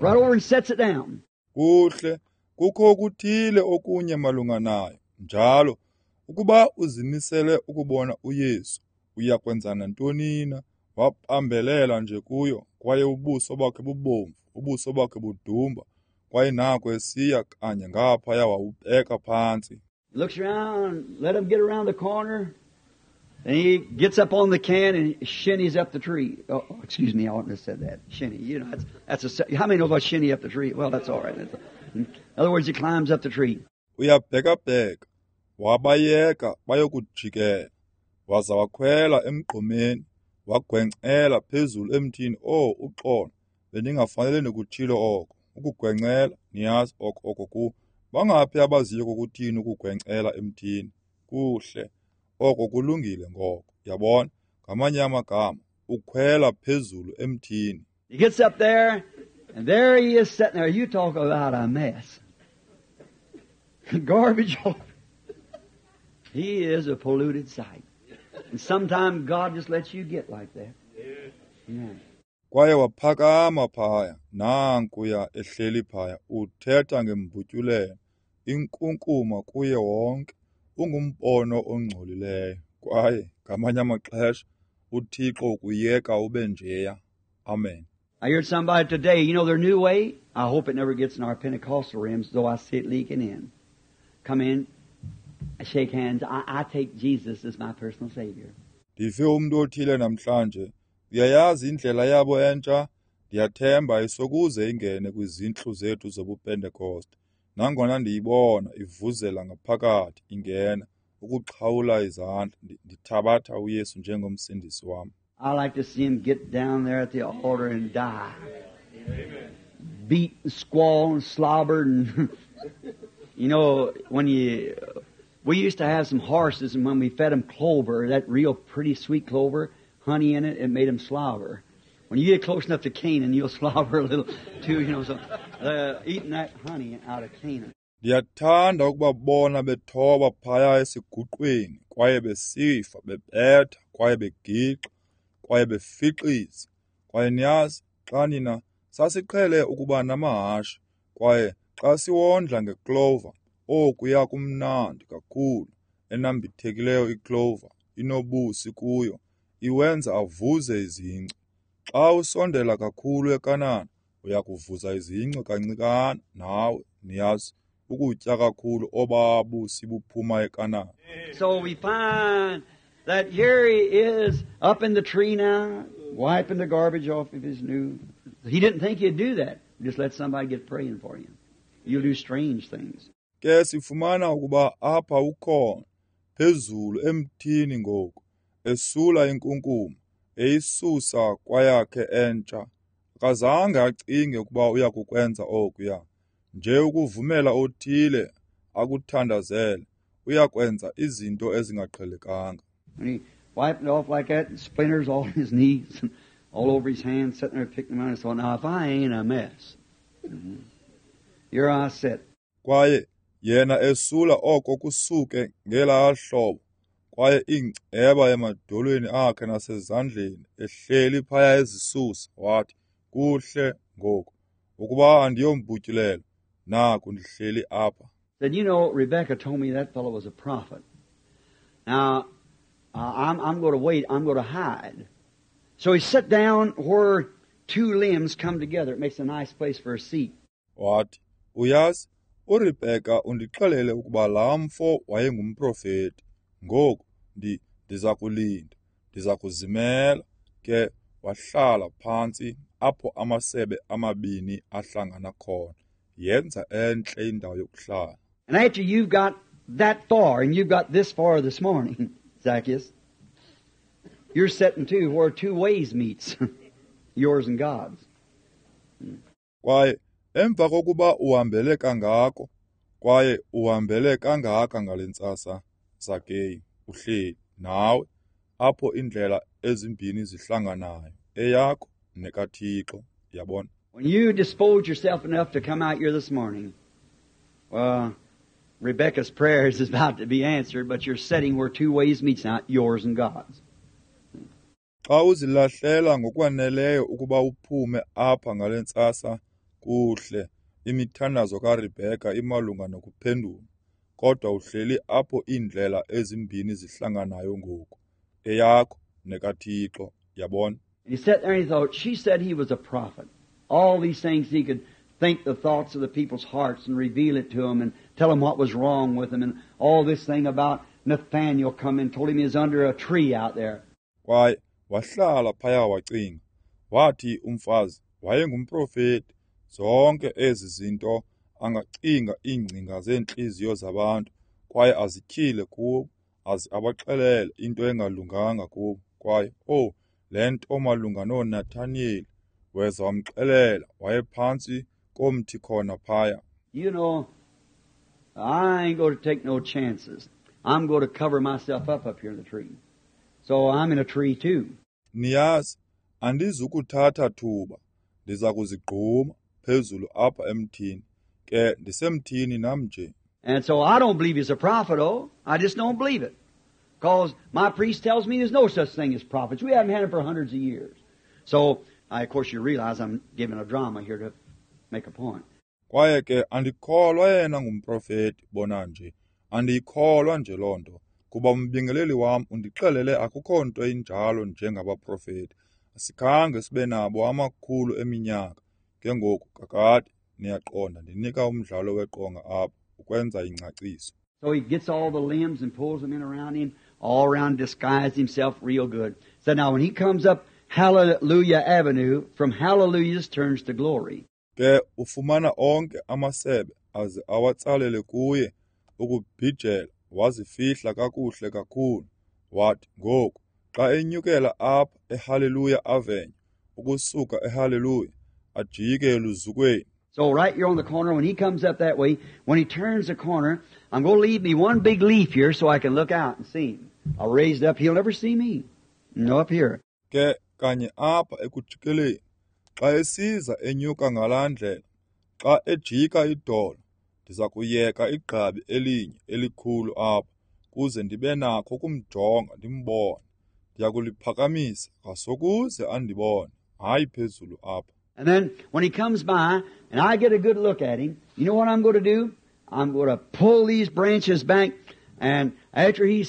Right over and sets it down. Kuhle, kukho okuthile okunye malunga nayo. Njalo, ukuba uzimisele ukubona uYesu, uya kwenza nantoni na? Wabambelela nje kuyo, kwaye ubuso bakhe bubomvu, ubuso bakhe budumba, kwaye nako esiya kanye ngaphaya wawubeka phantsi. Looks around, let him get around the corner. And he gets up on the can and shinnies up the tree. Oh, excuse me, I oughtn't have said that. Shinny, you know, that's a. How many know about shinny up the tree? Well, that's all right. In other words, he climbs up the tree. Uyabhekabheka, wabayeka bayokujikela, waza wakhwela emgqomeni, wagwencela phezulu emthini. Oh, uxolo, bendingafanele ndikutshilo oko. Ukugwencela, niyazi oko ku. Bangaphi abaziyo kokuthini ukugwencela emthini? Kuhle. Oko kulungile ngoko. Yabona, ngamanye amagama, ukhwela phezulu emthini. He gets up there, and there he is sitting there. You talk about a mess. Garbage. He is a polluted sight. And sometimes God just lets you get like that. Yeah. Kwaye waphakama phaya, nankuya ehleli phaya, uthetha ngembutyulelo, inkunkuma kuye wonke. Ungumbono ongcolileyo, kwaye ngamanye amaxesha uThixo ukuyeka ube njeya. Amen. I heard somebody today, you know their new way? I hope it never gets in our Pentecostal rims, though I see it leaking in. Come in, shake hands. I take Jesus as my personal Savior. Ndive umntu othile namhlanje, uyayazi indlela yabo entsha? Ndiyathemba isokuze ingene kwizintlu zethu zobuPentekoste. Nangona ndiyibona ivuzela ngaphakathi ingena ukuxhawula izandla, ndithabatha uYesu njengomsindisi wam. I like to see him get down there at the altar and die. Amen. Beat and squall and slobber and you know, when we used to have some horses, and when we fed them clover, that real pretty sweet clover, honey in it, it made them slobber. When you get close enough to Canaan, you'll slobber a little too, you know, so eating that honey out of Canaan. Ndiyathanda ukubabona bethoba phaya esiguqweni, kwaye besifa, bebetha, kwaye begixa, kwaye befixiza. Kwaye niyazi, xa nina sasiqhele ukuba namahashe, kwaye xa siwondla ngeclover, okuya kumnandi kakhulu, enambithekileyo iclover, inobusi kuyo, iwenza avuze izinci. Xa usondela kakhulu eKanana, uyakuvuza izinci kancikana nawe, niyazi, ukutya kakhulu obabusi buphuma eKanana. So we find that here he is up in the tree now, wiping the garbage off of his new. He didn't think he'd do that. Just let somebody get praying for you. You'll do strange things. Ke sifumana ukuba apha ukhona phezulu emthini ngoku, esula inkunkuma, eyisusa kwayakhe entsha. Akazange acinge ukuba uyakukwenza okuya. Nje ukuvumela othile akuthandazele, uyakwenza izinto ezingaqhelekanga. And he wiped it off like that, and splinters all on his knees and all over his hands, sitting there picking them out. And so now if I ain't a mess, here I sit. Kwaye yena esula oko kusuke ngelaa hlobo, Kwaye iingceba emadolweni akhe nasezandleni, ehleli phaya ezisusa, wathi, kuhle ngoku, ukuba andiyombutyulelo, naku ndihleli apha. Said, you know, Rebecca told me that fellow was a prophet. Now, I'm going to wait. I'm going to hide. So he sat down where two limbs come together. It makes a nice place for a seat. Wathi, uyazi, uRebecca undixelele ukuba laa mfo wayengumprofeti. Ngoku, ndiza kulinda, ndiza kuzimela. Ke wahlala phantsi apho amasebe amabini ahlangana khona. Yenza entle indawo yokuhlala. And after you've got that far, and you've got this far this morning, Zacchaeus, you're sitting too where two ways meets, yours and God's. Kwaye emva kokuba uhambele kangako, kwaye uhambele kangaka ngale ntsasa, Zakeyu, uhleli nawe apho indlela ezimbini zihlanganayo, eyakho nekaThixo, yabona. When you dispose yourself enough to come out here this morning, well, Rebecca's prayers is about to be answered, but you're sitting where two ways meets now, yours and God's. Xa uzilahlela ngokwaneleyo ukuba uphume apha ngale ntsasa, kuhle, imithandazo kaRebecca imalunga nokuphendula, kodwa uhleli apho iindlela ezimbini zihlanganayo ngoku, eyakho nekaThixo, yabona. And he sat there and he thought, she said he was a prophet. All these things he could think the thoughts of the people's hearts and reveal it to them and tell them what was wrong with them, and all this thing about Nathaniel come and told him he was under a tree out there. Kwaye wahlala phaya wacinga, wathi umfazi wayengumprofeti, zonke ezi zinto angacinga iingcinga zeentliziyo zabantu kwaye azityhile kubo, aze abaxelele into engalunganga kubo. Kwaye, oh, le nto malunga noNathaniyeli, weza wamxelela wayephantsi komthi khona phaya. You know, I ain't going to take no chances. I'm going to cover myself up here in the tree. So I'm in a tree too. Niyazi, andizukuthatha thuba, ndiza kuzigquma phezulu apha emthini. Ke ndisemthini nam nje. And so I don't believe he's a prophet, oh. I just don't believe it. Because my priest tells me there's no such thing as prophets. We haven't had them for hundreds of years. So, of course, you realize I'm giving a drama here to make a point. Kwaye ke andikholwa yena ngumprofeti, bona nje. Andiyikholwa nje loo nto, kuba umbingeleli wam undixelele akukho nto injalo njengabaprofeti. Asikhange sibe nabo amakhulu eminyaka. Ke ngoku kakade niyaqonda ndinika umdlalo weqonga apha ukwenza ingcaciso. So he gets all the limbs and pulls them in around him, all around, disguised himself real good. So now when he comes up Hallelujah Avenue, from Hallelujahs turns to glory. Ke ufumana onke amasebe aze awatsalele kuye ukubhijela, wazifihla kakuhle kakhulu. Wathi ngoku xa enyukela apha eHallelujah Avenue, ukusuka eHallelujah ajike eluzukweni. So right here on the corner, when he comes up that way, when he turns the corner, I'm going to leave me one big leaf here so I can look out and see him. I'll raise it up. He'll never see me. No, up here. Ke kanye apha ekujikeleni, xa esiza enyuka ngalaa ndlela, xa ejika idolo, ndiza kuyeka igqabi elinye elikhulu apha kuze ndibe nakho ukumjonga ndimbone. Ndiya kuliphakamisa ngasokuze andibone, hayi phezulu apha. And then when he comes by and I get a good look at him, you know what I'm going to do? I'm going to pull these branches back, and after he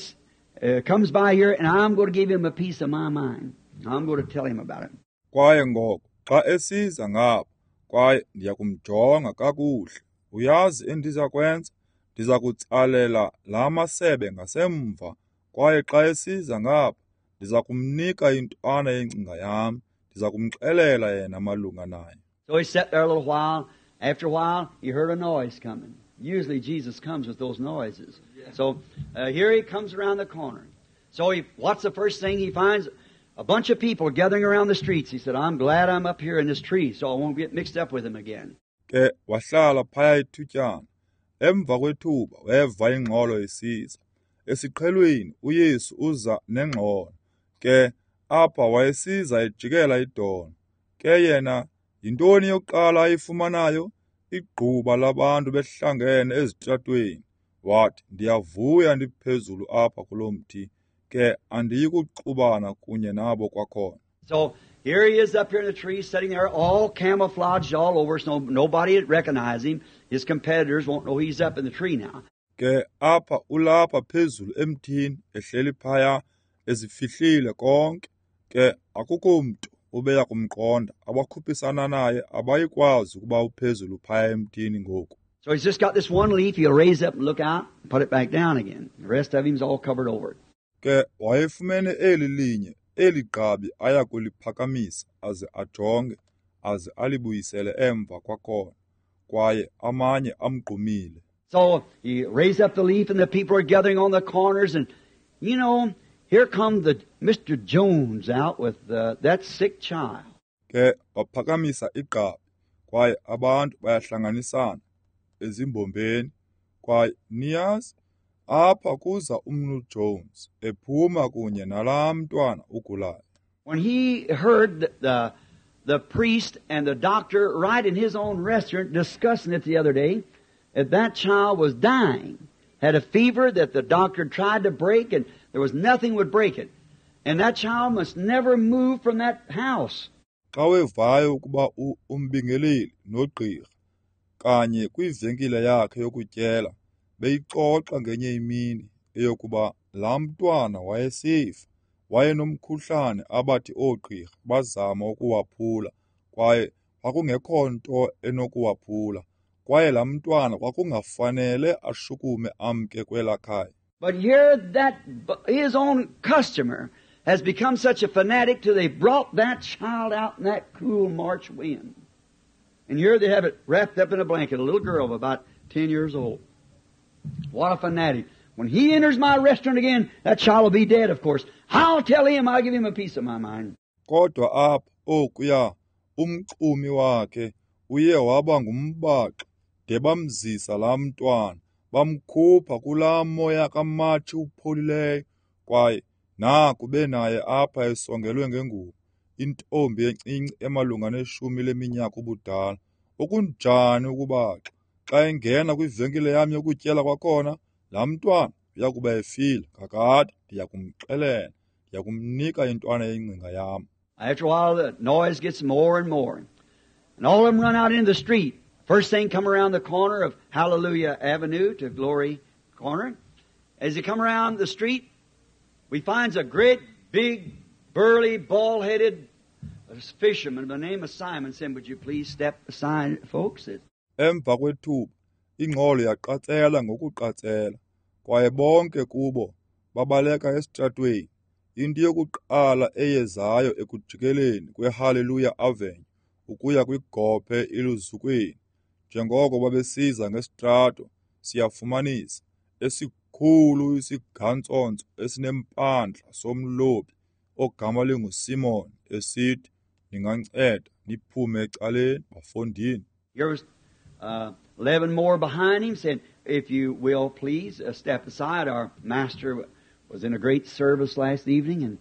comes by here, and I'm going to give him a piece of my mind. I'm going to tell him about it. Kwaye ngoko xa esiza ngapha, kwaye ndiya kumjonga kakuhle. Uyazi endiza kwenza? Ndiza kutsalela la masebe ngasemva, kwaye xa esiza ngapha, ndiza kumnika intwana yengcinga yam. Ndiza kumxelela yena malunga naye. So he sat there a little while. After a while, he heard a noise coming. Usually Jesus comes with those noises. So here he comes around the corner. So what's the first thing he finds? A bunch of people gathering around the streets. He said, I'm glad I'm up here in this tree so I won't get mixed up with them again. Ke wahlala phaya ithutyana. Emva kwethuba weva ingxolo isiza. Esiqhelweni uYesu uza nengxolo. Ke apha wayesiza ejikela idolo. Ke yena yintoni yokuqala ayifumanayo? Igquba labantu behlangene ezitratweni. Wathi, ndiyavuya ndiphezulu apha kulo mthi, ke andiyi kuxubana kunye nabo kwakhona. So here he is up here in the tree, sitting there all camouflaged all over, so nobody would recognize him. His competitors won't know he's up in the tree now. Ke apha ulapha phezulu emthini, ehleli phaya, ezifihlile konke. Ke akukho mntu ubeya kumqonda. Abakhuphisana naye abayikwazi ukuba uphezulu phaya emthini ngoku. So he's just got this one leaf. He'll raise up and look out and put it back down again. The rest of him's all covered over. Ke wayefumene eli linye, eli gqabi aya kuliphakamisa aze ajonge, aze alibuyisele emva kwakhona, kwaye amanye amgqumile. So he raised up the leaf and the people are gathering on the corners, and you know, here come the Mr. Jones out with that sick child. Ke waphakamisa igqabi, kwaye abantu bayahlanganisana ezimbombeni, kwaye niyazi, apha kuza uMnu Jones ephuma kunye nalaa mntwana ugulayo. When he heard the priest and the doctor right in his own restaurant discussing it the other day, that child was dying, had a fever that the doctor tried to break, and there was nothing would break it. And that child must never move from that house. Xa wevayo ukuba umbingeleli nogqirha kanye kwivenkile yakhe yokutyela beyixoxa ngenye imini eyokuba laa mntwana wayesifa, wayenomkhuhlane abathi oogqirha bazama ukuwaphula, kwaye kwakungekho nto enokuwaphula, kwaye laa mntwana kwakungafanele ashukume amke kwelaa khaya. But here that his own customer has become such a fanatic till they brought that child out in that cool March wind. And here they have it wrapped up in a blanket, a little girl of about 10 years old. What a fanatic. When he enters my restaurant again, that child will be dead, of course. I'll tell him, I'll give him a piece of my mind. Kodwa apha okuya umxumi wakhe uye waba ngumbaxa de bamzisa laa mntwana, bamkhupha kulaa moya kaMatshi upholileyo, kwaye naku benaye apha esongelwe ngengubo, intombi encinci emalunga neshumi leminyaka ubudala. Okunjani ukubaxa! Xa engena kwivenkile yam yokutyela kwakhona, laa mntwana uya kuba efile kakade. Ndiya kumxelela, ndiya kumnika intwana yengcinga yam. After a while, the noise gets more and more. And all of them run out into the street. First thing come around the corner of Hallelujah Avenue to Glory Corner. As they come around the street, we finds a great, big, burly, bald-headed fisherman by the name of Simon saying, would you please step aside, folks? Emva kwethuba, ingxolo yaqatsela ngokuqatsela, kwaye bonke kubo babaleka esitratweni. Into yokuqala eyezayo ekujikeleni kweHallelujah Avenue ukuya kwigophe iLuzukweni. Njengoko babesiza ngesitrato, siyafumanisa esikhulu isigantsonso esinempandla somlobi ogama linguSimon esithi, ninganceda niphume ecaleni, bafondini. Here was 11 more behind him, saying, if you will, please step aside. Our master was in a great service last evening,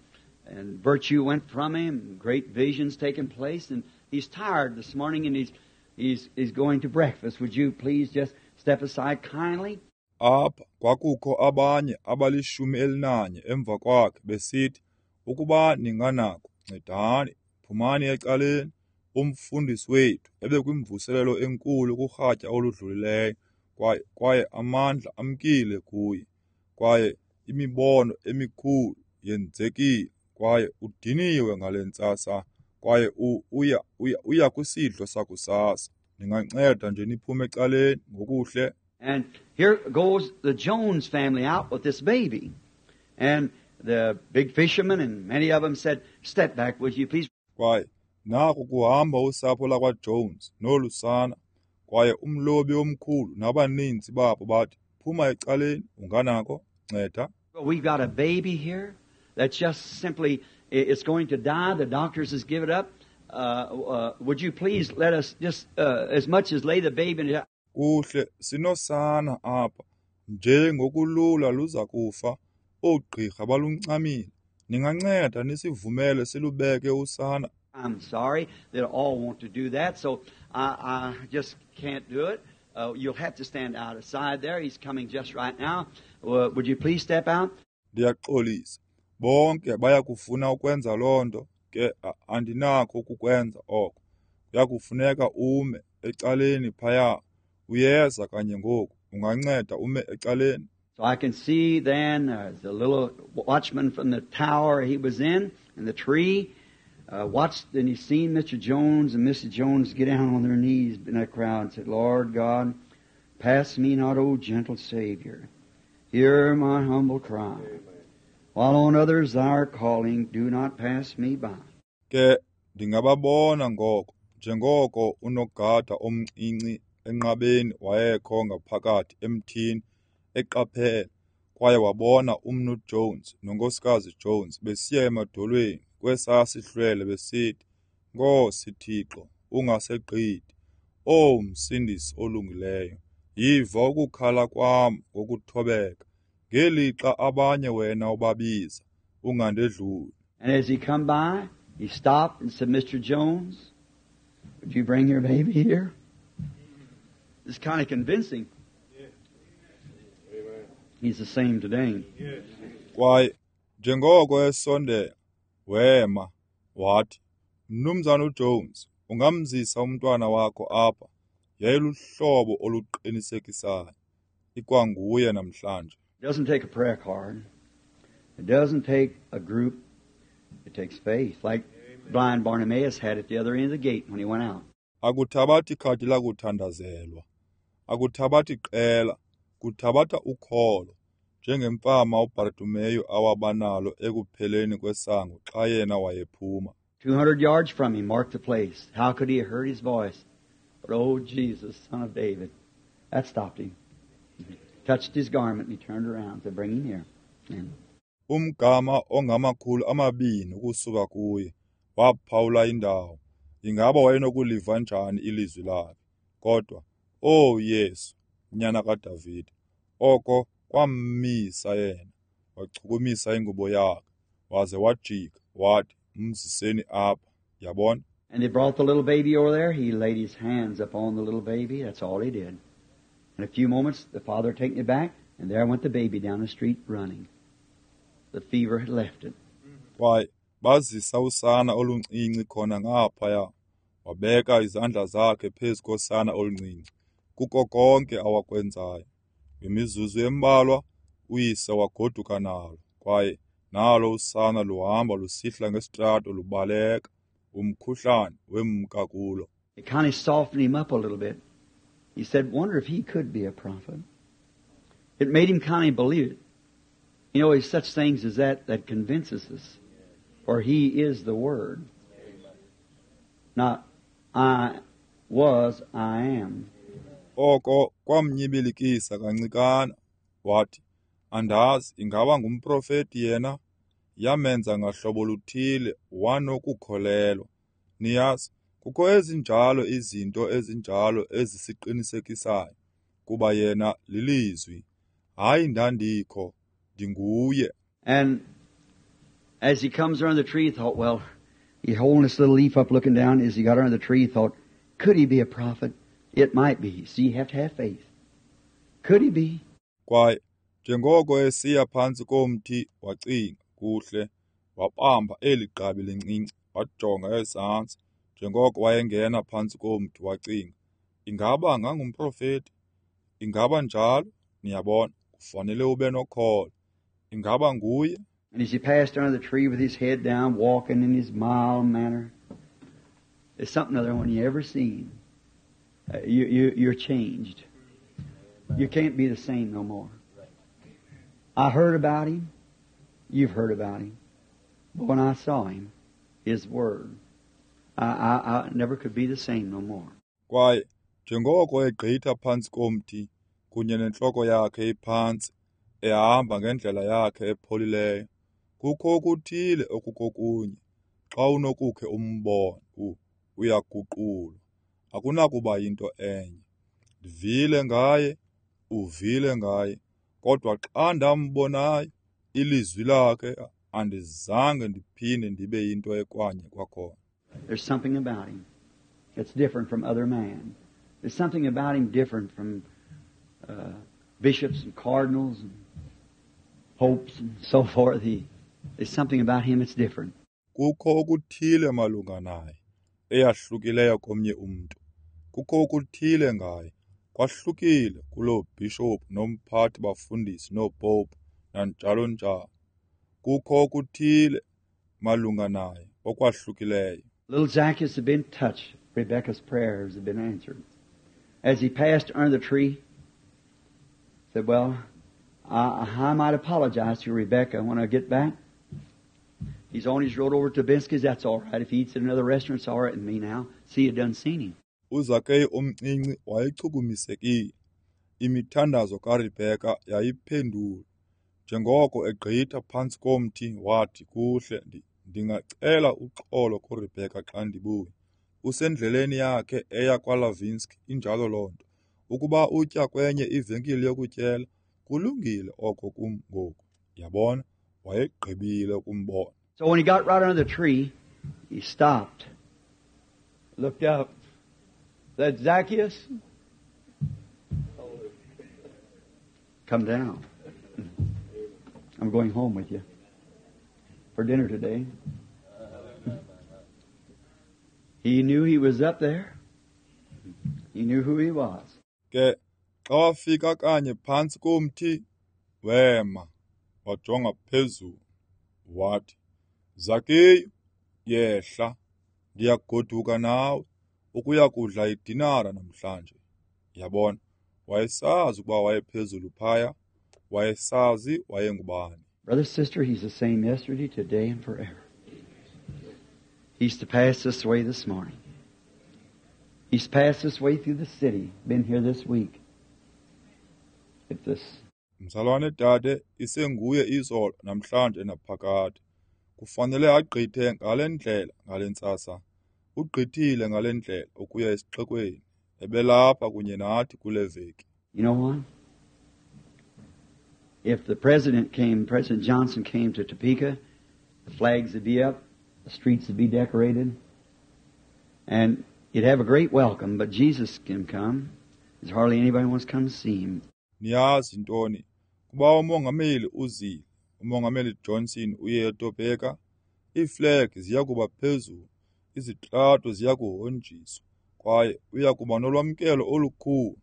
and virtue went from him, great visions taking place, and he's tired this morning, and he's going to breakfast. Would you please just step aside kindly? Apha kwakukho abanye abalishumi elinanye emva kwakhe besithi, ukuba ninganako, ncedani, phumani ecaleni. Umfundisi wethu ebekwimvuselelo enkulu kurhatya oludlulileyo, kwaye amandla amkile kuye, kwaye imibono emikhulu yenzekile, kwaye udiniwe ngale ntsasa, kwaye uya kwisidlo sakusasa. Ninganceda nje niphume ecaleni ngokuhle. And here goes the Jones family out with this baby. And the big fisherman and many of them said, step back, would you please? Kwaye naku kuhamba usapho lakwaJones nolusana, kwaye umlobi omkhulu nabaninzi babo bathi, phuma ecaleni, unganako, nceda. Well, we've got a baby here that's just simply, it's going to die. The doctors has given up. Would you please let us just as much as lay the baby in? Kuhle, sinosana apha nje ngokulula luza kufa. Oogqirha baluncamile. Ninganceda nisivumele silubeke usana. I'm sorry, they all want to do that, so I just can't do it. You'll have to stand out aside there. He's coming just right now. Would you please step out? Ndiyaxolisa. Bonke bayakufuna ukwenza loo nto, ke andinakho ukukwenza oko. Kuyakufuneka ume ecaleni phaya. Uyeza kanye ngoku. Unganceda ume ecaleni. So I can see then the little watchman from the tower he was in the tree, watched, and he seen Mr. Jones and Mrs. Jones get down on their knees in that crowd and said, Lord God, pass me not, O gentle Savior. Hear my humble cry. Amen. While on others thou art calling, do not pass me by. Ke ndingababona ngoko, njengoko unogada omncinci enqabeni wayekho ngaphakathi emthini eqaphela, kwaye wabona uMnu Jones noNkosikazi Jones besiya emadolweni kwesaa sihlwele besithi, Nkosi Thixo, ungasegqithi, O Msindisi olungileyo, yiva ukukhala kwam ngokuthobeka, ngelixa abanye wena ubabiza, ungandedluli. And as he come by, he stopped and said, Mr. Jones, would you bring your baby here? It's kind of convincing. He's the same today. Kwaye njengoko esondela, wema, wathi, Mnumzana uJones, ungamzisa umntwana wakho apha. Yayiluhlobo oluqinisekisayo. Ikwanguye namhlanje. It doesn't take a prayer card. It doesn't take a group. It takes faith, like blind Bartimaeus had at the other end of the gate when he went out. Akuthabathi khadi lakuthandazelwa. Akuthabathi qela. Kuthabatha ukholo, njengemfama uBartimeyu awabanalo ekupheleni kwesango xa yena wayephuma. 200 yards from him marked the place. How could he have heard his voice? But oh, Jesus, Son of David. That stopped him. He touched his garment and he turned around to bring him here. Amen. Umgama ongama-200 ukusuka kuye, waphawula indawo. Ingaba wayenokuliva njani ilizwi lakhe? Kodwa, oh Yesu, nyana kaDavide, oko kwammisa yena. Wachukumisa ingubo yakhe, waze wajika, wathi, mziseni apha. Yabona? And they brought the little baby over there. He laid his hands upon the little baby. That's all he did. In a few moments, the father taken it back, and there went the baby down the street running. The fever had left it. Kwaye bazisa usana oluncinci khona ngaphaya. Wabeka izandla zakhe phezu kosana oluncinci. Kuko konke awakwenzayo. Ngemizuzu embalwa, uyise wagoduka nalo, kwaye nalo usana luhamba lusihla ngesitrato lubaleka. Umkhuhlane wemka kulo. It kind of softened him up a little bit. He said, wonder if he could be a prophet. It made him kind of believe it. You know, it's such things as that that convinces us. For he is the Word. Not I was, I am. Oko kwamnyibilikisa kancikana. Wathi, andazi ingaba ngumprofeti yena. Yamenza ngahlobo luthile wanokukholelwa. Niyazi, kukho ezinjalo izinto ezinjalo ezisiqinisekisayo, kuba yena lilizwi. Hayi ndandikho, ndinguye. And as he comes around the tree, he thought, well, he holding this little leaf up looking down. As he got under the tree, he thought, could he be a prophet? It might be. See, you have to have faith. Could he be? Kwaye njengoko esiya phantsi komthi, wacinga, kuhle, wabamba eli gqabi lincinci, wajonga ezantsi. Njengoko wayengena phantsi komthi, wacinga, ingaba ngangumprofeti? Ingaba njalo? Niyabona, kufanele ube nokholo. Ingaba nguye? And as he passed under the tree with his head down, walking in his mild manner, there's something other one you ever seen. You're changed. You can't be the same no more. I heard about him. You've heard about him. But when I saw him, his word, I never could be the same no more. Kwaye njengoko egqitha phantsi komthi kunye nentloko yakhe iphantsi, ehamba ngendlela yakhe epholileyo, kukho okuthile okukokunye. Xa unokukhe umbone, uyaguqulwa. Akunakuba yinto enye. Ndivile ngaye, uvile ngaye, kodwa xa ndambonayo ilizwi lakhe, andizange ndiphinde ndibe yinto ekwanye kwakhona. There's something about him that's different from other man. There's something about him different from bishops and cardinals and popes and so forth. There's something about him that's different. Kukho okuthile malunga naye eyahlukileyo komnye umntu. Kukho okuthile ngaye kwahlukile kuloo bhishophu nomphathi bafundisi noopopu nanjalo njalo. Kukho okuthile malunga naye okwahlukileyo. Little Zacchaeus had been touched. Rebecca's prayers had been answered. As he passed under the tree, he said, well, I might apologize to Rebecca when I get back. He's on his road over to Binsky's. That's all right. If he eats at another restaurant, it's all right with me now. See, you done seen him. UZakeyu omncinci wayechukumisekile. Imithandazo kaRebecca yayiphendulwa. Njengoko egqitha phantsi komthi wathi, kuhle, ndingacela uxolo kuRebecca xa ndibuya. Usendleleni yakhe eya kwaLavinski, injalo loo nto. Ukuba utya kwenye ivenkile yokutyela, kulungile oko kum ngoku. Yabona, wayegqibile ukumbona. So when he got right under the tree, he stopped, looked up, said, Zacchaeus, come down. I'm going home with you for dinner today. He knew he was up there. He knew who he was. Ke xa wafika kanye phantsi komthi, wema, wajonga phezulu, wathi, Zakeyu, yehla, ndiyagoduka nawe ukuya kudla idinara namhlanje. Yabona, wayesazi ukuba wayephezulu phaya, wayesazi wayengubani. Brother, sister, he's the same yesterday, today, and forever. He's to pass this way this morning. He's passed this way through the city, been here this week. If this Mzalwane dade, isenguye izolo namhlanje naphakade. Kufanele agqithe ngale ndlela ngale ntsasa. Ugqithile ngale ndlela ukuya esixekweni. Ebelapha kunye nathi kule veki. You know what? If the president came, President Johnson came to Topeka, the flags would be up, the streets would be decorated, and you'd have a great welcome, but Jesus can come. There's hardly anybody wants to come see him. Niyazi ntoni? Kuba umongameli uzile, umongameli Johnson uye eTopeka, iiflag ziya kuba phezulu, izitrato ziya kuhonjiswa, kwaye uya kuba nolwamkelo olukhulu.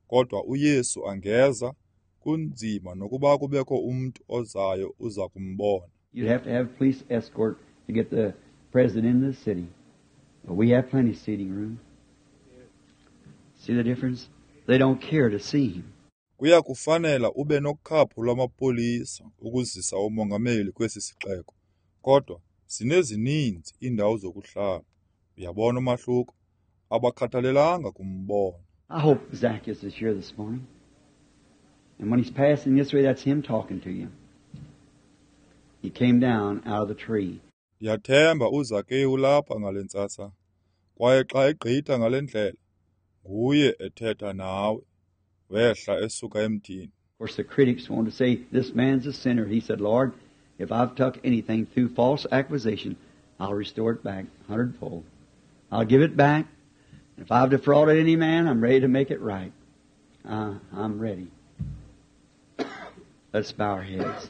Kodwa uYesu angeza, kunzima nokuba kubekho umntu ozayo uza kumbona. You'd have to have a police escort to get the president into the city. But we have plenty of seating room. See the difference? They don't care to see him. Kuya kufanela ube nokhaphu lwamapolisa ukuzisa umongameli kwesi sixeko. Kodwa sinezininzi iindawo zokuhlala. Uyabona umahluko? Abakhathalelanga kumbona. I hope Zacchaeus is here this morning. And when he's passing this way, that's him talking to you. He came down out of the tree. Ndiyathemba uZakeyu ulapha ngale ntsasa. Kwaye xa egqitha ngale ndlela, nguye ethetha nawe. Wehla esuka emthini. Of course, the critics want to say, this man's a sinner. He said, Lord, if I've took anything through false accusation, I'll restore it back 100-fold. I'll give it back. If I've defrauded any man, I'm ready to make it right. I'm ready. Let's bow our heads.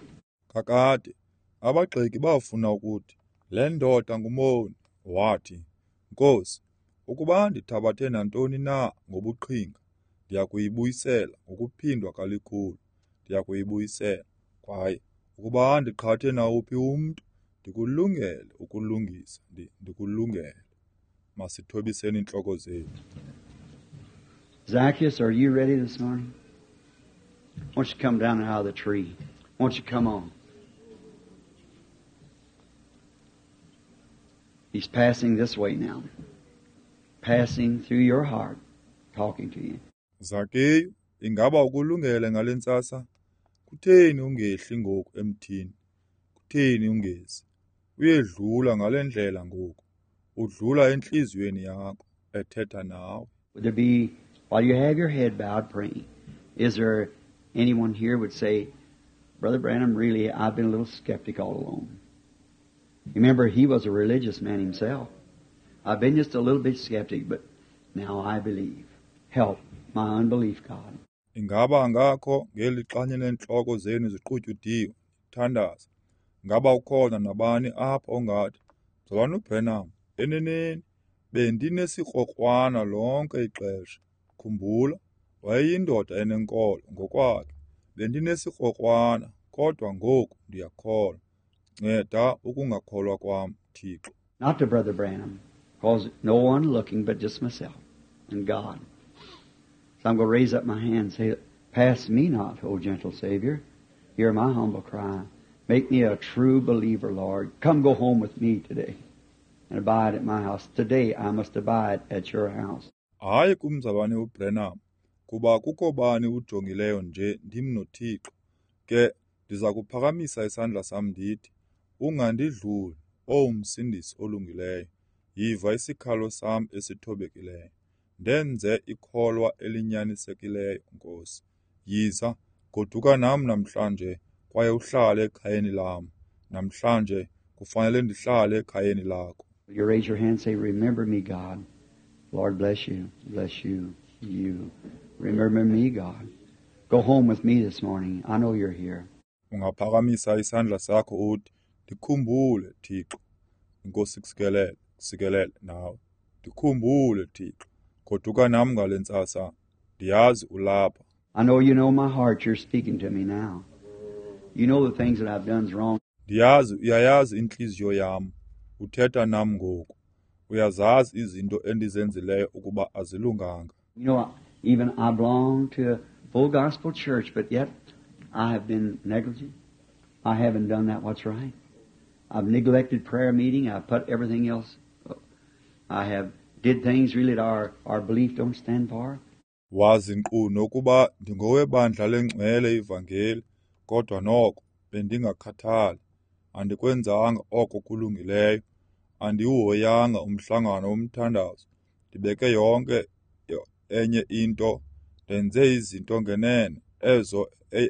Kakade, abagxeki bafuna ukuthi, le ndoda ngumoni. Wathi, Nkosi, ukuba ndithabathe nantoni na ngobuqhinga, ndiyakuyibuyisela ngokuphindwa kalikhulu. Ndiyakuyibuyisela. Kwaye ukuba ndiqhathe nawuphi umntu, ndikulungele ukulungisa, ndikulungele. Masithobiseni iintloko zethu. Zacchaeus, are you ready this morning? Won't you come down out of the tree? Won't you come on? He's passing this way now. Passing through your heart, talking to you. Zakeyu, ingaba ukulungele ngale ntsasa? Kutheni ungehli ngoku emthini? Kutheni ungezi? Uyedlula ngale ndlela ngoku. Udlula entliziyweni yakho, ethetha nawe. Would there be, while you have your head bowed praying, is there anyone here would say, Brother Branham, really, I've been a little skeptic all along. Remember, he was a religious man himself. I've been just a little bit skeptic, but now I believe. Help my unbelief, God. Ingaba ngakho ngeli xanye neentloko zenu ziqutyudiwe, thandaza. Ngaba ukhona nabani apha ongathi, Mzalwana uBranham, eneneni bendinesikrokrwana lonke ixesha. Khumbula, wayeyindoda enenkolo ngokwakhe. Bendinesikrokrwana, kodwa ngoku ndiyakholwa. Nceda ukungakholwa kwam, Thixo. Not to Brother Branham, because no one looking but just myself and God. So I'm going to raise up my hand and say, Pass me not, O gentle Savior. Hear my humble cry. Make me a true believer, Lord. Come go home with me today and abide at my house. Today I must abide at your house. Hayi kumzalwane uBranham, kuba kukho bani ujongileyo nje ndim noThixo. Ke ndiza kuphakamisa isandla sam ndithi, ungandidluli, owu Msindisi olungileyo. Yiva isikhalo sam esithobekileyo. Ndenze ikholwa elinyanisekileyo, Nkosi. Yiza, goduka nam namhlanje kwaye uhlale ekhayeni lam. Namhlanje kufanele ndihlale ekhayeni lakho. Will you raise your hand and say, Remember me, God. Lord bless you, bless you, you. Remember me, God. Go home with me this morning. I know you're here. Ungaphakamisa isandla sakho uthi, Ndikhumbule, Thixo. Inkosi kusikelele, kusikelele nawe. Ndikhumbule, Thixo. Goduka nam ngale ntsasa. Ndiyazi ulapha. I know you know my heart. You're speaking to me now. You know the things that I've done's wrong. Ndiyazi uyayazi intliziyo yam. Uthetha nam ngoku. Uyazazi izinto endizenzileyo ukuba azilunganga. You know, even I belong to a full gospel church, but yet I have been negligent. I haven't done that what's right. I've neglected prayer meeting. I've put everything else. I have did things really that our belief don't stand for. Wazi nkqu nokuba ndingowebandla lengcwele ivangeli, kodwa noko bendingakhathali. Andikwenzanga oko kulungileyo. Andiwuhoyanga umhlangano womthandazo. Ndibeke yonke enye into, ndenze izinto ngenene ezo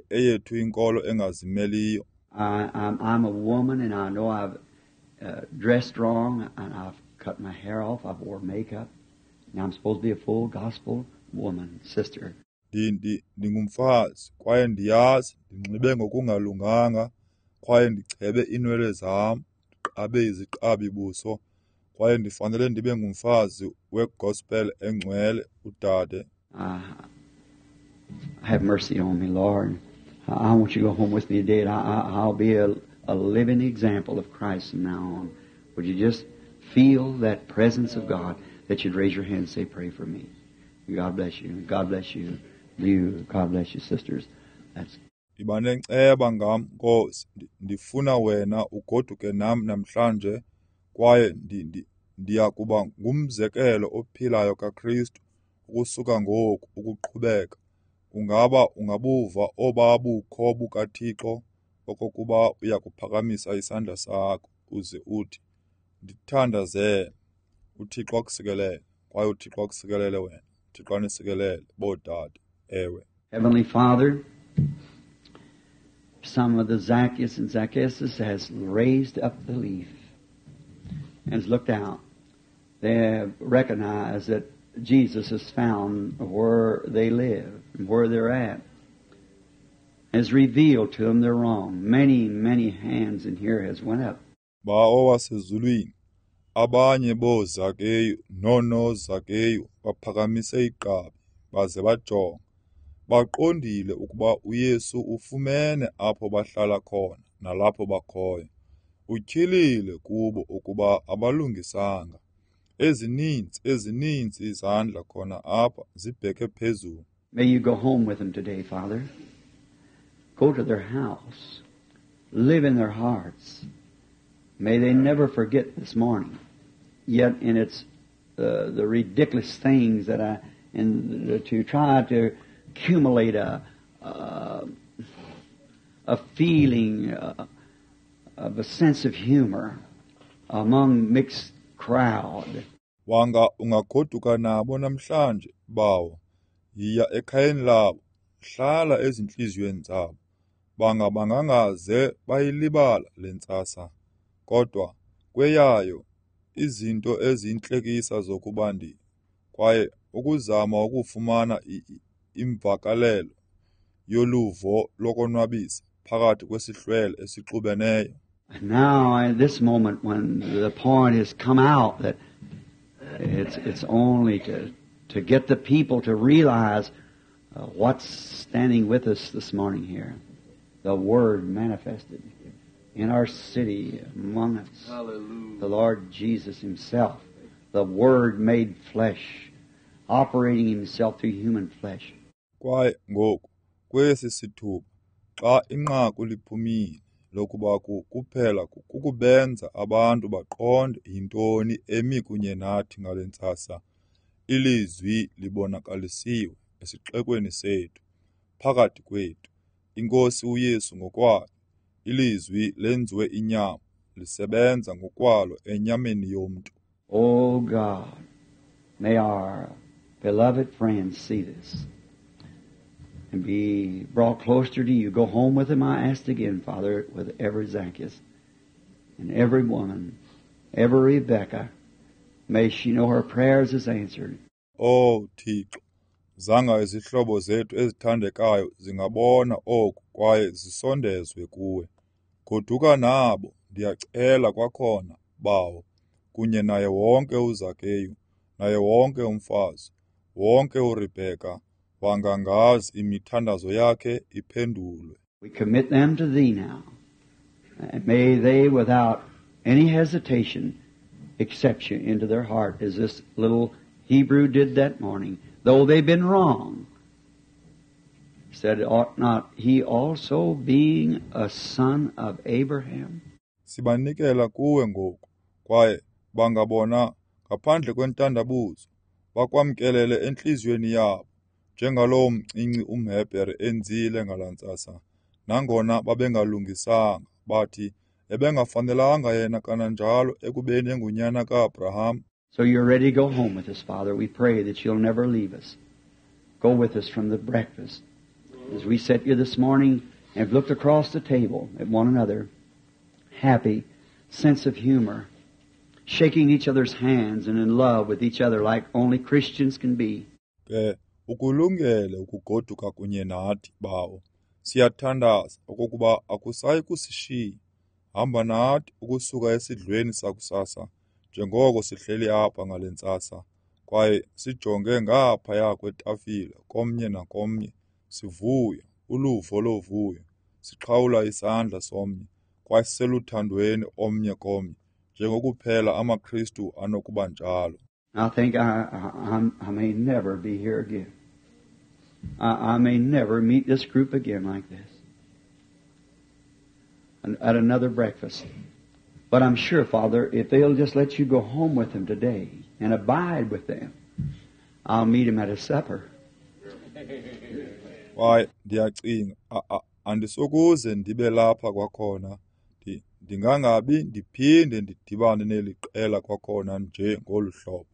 eyethu inkolo engazimeliyo. I'm a woman, and I know I've dressed wrong, and I've cut my hair off. I've wore makeup. Now I'm supposed to be a full gospel woman, sister. Ndingumfazi kwaye ndiyazi ndinxibe ngokungalunganga kwaye ndichebe iinwele zam, ndiqabe iziqabi buso, kwaye ndifanele ndibe ngumfazi wegospel engcwele, udade. Have mercy on me, Lord. I want you to go home with me today, and I'll be a living example of Christ from now on. Would you just feel that presence of God, that you'd raise your hand and say, Pray for me. God bless you. God bless you. You. God bless you, sisters. That's Iba nenceba ngam, Nkosi. Ndifuna wena ugoduke nam namhlanje, kwaye ndiya kuba ngumzekelo ophilayo kaKristu ukusuka ngoku ukuqhubeka. Ungaba ungabuva oba bukho bukaThixo okokuba uyakuphakamisa isandla sakho uze uthi, Ndithandazele. uThixo akusikelele, kwaye uThixo akusikelele wena. uThixo anisikelele, boodade. Ewe. Heavenly Father, some of the Zacchaeus and Zacchaeuses has raised up the leaf and has looked out. They have recognized that Jesus has found where they live and where they're at. Has revealed to them they're wrong. Many, many hands in here has went up. Bawo wasezulwini, abanye booZakeyu noonoZakeyu baphakamise igqabi baze bajonga. Baqondile ukuba uYesu ufumene apho bahlala khona nalapho bakhoyo. Utyhilile kubo ukuba abalungisanga. Ezininzi, ezininzi izandla khona apha zibheke phezulu. May you go home with them today, Father. Go to their house. Live in their hearts. May they never forget this morning. Yet in its the ridiculous things that I and to try to accumulate a feeling of a sense of humor among mixed crowd. Wanga ungagoduka nabo namhlanje, Bawo. Yiya ekhayeni labo, hlala ezintliziyweni zabo. Banga bangangaze bayilibala le ntsasa. Kodwa kweyayo izinto eziyintlekisa zokuba ndi kwaye ukuzama ukufumana imvakalelo yoluvo lokonwabisa phakathi kwesihlwele esixubeneyo. And now at this moment when the point has come out that it's only to get the people to realize what's standing with us this morning here. The Word manifested in our city, among us. Hallelujah. The Lord Jesus Himself, the Word made flesh, operating Himself through human flesh. Kwaye ngoku kwesi sithuba xa inqaku liphumile lokuba kuphela kukubenza abantu baqonde yintoni emi kunye nathi ngale ntsasa, ilizwi libonakalisiwe esixekweni sethu, phakathi kwethu, iNkosi uYesu ngokwayo, ilizwi lenziwe inyama, lisebenza ngokwalo enyameni yomntu. Oh God, may our beloved friends see this and be brought closer to you. Go home with them, I asked again, Father, with every Zacchaeus and every woman, every Rebecca. May she know her prayers is answered. Oh Thixo, zanga izihlobo zethu ezithandekayo zingabona oku kwaye zisondezwe kuwe. Goduka nabo, ndiyacela kwakhona, Bawo, kunye naye wonke uZakeyu, naye wonke umfazi, wonke uRebheka, wangangazi imithandazo yakhe iphendulwe. We commit them to Thee now. And may they, without any hesitation, accept You into their heart as this little Hebrew did that morning, though they've been wrong. Said, ought not he also being a son of Abraham? Sibanikela kuwe ngoku, kwaye bangabona ngaphandle kwentandabuzo, bakwamkelele entliziyweni yabo, njengalowo mncinci umHebhere enzile ngalaa ntsasa. Nangona babengalungisanga, bathi ebengafanelanga yena kananjalo ekubeni engunyana kaAbraham. So you're ready to go home with us, Father. We pray that you'll never leave us. Go with us from the breakfast. As we sat here this morning and have looked across the table at one another, happy, sense of humor, shaking each other's hands and in love with each other like only Christians can be. Ke ukulungele ukugoduka kunye nathi, Bawo. Siyathandaza okokuba akusayi kusishiya. Hamba nathi ukusuka esidlweni sakusasa, njengoko sihleli apha ngale ntsasa, kwaye sijonge ngaphaya kwetafile komnye nakomnye, sivuya, uluvo lovuyo, siqhawula isandla somnye, kwaye siseluthandweni omnye komnye, njengokuphela amaKristu anokuba njalo. I think I may never be here again. I may never meet this group again like this at another breakfast. But I'm sure, Father, if they'll just let you go home with them today and abide with them, I'll meet them at a supper. Kwaye ndiyacinga, andisokuze ndibe lapha kwakhona. Ndingangabi ndiphinde ndidibane neli qela kwakhona nje ngolu hlobo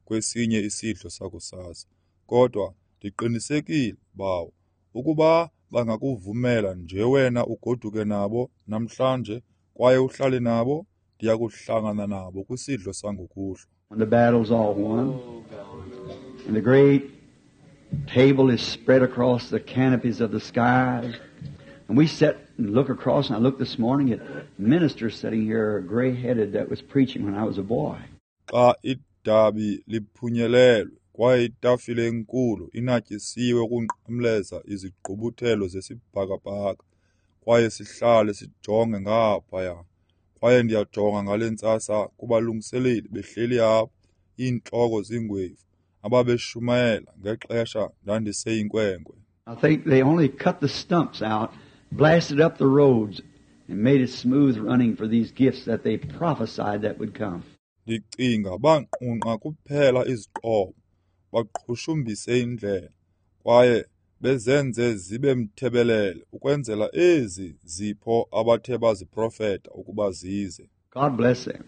kwesinye isidlo sakusasa. Kodwa ndiqinisekile, Bawo, ukuba bangakuvumela nje wena ugoduke nabo namhlanje kwaye uhlale nabo, ndiyakuhlangana nabo kwisidlo sangokuhlwa. When the battle's all won and the great table is spread across the canopies of the skies, and we sit and look across, and I looked this morning at ministers sitting here gray-headed that was preaching when I was a boy. Xa idabi liphunyelelwe kwaye itafile enkulu inatyisiwe ukunqamleza izigqubuthelo zesibhakabhaka, kwaye sihlale sijonge ngaphaya. Kwaye ndiyajonga ngale ntsasa kubalungiseleli behleli apha, iintloko zingwevu, ababeshumayela ngexesha ndandiseyinkwenkwe. I think they only cut the stumps out, blasted up the roads, and made it smooth running for these gifts that they prophesied that would come. Ndicinga banqunqa kuphela iziqobo, baqhushumbise indlela, kwaye bezenze zibe mthebelele ukwenzela ezi zipho abathe baziprofeta ukuba zize. God bless them.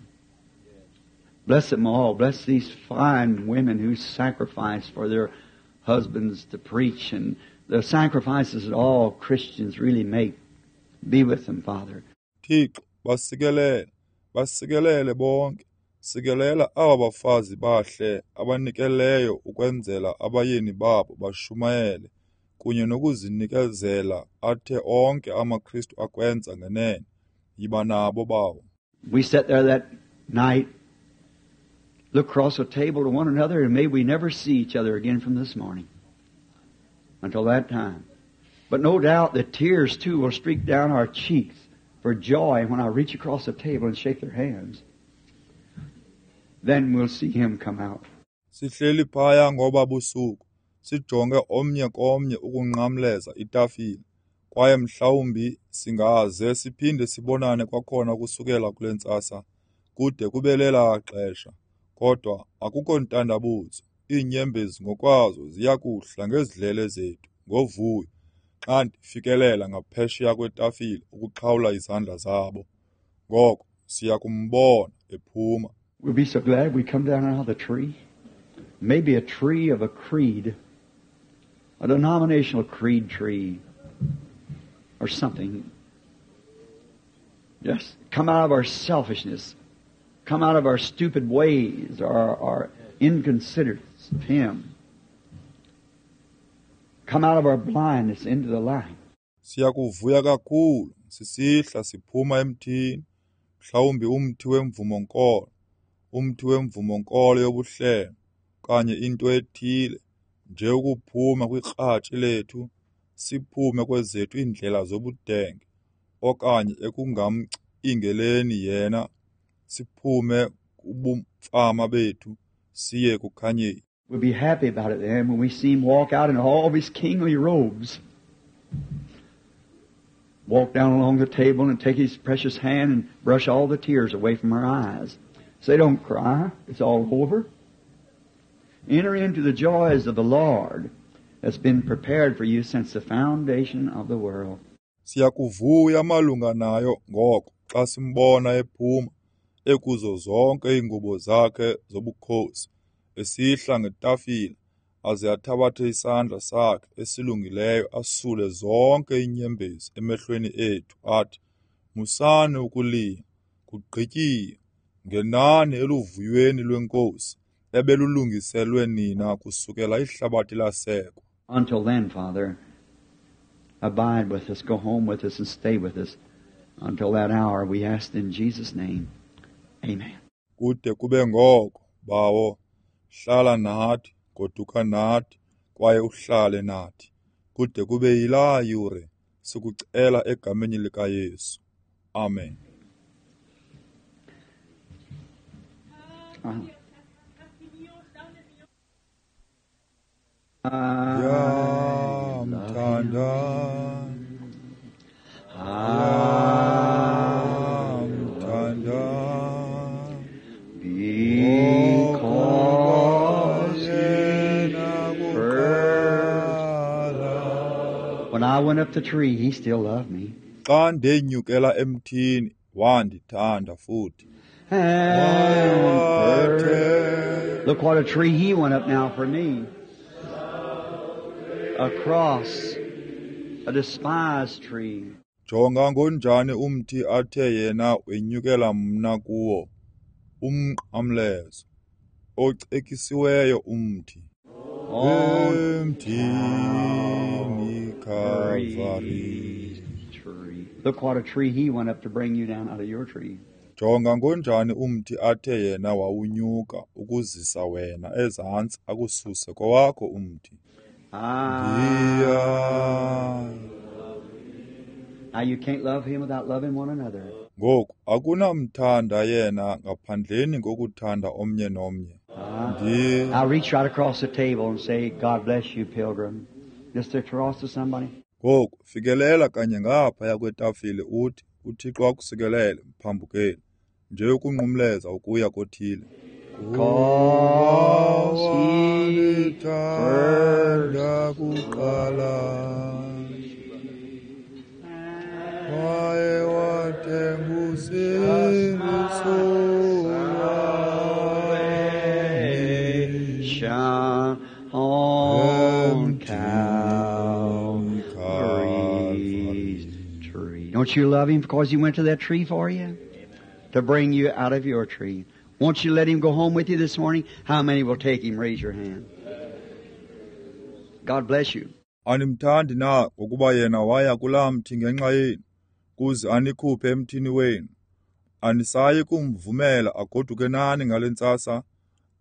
Bless them all. Bless these fine women who sacrifice for their husbands to preach, and the sacrifices that all Christians really make. Be with them, Father. Thixo, basikelele, basikelele bonke. Sikelela aba bafazi bahle abanikeleyo ukwenzela abayeni babo bashumayele kunye nokuzinikezela athe onke amaKristu akwenza ngenene. Yiba nabo, Bawo. We sat there that night, look across the table to one another, and may we never see each other again from this morning until that time. But no doubt the tears, too, will streak down our cheeks for joy when I reach across the table and shake their hands. Then we'll see him come out. Sihleli phaya ngoba busuku, sijonge omnye komnye ukunqamleza itafile, kwaye mhlawumbi singaze siphinde sibonane kwakhona ukusukela kule ntsasa, kude kube lelaa xesha. Kodwa akukho ntandabuzo, iinyembezi ngokwazo ziya kuhla ngezidlele zethu ngovuyo xa ndifikelela ngaphesheya kwetafile ukuxhawula izandla zabo. Ngoko siya kumbona ephuma. We'll be so glad we come down out of the tree. Maybe a tree of a creed, a denominational creed tree or something. Just come out of our selfishness, come out of our stupid ways, or our inconsiderateness of Him. Come out of our blindness into the light. Siyakuvuya kakhulu sisihla siphuma emthini, mhlawumbi umthi wemvumo-nkolo, umthi wemvumo-nkolo yobuhlelo, okanye into ethile, nje ukuphuma kwikratshi lethu, siphume kwezethu iindlela zobudenge, okanye ekungamcingeleni yena, siphume kubumfama bethu, siye ekukhanyeni. We'll be happy about it then when we see him walk out in all of his kingly robes. Walk down along the table and take his precious hand and brush all the tears away from our eyes. Say, don't cry. It's all over. Enter into the joys of the Lord that's been prepared for you since the foundation of the world. Siyakuvuya malunga nayo ngoko xa simbona ephuma ekuzo zonke iingubo zakhe zobukhosi, esihla ngetafile aze athabathe isandla sakhe esilungileyo asule zonke iinyembezi emehlweni ethu athi, musani ukulila, kugqityiwe, ngenani eluvuyweni lweNkosi ebelulungiselwe nina kusukela ihlabathi lasekwa. Until then, Father, abide with us, go home with us, and stay with us until that hour. We ask in Jesus' name. Amen. Kude kube ngoko, Bawo, hlala nathi, goduka nathi, kwaye uhlale nathi. Kude kube yilaa yure, sikucela egameni likaYesu. Amen. Yamthanda, yamthanda, because he first. When I went up the tree, he still loved me. Xa ndenyukela emthini, wandithanda futhi. And first, look what a tree he went up now for me. A cross, a despised tree. Jonga ngonjani umthi athe yena wenyukela mna kuwo, umnqamlezo, ocekisiweyo umthi. Emthini Calvary. Tree. Look what a tree he went up to bring you down out of your tree. Jonga ngonjani umthi athe yena wawunyuka ukuzisa wena ezantsi akususe kowakho umthi. Now you can't love him without loving one another. Ngoku akunamthanda yena ngaphandleni kokuthanda omnye nomnye. I reach right across the table and say, God bless you, pilgrim. Just across to somebody. Ngoku fikelela kanye ngaphaya kwetafile uthi, uThixo akusikelele, mphambukeli, nje ukunqumleza ukuya kothile. Because he first kuqala, waye wathenga usindiso lwami on Calvary's tree. Don't you love him because he went to that tree for you? To bring you out of your tree. Won't you let him go home with you this morning? How many will take him? Raise your hand. God bless you. Animthandi na ngokuba yena waya kulaa mthi ngenxa yenu, kuze anikhuphe emthini wenu? Anisayi kumvumela agoduke nani ngale ntsasa?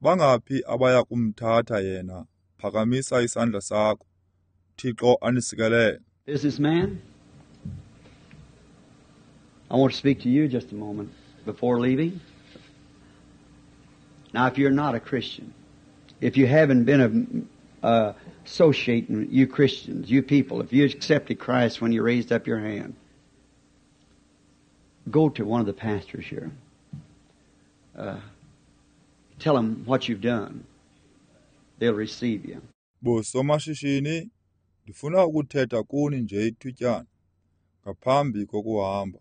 Bangaphi abaya kumthatha yena? Phakamisa isandla sakho. Thixo anisikelele. Businessman, I want to speak to you just a moment before leaving. Now, if you're not a Christian, if you haven't been associating, you Christians, you people, if you accepted Christ when you raised up your hand, go to one of the pastors here. Tell them what you've done. They'll receive you. Bosomashishini, ndifuna ukuthetha kuni nje ithutyana ngaphambi kokuhamba.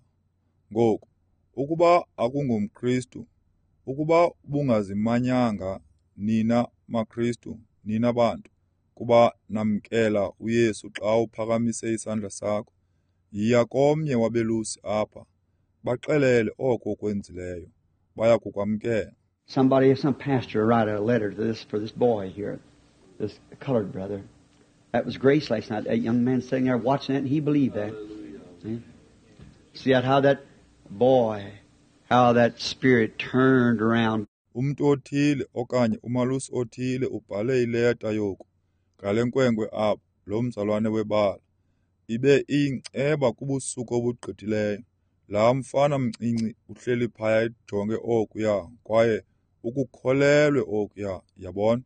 Ngoku, ukuba akungomKristu, ukuba ubungazimanyanga nina maKristu, nina bantu, kuba namkela uYesu xa uphakamise isandla sakho, yiya komnye wabelusi apha, baxelele oko ukwenzileyo, baya kukwamkela. Somebody, some pastor, write a letter to this for this boy here, this colored brother. That was Grace last night. That young man sitting there watching that, and he believed that. See? See that how that boy, how that spirit turned around. Umntu othile okanye umalusi othile ubhale ileta yoku ngale nkwenkwe apha, lo mzalwane webala. Ibe iyinceba kubusuku obugqithileyo. Laa mfana mncinci uhleli phaya ejonge okuya kwaye ukukholelwe okuya, yabona?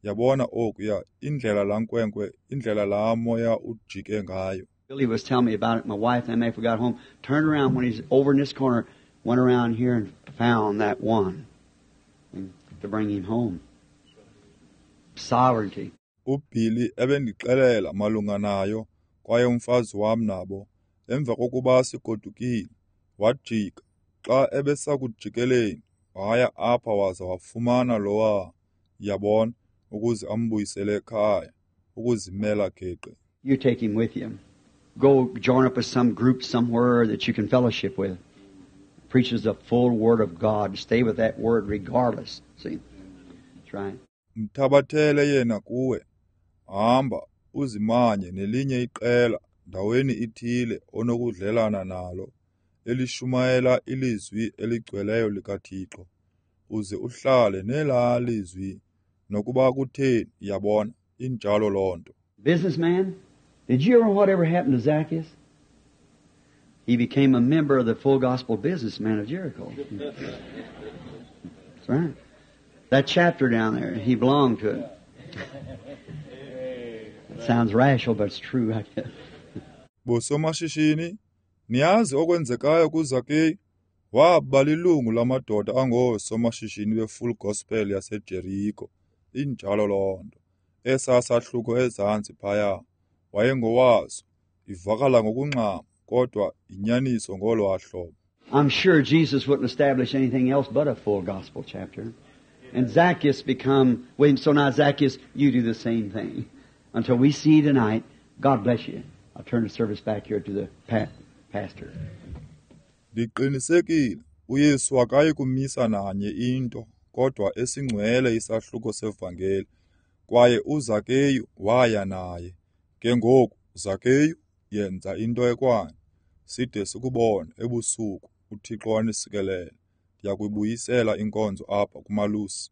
Yabona okuya, indlela laa nkwenkwe, indlela laa moya ujike ngayo. Billy was telling me about it. My wife and I got home, turned around when he's over in this corner, went around here and found that one to bring him home. Sovereignty. UBilly ebendixelela malunga nayo kwaye umfazi wam nabo. Emva kokuba sigodukile, wajika. Xa ebesakujikeleni, waya apha waza wafumana lowa, yabona, ukuze ambuyisele ekhaya, ukuzimela geqe. You take him with you. Go join up with some group somewhere that you can fellowship with. Preaches the full Word of God. Stay with that Word regardless. See? That's right. Mthabathele yena kuwe. Hamba uzimanye nelinye iqela ndaweni ithile onokudlelana nalo, elishumayela ilizwi eligcweleyo likaThixo. Uze uhlale nelaa lizwi nokuba kutheni, yabona, injalo loo nto. Businessman, did you ever whatever happened to Zacchaeus? He became a member of the Full Gospel Businessman of Jericho. That's right. That chapter down there, he belonged to it. It sounds rational, but it's true, I guess. Bosomashishini, niyazi okwenzekayo kuZakeyu? Waba lilungu lamadoda angoosomashishini beFull Gospel yaseJeriko. Injalo loo nto. Esaa sahluko ezantsi phaya, wayengowaso. Ivakala ngokungxama, kodwa inyaniso ngolwaa hlobo. I'm sure Jesus wouldn't establish anything else but a full gospel chapter. And Zacchaeus become, wait, so now Zacchaeus, you do the same thing. Until we see you tonight, God bless you. I'll turn the service back here to the pastor. Ndiqinisekile uYesu akayi kumisa nanye into kodwa esingcwele isahluko sevangeli, kwaye uZakeyu waya naye. Ke ngoku, Zakeyu, yenza into ekwayo. Side sikubone ebusuku, uThixo anisikelele. Ndiyakuyibuyisela inkonzo apha kumalusi.